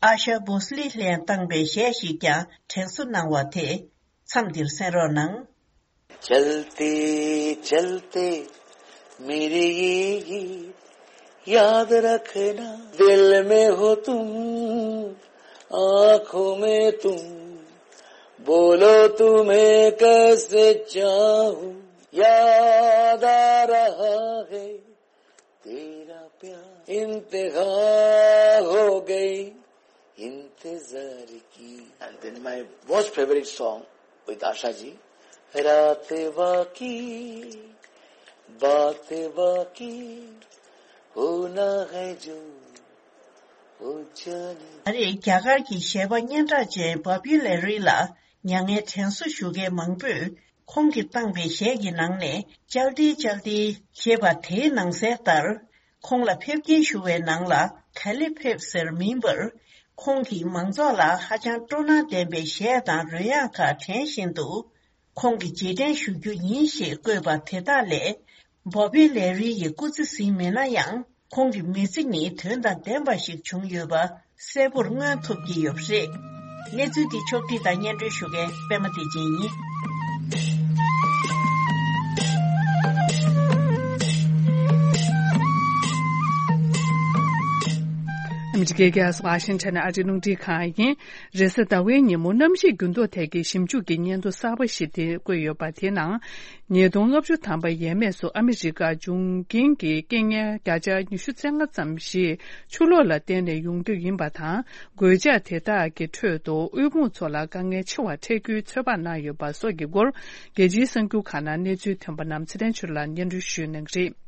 ཨ་ཤ་བྷོ་སི་ལི་ལྷན་བཏང་པའི་གཞས་ཤིག་ཀྱང་དྲན་གསོ་གནང་བ་དེ། མཚམས་འདིར་གསན་རོགས་གནང་། चलते चलते मेरे ये गीत याद रखना, दिल में हो तुम, आंखों में तुम, बोलो तुम्हें कैसे चाहूं, याद आ रहा है तेरा प्यार, इंतहा हो गई इंतजार की। And then my most favorite song with Asha जी, रात बाकी, बात बाकी, होना है जो, हो जाने। ད་རེས་རྒྱ་གར་གྱི་གཞས་པ་སྙན་གྲགས་ཅན་བྷོབ་བྷི་ལེ་རི་ལ་མྱ་ངན་དྲན་གསོ་ཞུ་མཁན་མང་པོས། ཁོང་གིས་བཏང་པའི་གཞས་ཀྱི་ནང་ནས་ཅལ་ཏི་ཅལ་ཏི་ཞེས་པ་དེའི་ནང་གསལ་ལྟར། ཁོང་ལ་ཕེབས་སྐྱེལ་ཞུ་བའི་ནང་ལ་ག་ལེ་ཕེབས་ཟེར་མིན་པར། ཁོང་གིས་མང་ཚོགས་ལ་ཧ་ཅང་སྤྲོ་སྣང་ལྡན་པའི་གཞས་དང་རོལ་དབྱངས་ཁག་དྲན་བཞིན་དུ། ཁོང་གི་རྗེས་དྲན་ཞུ་རྒྱུ་ཡིན་ཞེས་བཀོད་པ་དེ་དག་ལས། བྷོབ་བྷི་ལེ་རི་ཡི་སྐུ་ཚེ་ཟིན་མེད་ན་ཡང་། ཁོང་གི་མི་ཚེ་ནི་དོན་དང་ལྡན་པ་ཞིག་བྱུང་ཡོད་པ་གསལ་པོར་མངོན་ཐུབ་ཀྱི་ཡོད་པ་རེད། གནས་ཚུལ་འདི་ཕྱོགས་བསྒྲིགས་དང་སྙན་སྒྲོན་ཞུ་མཁན་པད་མ་བདེ་ཆེན་ཡིན། ཨ་མི་རི་ཀའི་རྒྱལ་ས་ཝ་ཤིང་ཊོན་ཨ་རིའི་རླུང་འཕྲིན་ཁང་ཡིན། རེས་གཟའ་ཟླ་བའི་ཉིན་མོ་གནམ་གཤིས་འགྱུར་ལྡོག་ཐད་ཀྱི་ཞིབ་འཇུག་གི་སྙན་ཐོ་གསར་པ་ཞིག་དེ་བཀོད་ཡོད་པ་དེའི་ནང་། ཉིས་སྟོང་ལྔ་བཅུ་ཐམ་པ་ཡས་མས་སུ་ཨ་མི་རི་ཀར་འབྱུང་རྐྱེན་གྱི་རྐྱེན་ངན་བརྒྱ་ཆ་ཉི་ཤུ་རྩ་ལྔ་ཙམ་ཞིག་ཆུ་ལོག་ལ་བརྟེན་ནས་ཡོང་རྒྱུ་ཡིན་པ་དང་། གོད་ཆག་དེ་དག་གི་ཁྲོད་དུ་དབུལ་ཕོངས་ཚོ་ལ་དཀའ་ངལ་ཆེ་བ་འཕྲད་རྒྱུའི་ཚོད་དཔག་གནང་ཡོད་པ་སོགས་ཀྱི་སྐོར། རྒྱལ་སྤྱིའི་གསར་འགྱུར་ཁག་ནང་གནས་ཚུལ་ཐོན་པ་རྣམས་ཚེ་བརྟན་ཆོས་ལགས་སྙན་སྒྲོན་ཞུ་གནང་གི་རེད།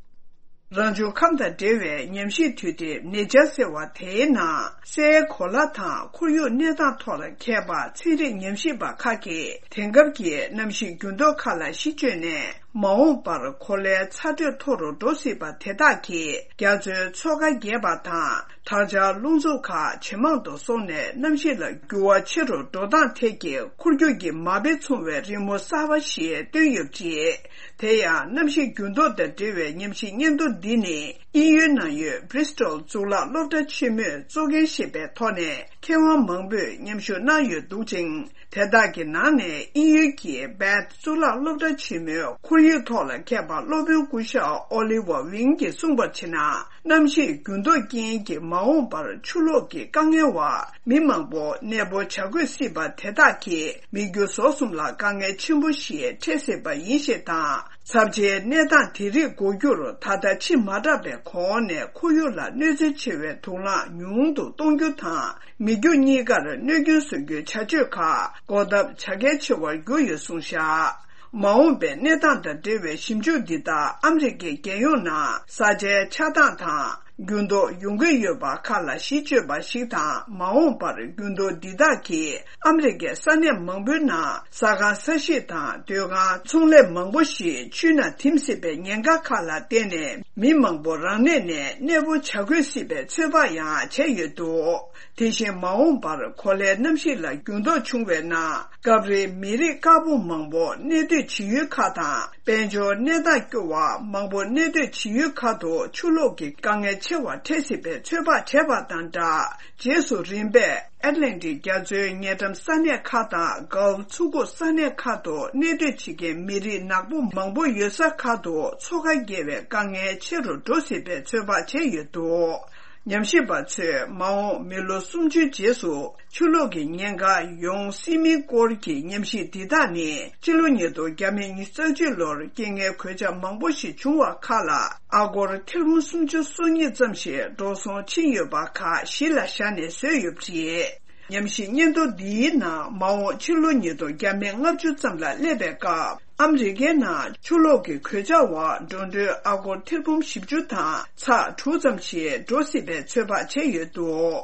རང་བྱུང་ཁམས་དང་འབྲེལ་བའི་ཉམས་ཞིབ་དུས་དེབ་Nature ཟེར་བ་དེའི་ནང་། སའི་གོ་ལ་དང་ཁོར་ཡུག་གནས་སྟངས་ཐོག་ལ་མཁས་པ་ཚན་རིག་ཉམས་ཞིབ་པ་ཁག་གིས། དེང་སྐབས་ཀྱི་གནམ་གཤིས་འགྱུར་ལྡོག་ཁག་ལ་གཞི་བཅོལ་ནས། མ་འོངས་པར་གོ་ལའི་ཚ་དྲོད་མཐོ་རུ་འགྲོ་སྲིད་པ་དེ་དག་གིས། རྒྱ་མཚོའི་མཚོ་ཁ་རྒྱས་པ་དང་། དར་འབྱར་རླུང་འཚུབ་ཁག་ཇེ་མང་དུ་སོང་ནས། གནམ་གཤིས་ལ་འགྱུར་བ་ཆེ་རུ་འགྲོ་སྟངས་ཐད་ཀྱི་འཁོར་རྒྱུག་གི་མ་དཔེ་མཚུངས་པའི་རི་མོ་གསར་པ་ཞིག་བཏོན་ཡོད་པ་རེད། དེ་ཡང་གནམ་གཤིས་འགྱུར་ལྡོག་དང་འབྲེལ་བའི་ཉམས་ཞིབ་སྙན་ཐོ་འདི་ནི། དབྱིན་ཡུལ་ནང་ཡོད་Bristol གཙུག་ལག་སློབ་གྲྭ་ཆེན་མོས་གཙོ་འགན་བཞེས་པའི་ཐོག་ནས། མཁས་དབང་མང་པོས་མཉམ་ཞུགས་གནང་ཡོད་འདུག་ཅིང་། དེ་དག་གི་ནང་ནས་དབྱིན་ཡུལ་གྱི་Bath གཙུག་ལག་སློབ་གྲྭ་ཆེན་མོའི་ཁོར་ཡུག་ཐོག་ལ་མཁས་པ་སློབ་དཔོན་སྐུ་ཞབས་Oliver Wing གྱིས་གསུངས་པར་བྱས་ན། གནམ་གཤིས་འགྱུར་ལྡོག་རྐྱེན་གྱིས་མ་འོངས་པར་ཆུ་ལོག་གི་དཀའ་ངལ་བ་མི་མང་པོ་གནས་སྤོ་བྱ་དགོས་སྲིད་པ་དེ་དག་གིས་མི་རྒྱུ་ཟོག་གསུམ་ལ་དཀའ་ངལ་ཆེན་པོ་ཞིག་འཕྲད་སྲིད་པ་ཡིན་ཞེས་དང་། ཚབས་ཆེའི་གནས་སྟངས་དེ་རིགས་འགོག་རྒྱུར། ད་ལྟ་ཕྱི་མ་དྲགས་པའི་གོང་ནས་ཁོར་ཡུག་ལ་གནོད་འཚེ་ཆེ་བའི་དུག་རླངས་ཉུང་དུ་གཏོང་རྒྱུ་དང་། མི་རྒྱུ་གཉིས་ཀར་གནོད་སྐྱོན་བཟོ་རྒྱུའི་བྱ་སྤྱོད་ཁག་འགོག་ཐབས་བྱ་གལ་ཆེ་བར་གྱུར་ཡོད་གསུངས་བཞག། མ་འོངས་པའི་གནས་སྟངས་དང་འབྲེལ་བའི་ཞིབ་འཇུག་འདི་དག་ཨ་མི་རི་ཀའི་རྒྱལ་ཡོངས་ནང་ས་ཆའི་ཆགས་སྟངས་དང་། འགྱུར་ལྡོག་ཡོང་གི་ཡོད་པ་ཁག་ལ་གཞི་བཅོལ་བ་ཞིག་དང་། མ་འོངས་པར་འགྱུར་ལྡོག་འདི་དག་གིས་ཨ་མི་རི་ཀའི་ས་གནས་མང་པོའི་ནང་ཟ་ཁང་། ས་གཞིས་དང་སྡོད་ཁང་། ཚོང་ལས་མང་པོ་ཞིག་ཆུའི་ནང་ཐིམ་སྲིད་པའི་ཉེན་ཁ་ཁག་ལ་བརྟེན་ནས། མི་མང་པོ་རང་གནས་ནས་གནས་སྤོ་བྱ་དགོས་སྲིད་པའི་ཚོད་དཔག་ཡང་བྱས་ཡོད་འདུག། དེ་བཞིན་མ་འོངས་པར་གོ་ལའི་གནམ་གཤིས་ལ་འགྱུར་ལྡོག་བྱུང་བའི་ནང་། སྐབས་རེ་མི་རིགས་དཀར་པོ་མང་པོ་གནས་སྡོད་བྱེད་ཡུལ་ཁག་དང་། དཔལ་འབྱོར་གནས་སྟངས་སྐྱོ་བ་མང་པོ་གནས་སྡོད་བྱེད་ཡུལ་ཁག་ཏུ་ཆུ་ལོག་གི་དཀའ་ངལ་ཆེ་བ་འཕྲད་སྲིད་པའི་ཚོད་དཔག་བྱས་པ་དང་སྦྲགས། རྗེས་སུ་རིམ་པས་ཨེཊ་ལན་ཊིག་རྒྱ་མཚོའི་ཉེ་འགྲམ་ས་གནས་ཁག་དང་། གྷལཕ་མཚོ་ཁུག་ས་གནས་ཁག་ཏུ་གནས་སྡོད་བྱེད་མཁན་མི་རིགས་ནག་པོ་མང་པོ་ཡོད་ས་ཁག་ཏུ་མཚོ་ཁ་རྒྱས་པའི་དཀའ་ངལ་ཆེ་རུ་འགྲོ་སྲིད་པའི་ཚོད་དཔག་བྱས་ཡོད་འདུག། ཉམས་ཞིབ་པ་ཚོས་མ་འོངས་མི་ལོ་སུམ་ཅུའི་རྗེས་སུ་ཆུ་ལོག་གི་ཉེན་ཁ་ཡོང་སྲིད་མིན་སྐོར་གྱི་ཉམས་ཞིབ་འདི་དག་ནི། སྤྱི་ལོ་ཉིས་སྟོང་བརྒྱ་མེད་ཉི་ཤུ་རྩ་གཅིག་ལོར་རྐྱེན་ངན་གོད་ཆག་མང་པོ་ཞིག་བྱུང་བ་ཁག་ལ། ཨ་སྒོར་ཐེར་འབུམ་སུམ་ཅུ་སོ་གཉིས་ཙམ་ཞིག་འགྲོ་སོང་ཕྱིན་ཡོད་པ་ཁག་གཞི་ལ་བཞག་ནས་བཟོས་ཡོད་པ་རེད། ཉམས་ཞིབ་སྙན་ཐོ་འདིའི་ནང་མ་འོངས་ཕྱི་ལོ་ཉིས་སྟོང་བརྒྱ་མེད་ལྔ་བཅུ་ཙམ་ལ་སླེབས་པའི་སྐབས། ཨ་མི་རི་ཀའི་ནང་ཆུ་ལོག་གི་གོད་ཆག་འོག་འགྲོ་གྲོན་ཨ་སྒོར་ཐེར་འབུམ་བཞི་བཅུ་དང་ཚེག་དྲུག་ཙམ་ཞིག་འགྲོ་སྲིད་པའི་ཚོད་དཔག་བྱས་ཡོད་འདུག་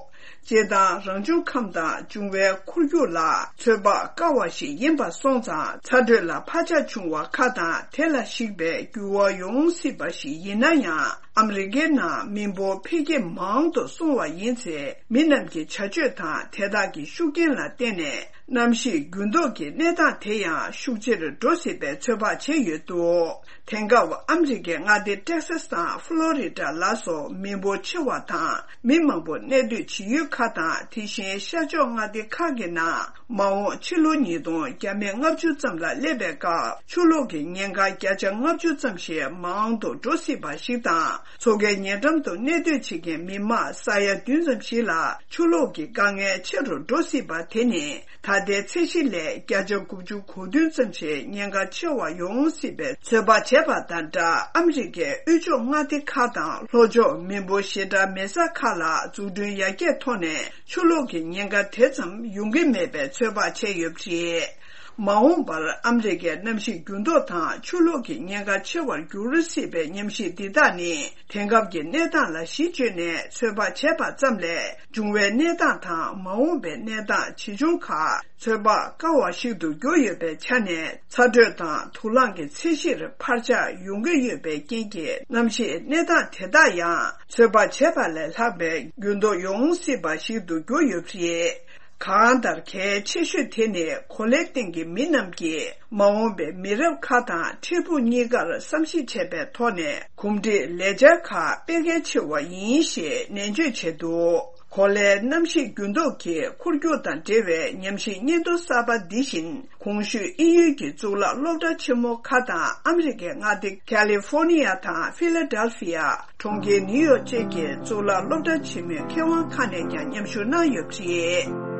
སྤྱིར་བཏང་རང་བྱུང་ཁམས་དང་འབྱུང་བའི་འཁོར་རྒྱུག་ལ་ཚོད་དཔག་དཀའ་བ་ཞིག་ཡིན་པ་སོང་ཙང་། ཚ་དྲོད་ལ་འཕར་ཆག་བྱུང་བ་ཁག་དང་། དེ་ལ་གཞིགས་པའི་འགྱུར་བ་ཡོང་སྲིད་པ་ཞིག་ཡིན་ན་ཡང་། ཨ་མི་རི་ཀའི་ནང་མི་འབོར་འཕེལ་རྒྱས་མང་དུ་སོང་བ་ཡིན་ཚེ། མི་རྣམས་ཀྱི་བྱ་སྤྱོད་དང་དེ་དག་གི་ཤུགས་རྐྱེན་ལ་བརྟེན་ནས། གནམ་གཤིས་འགྱུར་ལྡོག་གི་གནས་སྟངས་དེ་ཡང་ཤུགས་ཆེར་འགྲོ་སྲིད་པའི་ཚོད་དཔག་བྱས་ཡོད་འདུག་དེང་སྐབས་ཨ་མི་རི་ཀའི་མངའ་སྡེ་ཏེག་སཱས་དང་ཕུ་ལོ་རི་ཌ་ལ་སོགས་མི་འབོར་ཆེ་བ་དང་མི་མང་པོ་གནས་སྡོད་བྱེད་ཡུལ་ཁག་དང་། དེ་བཞིན་ཤར་ཕྱོགས་མངའ་སྡེ་ཁག་གི་ནང་མ་འོངས་ཕྱི་ལོ་ཉིས་སྟོང་བརྒྱ་མེད་ལྔ་བཅུ་ཙམ་ལ་སླེབས་པའི་སྐབས་ཆུ་ལོག་གི་ཉེན་ཁ་བརྒྱ་ཆ་ལྔ་བཅུ་ཙམ་ཞིག་མང་དུ་འགྲོ་སྲིད་པ་ཞིག་དང་། མཚོ་ཁའི་ཉེ་འགྲམ་དུ་གནས་སྡོད་བྱེད་མཁན་མི་མང་ས་ཡ་བདུན་ཙམ་ཞིག་ལ་ཆུ་ལོག་གི་དཀའ་ངལ་ཆེ་རུ་འགྲོ་སྲིད་པ་དེ་ནི། ད་ལྟའི་ཚད་གཞི་ལས་བརྒྱ་ཆ་དགུ་བཅུ་གོ་བདུན་ཙམ་ཞིག་ཉེན་ཁ་ཆེ་བ་ཡོང་སྲིད་པའི་ཚོད་དཔག་བྱས་པ་དང་སྦྲགས། ཨ་མི་རི་ཀའི་དབུས་ཕྱོགས་མངའ་སྡེ་ཁག་དང་ལྷོ་ཕྱོགས་མི་འབོར་ཞེ་དྲག་མེད་ས་ཁག་ལ་འཛུགས་སྐྲུན་ཡར་རྒྱས་ཐོག་ནས་ཆུ་ལོག་གི་ཉེན་ཁ་དེ་ཙམ་ཡོང་གི་མེད་པའི་ཚོད་དཔག་བྱས་ཡོད་པ་རེད། མ་འོངས་པར་ཨ་མི་རི་ཀའི་གནམ་གཤིས་འགྱུར་ལྡོག་དང་ཆུ་ལོག་གི་ཉེན་ཁ་ཆེ་བར་འགྱུར་སྲིད་པའི་ཉམས་ཞིབ་འདི་དག་ནི། དེང་སྐབས་ཀྱི་གནས་སྟངས་ལ་གཞི་བཅོལ་ནས་ཚོད་དཔག་བྱས་པ་ཙམ་ལས། འབྱུང་བའི་གནས་སྟངས་དང་མ་འོངས་པའི་གནས་སྟངས་ཇི་བྱུང་ཁག་ཚོད་དཔག་དཀའ་བ་ཞིག་ཏུ་གྱུར་ཡོད་པའི་ཆ་ནས། ཚ་དྲོད་དང་དུག་རླངས་ཀྱི་ཚད་གཞིར་འཕར་ཆག་ཡོང་གི་ཡོད་པའི་རྐྱེན་གྱིས། གནམ་གཤིས་གནས་སྟངས་དེ་དག་ཡང་ཚོད་དཔག་བྱས་པ་ལས་ལྷག་པའི་འགྱུར་ལྡོག་ཡོང་སྲིད་པ་ཞིག་ཏུ་གྱུར་ཡོད་པ་རེད། གང་ལྟར་གལ་ཆེ་ཤོས་དེ་ནི། གོ་ལའི་སྟེང་གི་མི་རྣམས་ཀྱིས་མ་འོངས་པའི་མི་རབས་ཁག་དང་འཕྲལ་ཕུགས་གཉིས་ཀར་བསམ་གཞིག་བྱས་པའི་ཐོག་ནས། གོམས་འདྲིས་ལས་འཆར་ཁག་སྤེལ་གལ་ཆེ་བ་ཡིན་ཞེས་ནན་བརྗོད་བྱས་འདུག་གོ་ལའི་གནམ་གཤིས་འགྱུར་ལྡོག་གི་འཁོར་རྒྱུག་དང་འབྲེལ་བའི་ཉམས་ཞིབ་སྙན་ཐོ་གསར་པ་འདི་བཞིན། གོང་ཞུས་དབྱིན་ཡུལ་གྱི་གཙུག་ལག་སློབ་གྲྭ་ཆེན་མོ་ཁག་དང་། ཨ་མི་རི་ཀའི་མངའ་སྡེ་ཁ་ལི་ཧྥོ་ནི་ཡ་དང་ཕི་ལ་ཌེལ་ཧྥི་ཡ། གྲོང་ཁྱེར་ནིའུ་ཡོག་བཅས་ཀྱི་གཙུག་ལག་སློབ་གྲྭ་ཆེན་མོའི་མཁས་དབང་ཁག་ནས་ཀྱང་མཉམ་ཞུགས་གནང་ཡོད་པ་རེད།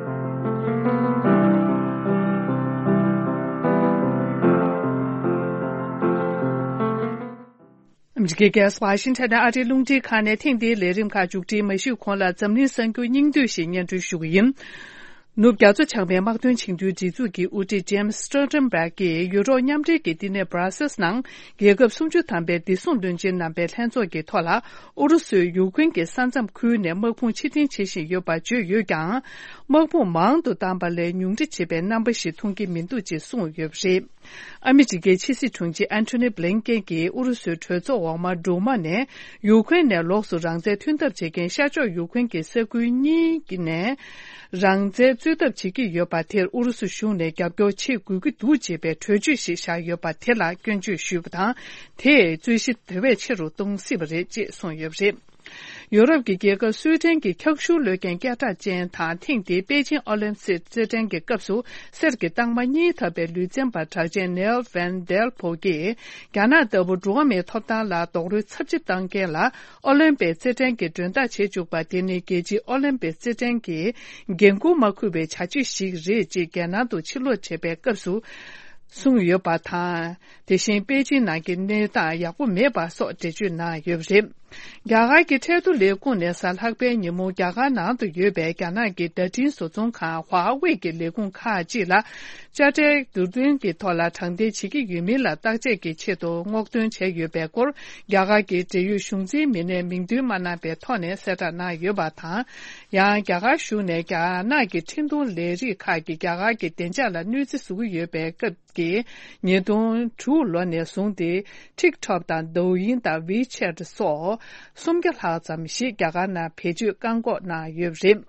ཨ་མི་རི་ཀའི་རྒྱལ་ས་ཝ་ཤིང་ཊོན་ནས་ཨ་རིའི་རླུང་འཕྲིན་ཁང་ནས་ཐེངས་འདིའི་ལས་རིམ་ཁག་མཇུག་སྒྲིལ་མ་ཞུས་གོང་ལ། འཛམ་གླིང་གསར་འགྱུར་སྙིང་བསྡུས་ཤིག་སྙན་སྒྲོན་ཞུ་གི་ཡིན། ནུབ་རྒྱ་མཚོ་བྱང་མའི་དམག་དོན་ཆིངས་དོན་སྒྲིག་འཛུགས་ཀྱི་དབུ་ཁྲིད་ཇེམ་སི་སི་ཊོལ་ཊེན་བྷག་གིས་ཡུ་རོབ་མཉམ་འབྲེལ་གྱི་བསྟི་གནས་སྦྲ་སེལ་ནང་རྒྱལ་ཁབ་སུམ་ཅུ་ཐམ་པའི་བདེ་སྲུང་བློན་ཆེན་རྣམ་པའི་ལྷན་ཚོགས་ཀྱི་ཐོག་ལ། ཨུ་རུ་སུས་ཡུཀ་རེན་གྱི་ས་མཚམས་ཁུལ་ནས་དམག་དཔུང་ཕྱིར་འཐེན་བྱེད་བཞིན་ཡོད་པ་བརྗོད་ཡོད་ཀྱང་། དམག་དཔུང་མང་དུ་བཏང་པ་ལས་ཉུང་འཕྲི་བྱེད་པའི་རྣམ་པ་ཞིག་མཐོང་གི་མི་འདུག་ཅེས་གསུངས་ཡོད་པ་རེད། ཨ་མི་རི་ཀའི་ཕྱི་སྲིད་དྲུང་ཆེ་ཨན་ཐོ་ནི་བྷི་ལིན་ཀེན་གྱིས་ཨུ་རུ་སུའི་གྲོས་ཚོགས་འོག་མ་འབྲུག་མ་ནས་ཡུཀ་རེན་ནས་ལོགས་སུ་རང་བཙན་མཐུན་ཐབས་བྱེད་མཁན་ཤར་ཕྱོགས་ཡུཀ་རེན་གྱི་ས་ཁུལ་གཉིས་ནས་རང་བཙན་རྩོད་ཐབས་བྱེད་ཀྱི་ཡོད་པ་དེར་ཨུ་རུ་སུ་གཞུང་ནས་རྒྱབ་སྐྱོར་བྱེད་དགོས་ཀྱི་འདུག་ཅེས་པའི་གྲོས་ཆོད་ཞིག་བཞག་ཡོད་པ་དེ་ལ་སྐྱོན་བརྗོད་ཞུས་པ་དང་། དེས་རྩོད་གཞི་དེ་བས་ཆེ་རུ་གཏོང་སྲིད་པ་རེད་ཅེས་གསུངས་ཡོད་པ་རེད། ཡོ་རོབ་ཀྱི་རྒྱལ་ཁབ་སུའེ་ཏན་གྱི་འཁྱག་ཤུགས་གློད་མཁན་སྐད་གྲགས་ཅན་དང་། ཐེངས་འདིའི་པེ་ཅིང་ཨོ་ལིམ་པིག་རྩེད་འགྲན་གྱི་སྐབས་སུ་གསེར་གྱི་རྟགས་མ་གཉིས་ཐོབ་པའི་ལུས་རྩལ་པ་གྲགས་ཅན་ནེལ་ཝན་ཌེལ་ཕོ་གིས། རྒྱ་ནག་ལྟ་བུ་འགྲོ་བ་མིའི་ཐོབ་ཐང་ལ་རྡོག་རོལ་ཚབས་ཆེ་བཏང་མཁན་ལ་ཨོ་ལིམ་པིག་རྩེད་འགྲན་གྱི་མགྲོན་བདག་བྱེད་བཅུག་པ་དེ་ནི། རྒྱལ་སྤྱིའི་ཨོ་ལིམ་པིག་རྩེད་འགྲན་གྱི་འགན་འཁུར་མ་འཁུར་བའི་བྱ་སྤྱོད་ཞིག་རེད་ཅེས་རྒྱལ་ནང་དུ་ཕྱིར་ལོག་བྱས་པའི་སྐབས་སུ་གསུངས་ཡོད་པ་དང་། དེ་བཞིན་པེ་ཅིང་ནང་གི་གནས་སྟངས་ཡག་པོ་མེད་པ་སོགས་འགྲེལ་བརྗོད་གནང་ཡོད་པ་རེད། རྒྱ་གར་གྱི་ཁྲལ་བསྡུ་ལས་ཁུངས་ནས་གཟའ་ལྷག་པའི་ཉིན་མོ་རྒྱ་གར་ནང་དུ་ཡོད་པའི་རྒྱ་ནག་གི་བརྡ་འཕྲིན་བཟོ་ཚོང་ཁང་ཧྭ་ཝེ་གི་ལས་ཁུངས་ཁག་ཅིག་ལ། དཔྱ་ཁྲལ་བསྡུ་སྐྱོན་གྱི་ཐོག་ལ་དྲང་བདེན་བྱེད་ཀྱི་ཡོད་མིན་ལ་བརྟག་དཔྱད་ཀྱི་ཆེད་དུ་སྔོག་འདོན་བྱས་ཡོད་པའི་སྐོར། རྒྱ་གར་གྱི་འབྲེལ་ཡོད་གཞུང་འཛིན་མི་སྣས་མིང་འདོན་མ་གནང་བའི་ཐོག་ནས་གསལ་བསྒྲགས་གནང་ཡོད་པ་དང་། ཡང་རྒྱ་གར་གཞུང་ནས་རྒྱ་ནག་གི་འཕྲིན་གཏོང་ལས་རིགས་ཁག་གིས་རྒྱ་གར་གྱི་བདེ་འཇགས་ལ་གནོད་འཚེ་བཟོ་གི་ཡོད་པའི་སྐབས། ཀྱིས་ཉིས་སྟོང་དྲུག་ལོ་ནས་བཟུང་སྟེ། ཊིག་ཊོག་དང་ཌོའུ་ཡིན་དང་ཝི་ཆེ་ཊི་སོགས་སུམ་བརྒྱ་ལྷག་ཙམ་ཞིག་རྒྱ་གར་ནང་བེད་སྤྱོད་བཀག་འགོག་གནང་ཡོད་པ་རེད།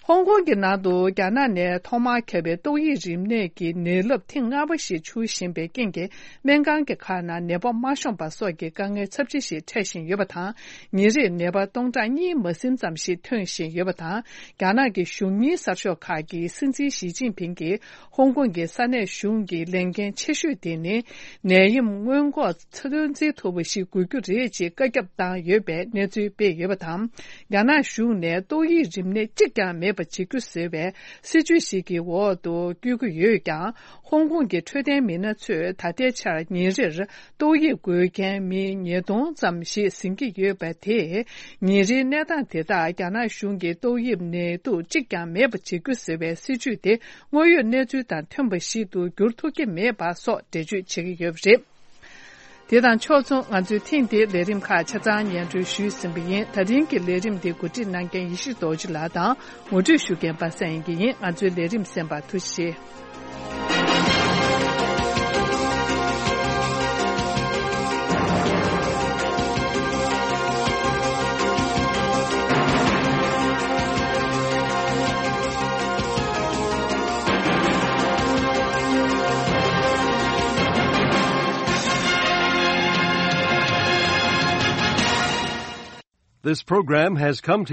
ཧོང་ཀོང་གི་ནང་དུ་རྒྱ་ནག་ནས་ཐོག་མར་ཁྱབ་པའི་ཏོག་དབྱིབས་རིམས་ནད་ཀྱི་ནད་རླབས་ཐེངས་ལྔ་པ་ཞིག་འཕྱུར་བཞིན་པའི་རྐྱེན་གྱིས། སྨན་ཁང་གི་ཁག་ནང་ནད་པ་མ་ཤོང་པ་སོགས་ཀྱི་དཀའ་ངལ་ཚབས་ཆེ་ཞིག་འཕྲད་བཞིན་ཡོད་པ་དང་། ཉིན་རེར་ནད་པ་སྟོང་ཕྲག་གཉིས་མ་ཟིན་ཙམ་ཞིག་ཐོན་བཞིན་ཡོད་པ་དང་། རྒྱ་ནག་གི་གཞུང་གཉེར་གསར་ཤོག་ཁག་གིས་སྲིད་འཛིན་ཞི་ཅིན་ཕིང་གིས། ཧོང་ཀོང་གི་ས་གནས་གཞུང་གི་ལས་འགན་ཆེ་ཤོས་དེ་ནི་ནད་ཡམས་སྔོན་འགོག་ཚོད་འཛིན་ཐུབ་པ་ཞིག་དགོས་རྒྱུ་རེད་ཅེས་བཀའ་ཁྱབ་བཏང་ཡོད་པའི་གནས་ཚུལ་སྤེལ་ཡོད་པ་དང་། རྒྱ་ནག་གཞུང་ནས་ཏོག་དབྱིབས་རིམས་ནད་གཅིག་ཀྱང་མེད། པ་བྱེད་རྒྱུ་ཟེར་བའི་སྲིད་ཇུས་ཤིག་གི་འོག་ཏུ་བསྐྱོད་ཀྱི་ཡོད་ཀྱང་། ཧོང་ཀོང་གི་འཕྲོད་བསྟེན་མི་སྣ་ཚོས་ད་ལྟའི་ཆར་ཉིན་རེར་ཏོག་དབྱིབས་འགོས་མཁན་མི་ཉིས་སྟོང་ཙམ་ཞིག་ཟིན་གྱི་ཡོད་པ་དེས། ཉིན་རེའི་གནས་སྟངས་དེ་དག་རྒྱ་ནག་གཞུང་གིས་ཏོག་དབྱིབས་ནད་དུག་གཅིག་ཀྱང་མེད་པ་བྱེད་རྒྱུ་ཟེར་བའི་སྲིད་ཇུས་དེ། དངོས་ཡོད་གནས་ཚུལ་དང་མཐུན་པ་ཞིག་ཏུ་འགྱུར་ཐུབ་ཀྱི་མེད་པ་སོགས་འགྲེལ་བརྗོད་བྱེད་ཀྱི་ཡོད་པ་རེད། དེ་དང་ཕྱོགས་མཚུངས། ང་ཚོས་ཐེངས་འདིའི་ལས་རིམ་ཁག་ཆ་ཚང་སྙན་སྒྲོན་ཞུས་ཟིན་པ་ཡིན། ད་རིང་གི་ལས་རིམ་འདི་གོ་སྒྲིག་གནང་མཁན་ཡེ་ཤེས་རྡོ་རྗེ་ལགས་དང་ངོ་སྤྲོད་ཞུ་མཁན་པ་སངས་དབྱངས་སྐྱིད་ཡིན། ང་ཚོའི་ལས་རིམ་གསན་པར་ཐུགས་རྗེ་ཆེ། This program has come to